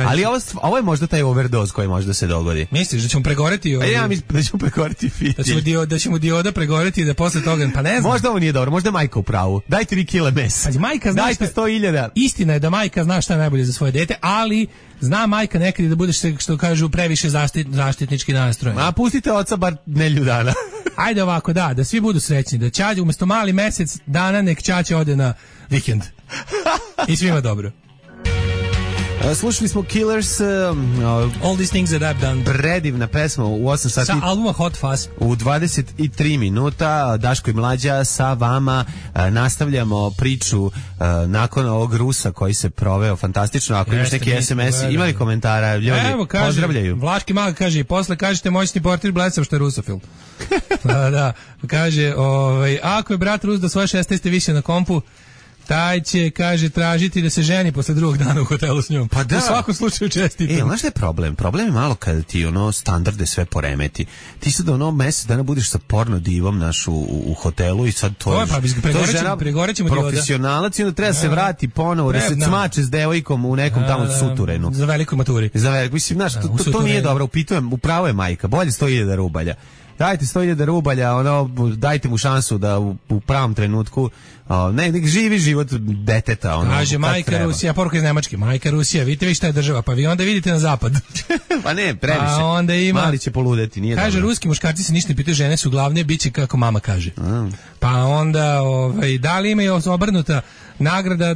Ali ovo je možda taj overdose koji može da se dogodi. Misliš da ćemo pregoreti? Ja mislim da ćemo pregoreti fitilj. Da ćemo dioda pregoreti i da posle toga, pa ne znam. Možda ovo nije dobro, možda je majka u pravu. Dajte 3 kile mesa. Majka zna dajte 100.000. Istina je da majka zna šta je najbolje za svoje dete, ali zna majka nekad da budeš, što kažu, previše zaštitnički nastrojen. A pustite oca bar nedelju dana. Ajde ovako, da svi budu srećni, da Ćađa umjesto mali mesec dana nek Ćaća ode na vikend. I svima dobro. Slušali smo Killers, All These Things That I've Done. Predivna pesma u 8 sati. Sa albuma Hot Fuzz. U 23 minuta Daško i Mlađa sa vama nastavljamo priču nakon ovog Rusa koji se proveo fantastično. Ako imaš neki SMS, imali komentara, ljudi pozdravljaju. Vlaški mag kaže, i posle kažete moćni portir blesav što je rusofil. Da, kaže, ako je brat Rus do svoje 16. više na kompu, taj će, kaže, tražiti da se ženi posle drugog dana u hotelu s njom. Pa da. U svakom slučaju čestitam. Znaš šta je problem? Problem je malo kada ti standarde sve poremeti. Ti sad mesec dana budeš sa porno divom u hotelu i sad to je žena profesionalac i onda treba se vrati ponovo da se cmače s devojkom u nekom tamo suturenu. Za velikoj maturi. Mislim, znaš, to nije dobro. Upravo je majka. Bolje 100.000 rubalja. Dajte 100.000 rubalja, dajte mu šansu da u pravom trenutku nek živi život deteta. Kaže majka Rusija, poruka iz Nemačke, majka Rusija, vidite vi šta je država, pa vi onda vidite na zapad. Pa ne, previše. Mali će poludeti, nije kaže, dobro. Ruski muškarci se ništa ne pitaju, žene su glavne, bit će kako mama kaže. Pa onda, da li ima i obrnuta nagrada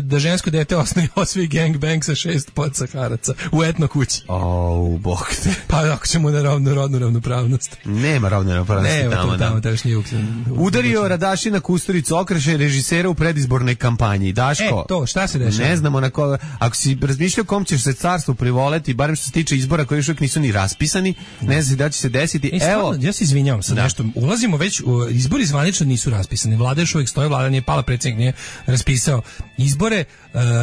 da žensko dete osvoji gangbang sa 6 podsaharaca u etno kući. Bog te. Pa ako ćemo na rodnu ravnopravnost. Nema rodne ravnopravnosti tamo. Udario Radašina Kusturicu, okreše režisera u predizbornoj kampanji. Daško, to, šta se dešava? Ne znamo na koga. Ako si razmišljao kom ćeš se carstvu privoleti, barem što se tiče izbora koji još uvijek nisu ni raspisani, ne znam da će se desiti. Evo, ja se izvinjavam sad nešto. Ulazimo već, izbori zvanično nisu raspisani. Vlada još uvijek stoji, vlada nije pala, predsjednik nije raspisao izbore.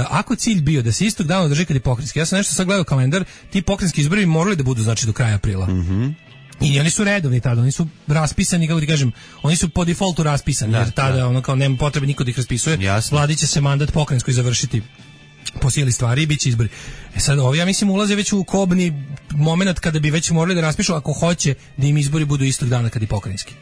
Ako cilj bio da se istog dana održi kad je pokrajinski, ja sam nešto sad gledao kalendar, ti pokrajinski izbori morali da budu znači do kraja aprila. I oni su redovni tada, oni su raspisani, kako ti kažem, oni su po defaultu raspisani, jer tada kao nema potrebe niko da ih raspisuje. Vladi će se mandat pokrajinskoj završiti po sili stvari i bit će izbori. Sad ja mislim ulaze već u kobni moment kada bi već morali da raspišu ako hoće da im izbori budu istog dana kad je pokrajinski.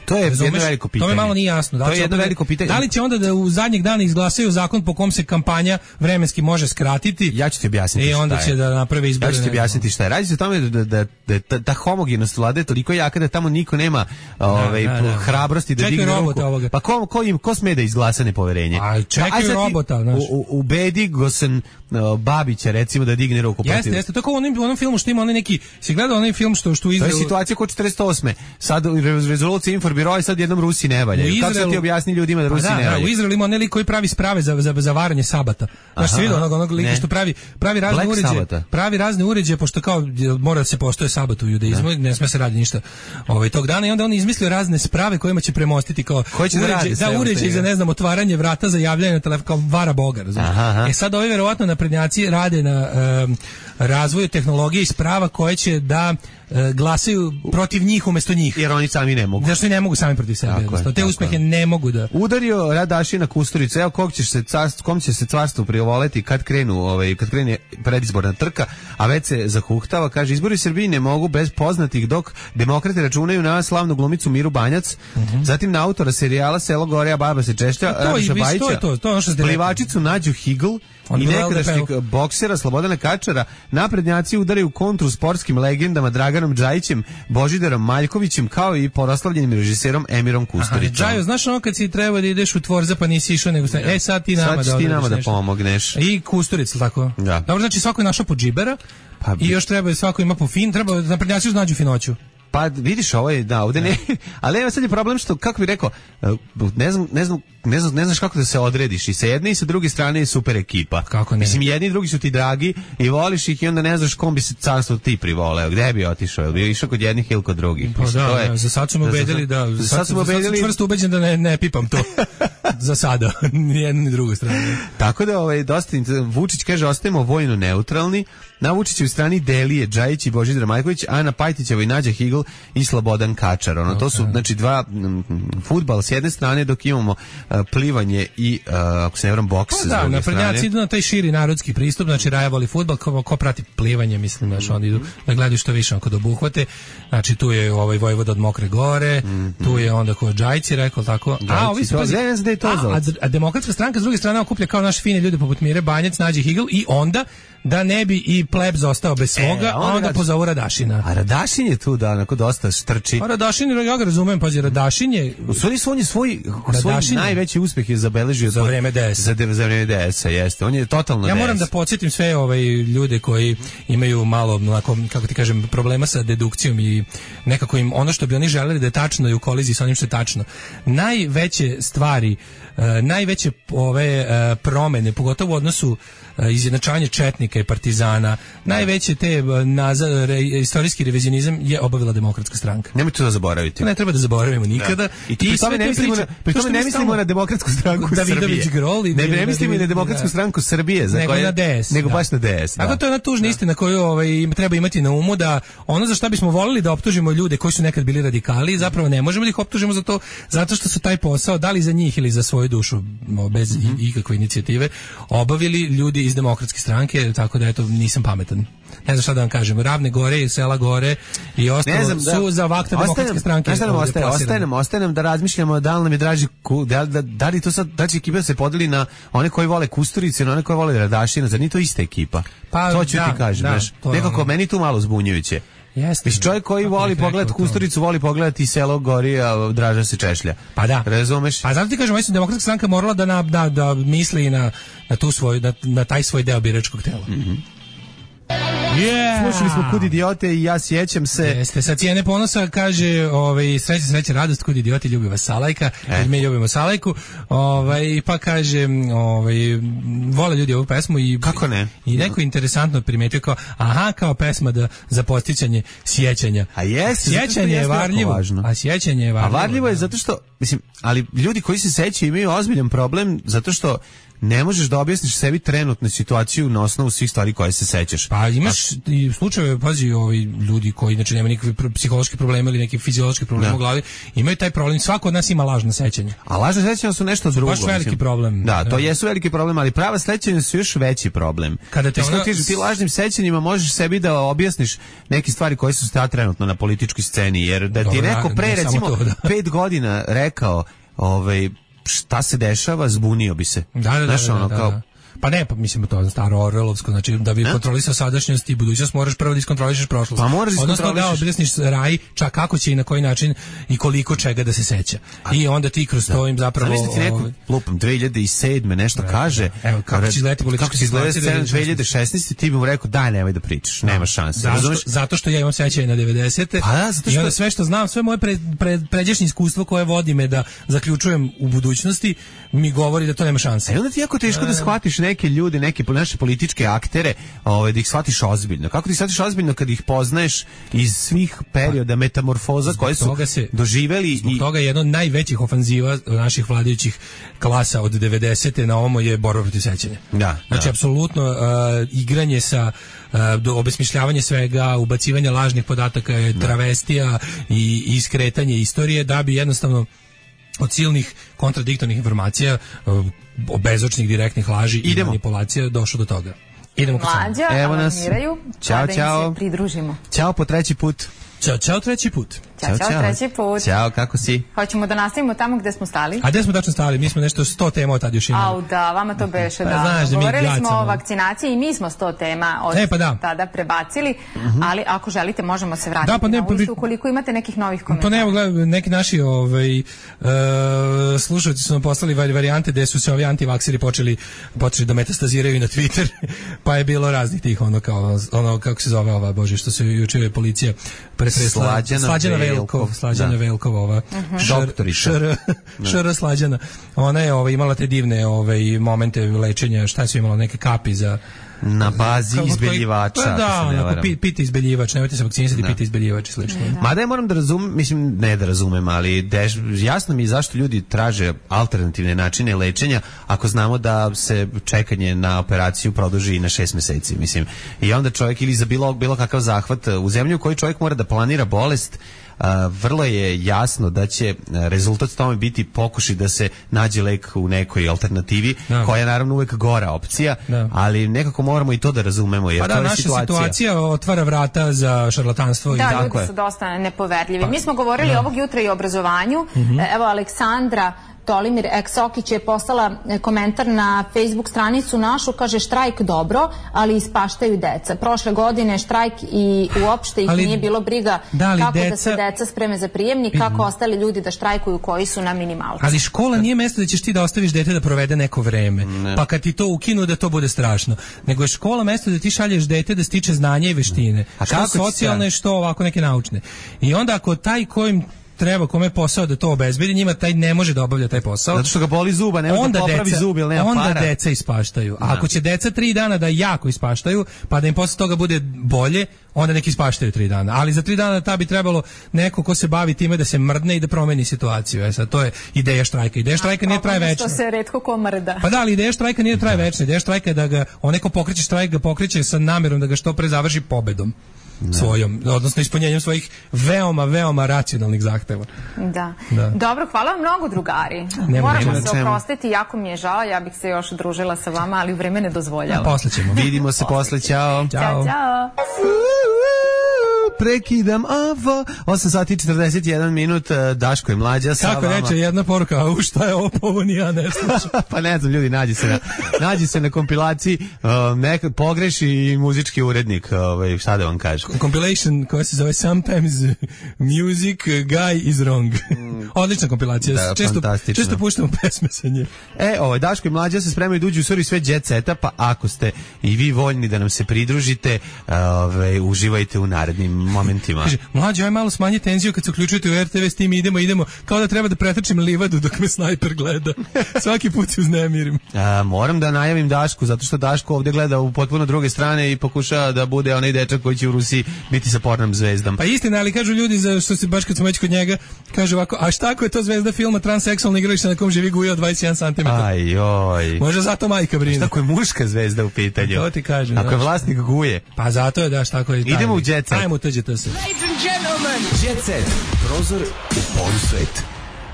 To je jedno veliko pitanje. To mi malo nije jasno. To je jedno veliko pitanje. Da li će onda da u zadnjeg dana izglasaju zakon po kom se kampanja vremenski može skratiti? Ja ću ti objasniti. I onda će da naprave izbore. Ja ću ti objasniti šta je. Radi se o tome da ta homogenost vlade je toliko jaka da tamo niko nema hrabrosti da digne ruku. Pa ko sme da izglasa nepoverenje? Čekaju robota. Ubedi Gosen Babića recimo da digne ruku. Jeste. To kao u onom filmu što ima onaj neki, si gledao onaj film što izgleda. To je situacija kao 48. Sad rezolucija biroje, sad jednom Rusi ne valjaju. Kako se ti objasni ljudima da Rusi ne valjaju? U Izraelu ima onaj lik koji pravi sprave za varanje sabata. Znaš, se vidio onog lika što pravi razne uređaje. Pravi razne uređaje, pošto kao mora da se poštuje sabat u judaizmu, ne sme se radi ništa tog dana, i onda on izmislio razne sprave kojima će premostiti kao uređaj za, ne znam, otvaranje vrata za javljanje na telefon, kao vara Boga, razumiješ? Sad ovi verovatno naprednjaci rade na razvoju tehnologije i sprava koje će da glasaju protiv njih umesto njih. Jer oni sami ne mogu. Zašto ne mogu sami protiv sebe? Te uspehe ne mogu da... Udario Radašina Kusturicu. Evo kom će se carstvo privoleti kad krene predizborna trka, a već se zahuhtava. Kaže, izbori u Srbiji ne mogu bez poznatih, dok demokrate računaju na slavnu glumicu Miru Banjac, zatim na autora serijala Selo gore, a baba se češlja, Radoša Bajića, plivačicu Nađu Higl i nekadašnjeg boksera Slobodana Kačara. Naprednjaci udaraju kontru sportskim legendama Draganom Džajićem, Božidarom Maljkovićem, kao i poraslavljenim režiserom Emirom Kusturicom. Džajo, znaš ono kad si trebao da ideš u Tvorza pa nisi išao, nego sad ti nama da pomogneš. I Kusturica, tako? Da. Dobro, znači svako je našao po džibera i još treba, svako ima po fin, treba naprednjaci nađu finoću. Pa vidiš, ovdje ne, ali evo sad je problem što, kako bih rekao, ne znaš kako da se odrediš, i sa jedne i sa druge strane je super ekipa. Kako ne? Mislim, jedni i drugi su ti dragi i voliš ih i onda ne znaš kom bi se carstvo ti privoleo, gde bi otišao, bi išao kod jednih ili kod drugih. Pa za sad su me ubedili sad sam čvrsto ubeđen da ne pipam to. Za sada, ni jednu ni drugu stranu. Tako da dosta Vučić kaže, ostajemo vojno neutralni. Na Vučićevoj strani Delije Džajić i Božidar Maljković, a na Pajtićevoj Nađa Higl i Slobodan Kačar. To su, znači, dva fudbal s jedne strane, dok imamo plivanje i, ako se ne vram, boks s druge strane. Naprednjaci idu na taj širi narodski pristup, znači Raja voli fudbal, ko prati plivanje, mislim, znači oni idu da gledaju što više kod obuhvate. Znači tu je Vojvoda od Mokre Gore, tu je onda kod Džajci, rekao tako. A Demokratska stranka s druge strane okuplja kao naše fine ljude poput Mire Banjac, Nađe Higl, i onda da ne bi i pleb zostao bez svoga, a onda pozovu Radašina. A Radašin je tu da onako dosta strči. A Radašin, ja ga razumem, pazi, Radašin je... On je svoj najveći uspjeh je zabeležio za vreme DS. Za vreme DS-a, jeste. On je totalno DS. Ja moram da podsjetim sve ljude koji imaju malo, kako ti kažem, problema sa dedukcijom i nekako im ono što bi oni želeli da je tačno i u koliziji sa onim što je tačno. Najveće stvari, najveće promene, pogotovo u odnosu izjednačavanje četnika i partizana, najveće te istorijski revizionizam je obavila Demokratska stranka. Nemojte to da zaboraviti. Ne treba da zaboravimo nikada. I pri tome ne mislimo na Demokratsku stranku Srbije. Ne mislimo i na Demokratsku stranku Srbije, nego na DS. Nego baš na DS. Tako to je ona tužna istina koju treba imati na umu, da ono za šta bismo volili da optužimo ljude koji su nekad bili radikali, zapravo ne možemo da ih optužimo za to, zato što su taj posao, da li za njih ili za svoju dušu, bez ikakve inicijative, obavili ljudi iz Demokratske stranke, tako da eto, nisam pametan. Ne znam šta da vam kažem, Ravne gore i Sela gore i ostalo su za vakta Demokratske stranke. Ostaje nam da razmišljamo da li nam je draži, da li to sad, da će ekipa se podeli na one koji vole Kusturice, na one koji vole Radašina, zar nije to ista ekipa? Pa, to ću ti kažem, nekako meni tu malo zbunjujuće. Mislim, čovjek koji voli pogledati Kusturicu, voli pogledati Selo gori, a Draža se češlja. Pa da. Razumeš? Pa zato ti kažem, mislim, Demokratska stranka morala da misli na taj svoj deo biračkog tela. Slušali smo Kud idiote i ja sjećam se. Jeste, sa cijene ponosa kaže, sreća, radost, kud idioti, ljubi vas Salajka, i mi ljubimo Salajku, pa kaže, vole ljudi ovu pesmu i kako ne? I neko interesantno primetio kao pesma za podsjećanje sjećanja. A jeste, sjećanje je varljivo. A sjećanje je varljivo. A varljivo je zato što, mislim, ali ljudi koji se sećaju imaju ozbiljan problem zato što ne možeš da objasniš sebi trenutnu situaciju na osnovu svih stvari koje se sećaš. Pa imaš i slučajeve, pazi, ljudi koji znači nemaju nikakve psihološke probleme ili neki fiziološki problem u glavi, imaju taj problem. Svako od nas ima lažna sećanja. A lažna sećanja su nešto drugo. Baš veliki problem. Da, to jesu veliki problem, ali prava sećanja su još veći problem. Kada ti lažnim sećanjima možeš sebi da objasniš neke stvari koje su sta trenutno na političkoj sceni, jer da ti neko pre recimo 5 godina rekao, šta se dešava, zbunio bi se. Da. Pa ne, pa mislim to je staro orwelovsko, znači da bi kontrolisao sadašnjost i budućnost moraš prvo da iskontrolišeš prošlost. Pa moraš odnosno da objasniš raj, čak kako će i na koji način i koliko čega da se seća. I onda ti kroz to im zapravo... Zamislite ti neko, lupam, 2007. nešto kaže... Evo, kako će izgledati politička situacija... 2016. ti bi mu rekao, daj, nemoj da pričaš, nema šanse. Zato što ja imam sećanje na 90. Pa da, zato što... I onda sve što znam, sve moje pređašnje iskustvo koje vodi me da zaključujem u budućnosti, mi govori da to nema šanse. I onda ti jako teško da shvatiš neke ljude, neke naše političke aktere, da ih shvatiš ozbiljno. Kako ti shvatiš ozbiljno kad ih poznaješ iz svih perioda metamorfoza koje su doživeli? Zbog toga jedno od najvećih ofanziva naših vladajućih klasa od 90. na ovom je borba protiv sećanja. Znači, apsolutno igranje sa obesmišljavanje svega, ubacivanje lažnih podataka, travestija i iskretanje istorije da bi jednostavno od silnih kontradiktornih informacija, bezočnih direktnih laži i manipulacija došlo do toga. Idemo kod Mlađa, alarmiraju, da im se pridružimo. Ćao po treći put. Ćao treći put. Ćao treći put. Ćao, kako si? Hoćemo da nastavimo tamo gde smo stali. A gde smo tačno stali? Mi smo nešto 100 tema od tad još imali. Au da, vama to beše da. Govorili smo o vakcinaciji i mi smo 100 tema od tada prebacili, ali ako želite možemo se vratiti na ulistu ukoliko imate nekih novih komentara. Pa ne, gledaj, neki naši slušalci su nam poslali varijante gde su se ovi antivakseri počeli da metastaziraju na Twitter, pa je bilo raznih tih ono kako se zove ova, bože, što se juče policija pretresla. Slađana Velkova, ova šr Slađana. Ona je imala te divne momente lečenja, šta su imala, neke kapi za na bazi izbeljivača. Da, pite izbeljivač, nemojte se vakcinisati, pite izbeljivač i slično. Mada ja moram da razumem, mislim, ne da razumem, ali jasno mi je zašto ljudi traže alternativne načine lečenja ako znamo da se čekanje na operaciju produži i na 6 meseci, mislim. I onda čovjek ili za bilo kakav zahvat u zemlji u kojoj čovjek mora da planira bolest, vrlo je jasno da će rezultat tome biti pokušaj da se nađe lek u nekoj alternativi, koja je naravno uvek gora opcija, ali nekako moramo i to da razumemo, jer to je naša situacija otvara vrata za šarlatanstvo. Da, ljudi su dosta nepoverljivi. Mi smo govorili ovog jutra i o obrazovanju. Evo, Aleksandra Tolimir Eksokić je poslala komentar na Facebook stranicu našu, kaže štrajk dobro, ali ispaštaju deca. Prošle godine štrajk i uopšte ih nije bilo briga kako da se deca spreme za prijemnik, kako ostali ljudi da štrajkuju koji su na minimalcu. Ali škola nije mesto da ćeš ti da ostaviš dete da provede neko vreme, pa kad ti to ukinu da to bude strašno. Nego je škola mesto da ti šalješ dete da stiče znanje i veštine. Što socijalne, što ovako neke naučne. I onda ako taj kojim treba kome posao da to obezbedi, njima taj ne može da obavlja taj posao. Zato što ga boli zuba, ne može da popravi zub ili nema para. Onda deca ispaštaju. A ako će deca 3 dana da jako ispaštaju, pa da im posle toga bude bolje, onda neki ispaštaju 3 dana. Ali za 3 dana ta bi trebalo neko ko se bavi time da se mrdne i da promeni situaciju. Sad to je ideja štrajka. Ideja štrajka nije traje večno. Što se retko ko mrda. Pa da, ali ideja štrajka nije traje večno. Ideja štrajka je da ga onaj ko pokreće štrajk ga pokreće sa namerom da ga što pre završi pobedom. Svojom, odnosno ispunjenjem svojih veoma racionalnih zahteva. Da. Dobro, hvala vam mnogo, drugari. Moramo se oprostiti, jako mi je žao, ja bih se još družila sa vama, ali vreme ne dozvoljava. Posle ćemo. Vidimo se posle, ćao. Ćao. Prekidam ovo. 8 sati i 41 minut, Daško je Mlađa sa vama. Kako reče jedna poruka, šta je ovo ni ja ne slušam. Pa ne znam, ljudi, nađi se na kompilaciji, nekad pogreši i muzički urednik, šta da vam kažem. Compilation koja se zove Sometimes Music Guy is Wrong. Odlična kompilacija, često puštamo pesme sa nje. Daško i Mlađa se spremaju da uđu u stvari sve jet seta, pa ako ste i vi voljni da nam se pridružite, uživajte u narednim momentima. Kaže, Mlađe, aj malo smanji tenziju kad se uključujete u RTV, s tim idemo, kao da treba da pretrčim livadu dok me snajper gleda. Svaki put se uznemirim. Moram da najavim Dašku, zato što Daško ovdje gleda u potpuno druge strane i pokušava da bude onaj dečak koji će u Rusiji biti sa pornom zvezdom. Pa istina, ali kažu ljudi, što se baš kad smo već kod njega, kaže ovako, a šta ako je to zvezda filma transseksualni igralište na kom živi guja od 21 cm? Ajoj. Može zato majka brine. Šta ako je muška zvezda u pitanju? To ti kažem. Ako je vlasnik guje. Pa zato je, daš, tako je. Idemo u jet set. Ajmo tuđete se. Ladies and gentlemen, jet set. Prozor u polusvet.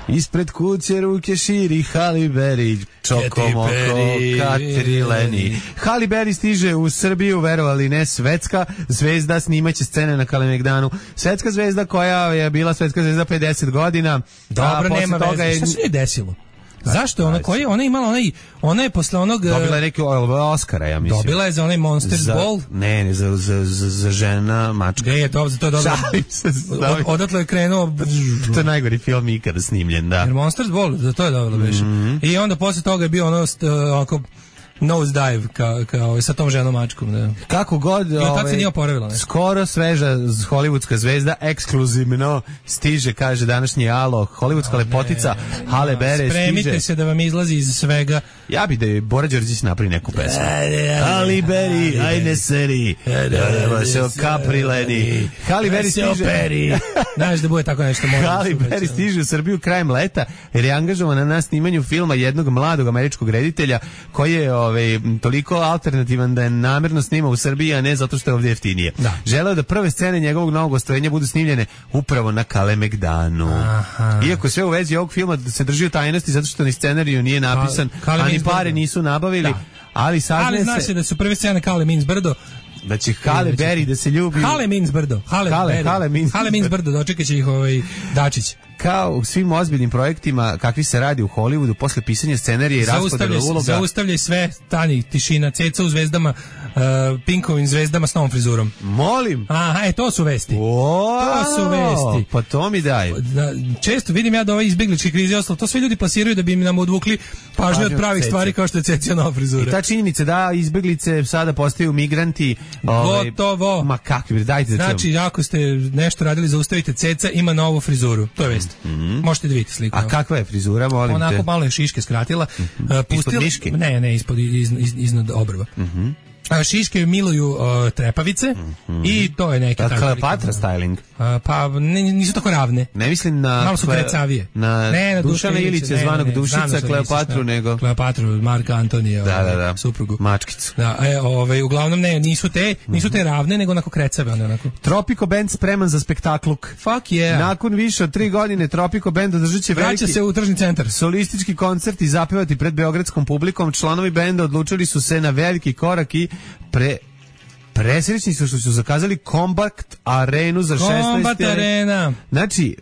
Ispred kuće ruke širi Halle Berry, Čokomoko, Katrileni. Halle Berry stiže u Srbiju, verovali ne, svetska zvezda, snimaće scene na Kalemegdanu. Svetska zvezda koja je bila svetska zvezda 50 godina. Dobro, nema veze. Šta se je desilo? Zašto je ona, ona je imala ona je posle onog... Dobila je neki Oscara, ja mislim. Dobila je za onaj Monsters Ball. Ne, za žena mačka. Je, to je dobro. Odatle je krenuo... To je najgori film ikada snimljen, da. Jer Monsters Ball, za to je dobila beše. I onda posle toga je bio ono nose dive kao sa tom ženom mačkom, da. Kako god, tad se nije oporavila, ne? Skoro sveža hollywoodska zvezda ekskluzivno stiže, kaže današnji Alo, hollywoodska lepotica Halle Berry stiže. Spremite se da vam izlazi iz svega. Ja bi da je Bora Đorđić napravi neku pesmu. Halle Berry, ajne seri, da se okaprileni. Halle Berry stiže. Znaš da bude tako nešto. Halle Berry stiže u Srbiju krajem leta jer je angažovana na snimanju filma jednog mladog američkog reditelja koji je toliko alternativan da je namerno snima u Srbiji, a ne zato što je ovdje jeftinije. Da. Želeo da prve scene njegovog novog ostvarenja budu snimljene upravo na Kalemegdanu. Iako sve u vezi ovog filma se drži u tajnosti zato što ni scenariju nije napisan, a ni pare nisu nabavili, da. Ali zna se da su prve scene Kale Means Brdo, da će Halle Berry da se ljubi. Halle Means Brdo. Halle Means Brdo, dočekat će ih Dačić. Kao u svim ozbiljnim projektima kakvi se radi u Hollywoodu, posle pisanja scenarija i raspodele uloga. Zaustavljaj sve, stani, tišina, ceca u zvezdama, Pinkovim zvezdama s novom frizurom. Molim. Aha, to su vesti. To su vesti. Pa to mi daj. Često vidim ja da ove izbegličke krize ostalo, to sve ljudi plasiraju da bi nam odvukli pažnju od pravih stvari kao što je cecija nova frizura. I ta činjenica da izbeglice sada postaju migranti. Gotovo. Ma kakvi, dajte da čujemo. Znači, ako ste nešto radili, zaustavite, ceca ima novu frizuru. To je vest. Možete da vidite sliku. A kakva je frizura, molim te? Onako malo je šiške skratila. Ispod miške? Ne, iznad obrva. Šiške miluju trepavice i to je neki... Kleopatra styling? Pa nisu tako ravne. Ne mislim na... Malo su krecavije. Na Dušana Ilića, zvanog Dušica, Kleopatru, nego... Kleopatru, Marka Antonija, suprugu. Mačkicu. Da, uglavnom ne, nisu te ravne, nego onako krecave. Tropico Band spreman za spektakluk. Fuck yeah. Nakon više od 3 godine Tropico Band održat će veliki... Vraća se u tržni centar. Solistički koncert i zapevati pred beogradskom publikom. Članovi benda odlučili su se na veliki korak i presrećni su što su zakazali Kombat arenu za 16. Arena. Znači,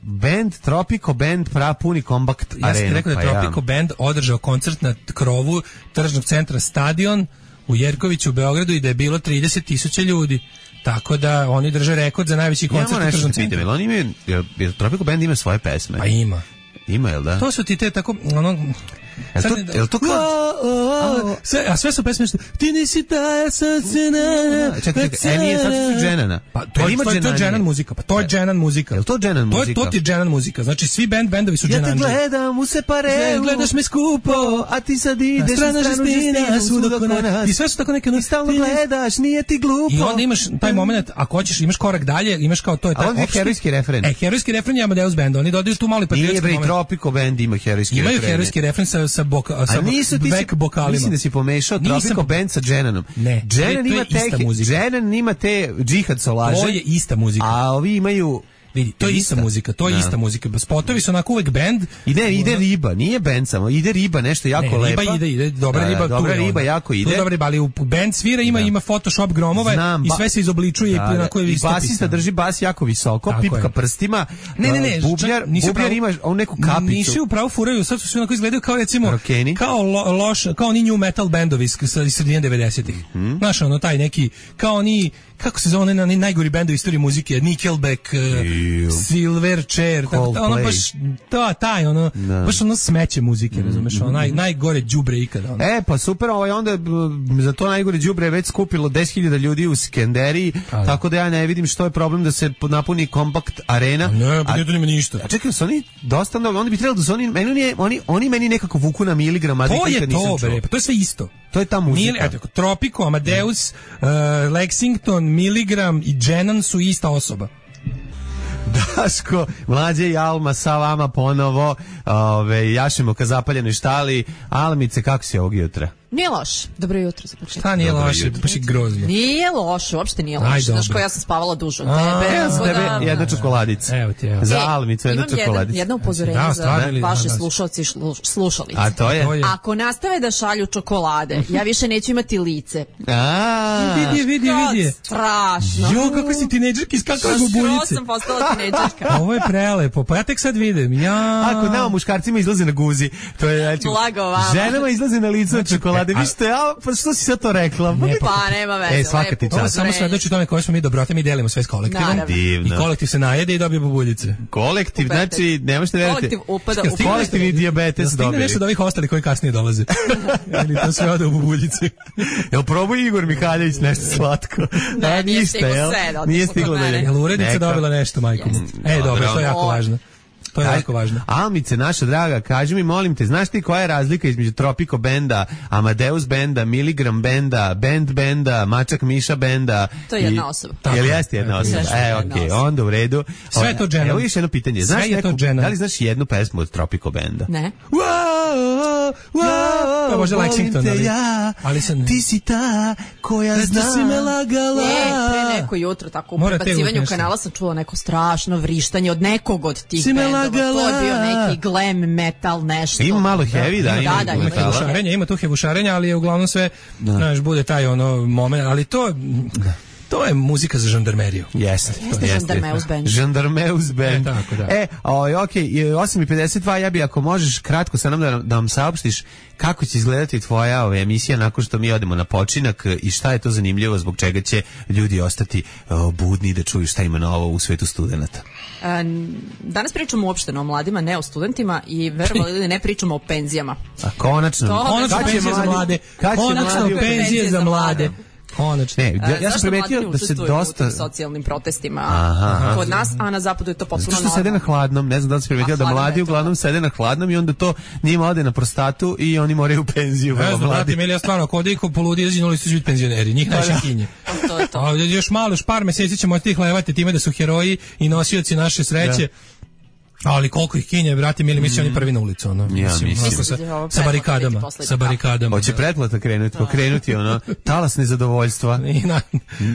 Tropico Band puni Kombat arenu. Ja sam rekao da je Tropico Band održao koncert na krovu tržnog centra Stadion u Jerkoviću u Beogradu i da je bilo 30.000 ljudi. Tako da oni drže rekord za najveći koncert u tržnom centru. Tropico Band ima svoje pesme? Pa ima. Ima, jel da? To su ti te tako... Jel to kao... A sve su pesme što... Ti nisi ta, ja sam se na... Čekaj, nije sad su dženana. Pa to je dženan muzika. Pa to je dženan muzika. Jel to dženan muzika? To ti je dženan muzika. Znači svi bendovi su dženanđe. Ja te gledam u separeu. Gledaš me skupo, a ti sad ideš na stranu žestina, svud oko nas. I sve su tako neke... I stalno gledaš, nije ti glupo. I onda imaš taj moment, ako hoćeš, imaš korak dalje, imaš kao to je taj opšti... A on je herojski refren. Herojski refren je Amadeus Band. Oni dodaju tu mali patriotski moment. Nije, Tropico Band ima herojski refren. Imaju herojski refren sa back bokalima. Mislim da si pomešao Tropico Band sa Dženanom. Ne, Dženan ima te džihad solaže. To je ista muzika. A ovi imaju... Vidi, to je ista muzika, to je ista muzika. Spotovi su onako uvek bend. Ide riba, nije bend samo, ide riba, nešto jako lepa. Riba ide, dobra riba. Dobra riba jako ide. Dobra riba, ali u bend svira ima Photoshop gromova i sve se izobličuje i onako je isto. I basista drži bas jako visoko, pipka prstima. Ne, bubnjar ima neku kapicu. Nisu upravo furaju, sad su sve onako izgledaju kao recimo, kao loš, kao oni new metal bendovi iz sredine 90-ih. Znaš, ono taj neki, kao oni, kako se zove onaj najgori bend u istoriji muzike, Nickelback, Silverchair, ono baš ono smeće muzike, razumeš, ono najgore đubre ikada. Pa super, onda za to najgore đubre je već skupilo 10.000 ljudi u Skenderiji, tako da ja ne vidim što je problem da se napuni Kompakt arena. Ne, pa to nema ništa. A čekaj, su oni dosta, oni bi trebali da su oni meni nekako vuku na miligram, a to je to, bre, pa to je sve isto. To je ta muzika. Tropico, Amadeus, Lexington, Miligram i Dženan su ista osoba. Daško, Mlađe i Alma sa vama ponovo, jašemo ka zapaljenoj štali. Almice, kako si ovog jutra? Nije loše. Dobro jutro za početak. Šta nije loše, baš je grozno. Nije loše, uopšte nije loše. Znaš ko, ja sam spavala duže od tebe. Evo za tebe jedna čokoladica. Evo ti, evo. Za Almicu jedna čokoladica. Imam jedno upozorenje za vaše slušalci i slušalice. A to je? Ako nastave da šalju čokolade, ja više neću imati lice. Vidi. Strašno. Jo, kako si tinejdžerki iskakala bubuljice. Što sam postala tinejdžerka. Ovo je prelepo, pa ja tek sad vidim. Ako nama muškarcima izlazi na guzi, to je blago vama. Ženama izlazi na lice od čokolade. Vi ste, pa što si sad to rekla? Pa nema veze. Svaka ti čast. Samo svedoči tome koje smo mi dobrote, mi delimo sve s kolektivom. I kolektiv se najede i dobije bubuljice. Kolektiv, znači, ne možete veriti. Kolektiv upada u kolektivni dijabetes dobili. Stigne nešto od ovih ostali koji kasnije dolaze. Ili to sve ode u bubuljice. Jel probao Igor Mihaljević nešto slatko? Ne, nije ništa, jel? Nije stiglo da je. Jel urednica dobila nešto, majko? Dobro, to je jako važno. To je jako važno. Almice, naša draga, kaži mi, molim te, znaš ti koja je razlika između Tropico benda, Amadeus benda, Miligram benda, benda, Mačak Miša benda? To je jedna osoba. Jel jeste jedna osoba? Okej, onda u redu. Sve je to dženom. Evo još jedno pitanje. Znaš neku, da li znaš jednu pesmu od Tropico benda? Ne. Pa možda Lexington, ali sam... Ti si ta koja zna. Si me lagala. Pre neko jutro, tako u prebacivanju kanala sam čula neko strašno vrištanje od nekog od tih bendova. To je bio neki glam metal nešto. Ima malo heavy, da, ima hevušarenja, ima tu hevušarenja, ali je uglavnom sve, znaš, bude taj ono moment, ali to je muzika za žandarmeriju. Jeste. Žandarmeus band. Žandarmeus band. Tako da. Okej, 8:52, ja bi ako možeš kratko sa nam da nam saopštiš kako će izgledati tvoja emisija nakon što mi odemo na počinak i šta je to zanimljivo, zbog čega će ljudi ostati budni da čuju šta ima novo u svetu studenata. Danas pričamo uopšteno o mladima, ne o studentima i verovali ili ne pričamo o penzijama. A konačno penzije za mlade. Konačno penzije za mlade. Konačno. Ja sam primetio da se dosta u socijalnim protestima kod nas, a na zapadu je to potpuno normalno. Što sede na hladnom, ne znam da li si primetio da mladi uglavnom sede na hladnom i onda to njima ode na prostatu i oni moraju u penziju. Ne znam, brate, ja stvarno, ako ode i ko poludi, izađenuli su biti penzioneri, njih najviše kinje. To je to. A još malo, par meseci ćemo tih levati time da su heroji i nosioci naše sreće. Ali koliko ih kinje, brate, mili, misli oni prvi na ulicu, ono. Ja mislim. Sa barikadama. Hoće pretplata pokrenuti, ono, talas nezadovoljstva.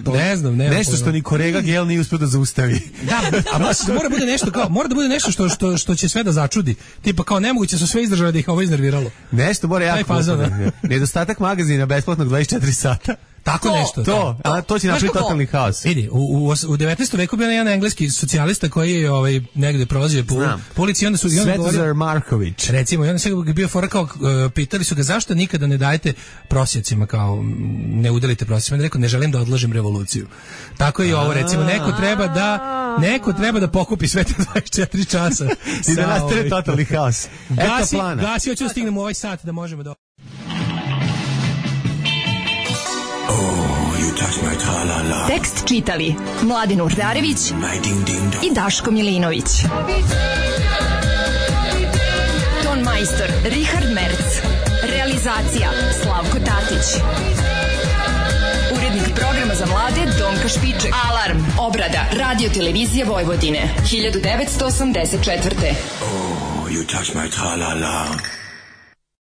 Ne znam, nešto što ni kolega Gel nije uspio da zaustavi. Da, a mora da bude nešto što će sve da začudi. Tipa kao nemoguće su sve izdržali da ih ovo iznerviralo. Nešto mora jako. Nedostatak magazina besplatnog 24 sata. Tako nešto. To će napraviti totalni haos. Vidi, u 19. veku bio jedan engleski socijalista koji je negde prolazio po ulici i onda su... Svetozar Marković. Recimo, i onda se bio fora kao, pitali su ga zašto nikada ne dajete prosjecima, kao ne udelite prosjecima. Rekao, ne želim da odložim revoluciju. Tako i ovo, recimo, neko treba da pokupi sve te 24 časa. I da nastane totalni haos. Gasi, hoću da stignem u ovaj sat da možemo da... Tekst čitali Mladin Urdarević i Daško Milinović. Ton majstor Richard Merc. Realizacija Slavko Tatić. Urednik programa za mlade Donka Špiček. Alarm, obrada, radio televizija Vojvodine, 1984. Oh, you touch my tra-la-la.